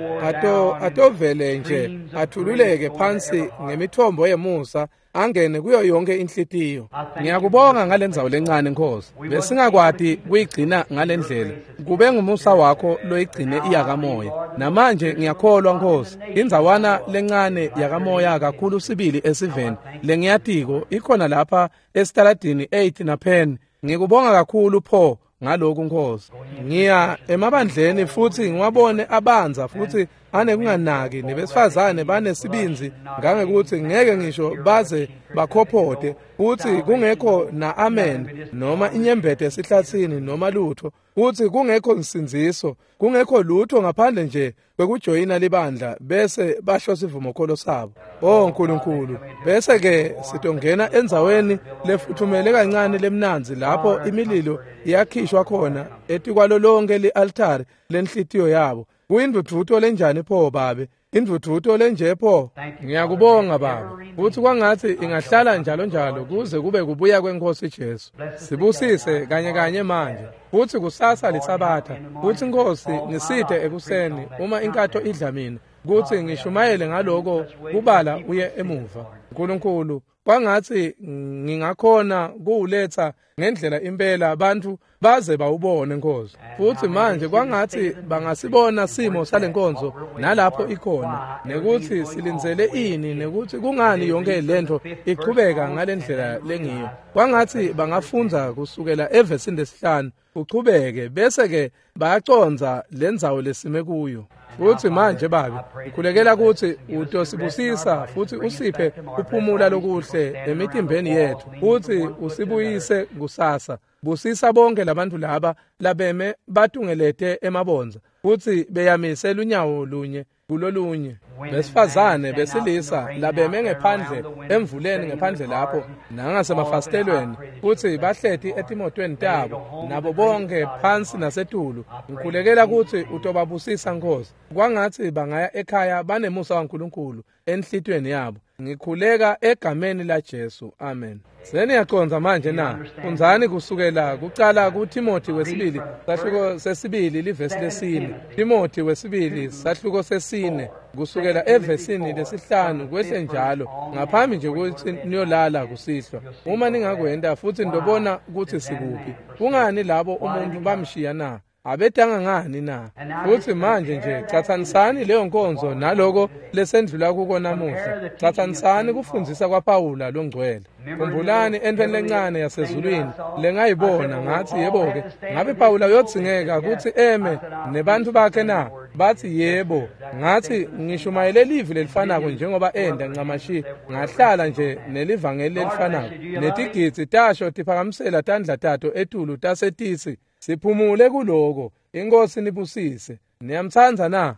[SPEAKER 1] atovele nje athululeke phansi ngemithombo yemusa, angene kuyo yonke inhlitiyo. Ngiyakubonga ngalendzawo lencane, Nkosi. Besingakwati kuyigcina ngalendlela. Kube ngumusa wakho loyigcine iyakamoya. Namanje ngiyakholwa, Nkosi, indzawana lencane yakamoya kakhulu sibili esiveni lengiyatiko ikhona lapha esitaladini 8 na Penn. Ngikubonga kakhulu pho ngaloku, Nkosi. Ngiya emabandleni futsi ngiwabone abanza futsi anekunganaki, nebesifazane banesibindzi ngangekuthi ngeke ngisho baze bakhophote, futsi kungekho na amen noma inyembete esihlatsini noma lutho, futsi kungekho nsindziso, kungekho lutho ngaphandle nje kwekujoyina libandla bese basho sivumokholo sabo. Oh Nkulunkulu, bese ke sitongena endzaweni lefuthumele kancane lemnandzi lapho imililo iyakhishwa khona etikwalo lonke li-altari lenhlitiyo yabo. Kuyindvudvuto lenjani pho Babe, indvudvuto lenje pho. Ngiyakubonga Baba, futsi kwangatsi ingahlala njalo njalo kuze kube kubuya kweNkhosi Jesu. Sibusise kanye kanye manje, futsi kusasa liSabatha, futsi Nkosi ngisite ekuseni uma inkatho idla mina kutsi ngishumayele ngaloko kubala uye emuva. Nkulunkulu, kwangatsi ngingakhona kuwuletsa ngendlela impela bantfu baze bawubone, Nkosi. Futsi manje kwangatsi bangasibona simo salenkonzo nalapho ikhona, nekutsi silindzele ini, nekutsi kungani yonke lentfo ichubeka ngalendlela lengiyo. Kwangatsi bangafundza kusukela evesini lesihlanu uchubeke, bese-ke bayacondza lendzawo lesime kuyo. Futsi manje Babe, ngikhulekela kutsi utosibusisa futsi usiphe kuphumula lokuhle emitimbeni yetfu, futsi usibuyise kusasa. Busisa bonke labantfu laba labeme batungelete emabondza futsi beyamise lunyawo lunye kulolunye, besifazane besilisa labeme ngephandle emvuleni ngephandle lapho nangasemafasitelweni, futsi bahleti etimotweni tabo nabo bonke phansi nasetulu. Ngikhulekela kutsi utobabusisa, Nkosi. Kwangatsi bangaya ekhaya banemusa waNkulunkulu. enhlitiyweni yabo. Ngikhuleka egameni laJesu, amen. Seniyacondza manje na? Fundzani kusukela kucala kuTimothy wesibili sahluko sesibili livesi lesine. Timothy wesibili sahluko sesine kusukela evesini lesihlanu kwehle njalo ngaphambi nje kutsi niyolala kusihlwa. Uma ningakwenta futsi nitobona kutsi sikuphi. Kungani labo umuntu bamshiya na? Abetanga ngani na? Futsi manje nje catsanisani leyo nkonzo naloko lesendlula kuko namuhla. Catsanisani kufundzisa kwaPawula longcwele. Khumbulani entweni lencane yasezulwini lengayibona ngathi yebo-ke ngabe Pawula uyodzingeka kutsi eme nebantfu bakhe na? Bathi yebo. Ngathi ngishumayele livi lelifanako njengoba enda ncamashi, ngahlala nje nelivangeli lelifanako. Netigidzi tasho tiphakamisela tandla tato etulu tasetitsi siphumule kuloko. Inkosi nibusise. Niyamtsandza na?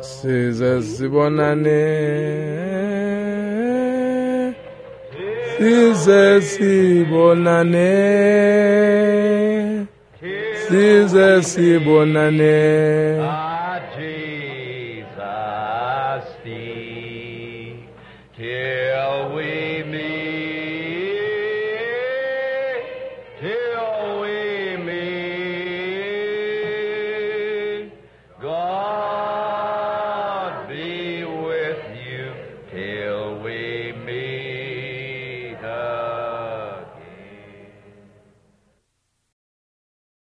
[SPEAKER 1] Size sibonane, size sibonane, size sibonane.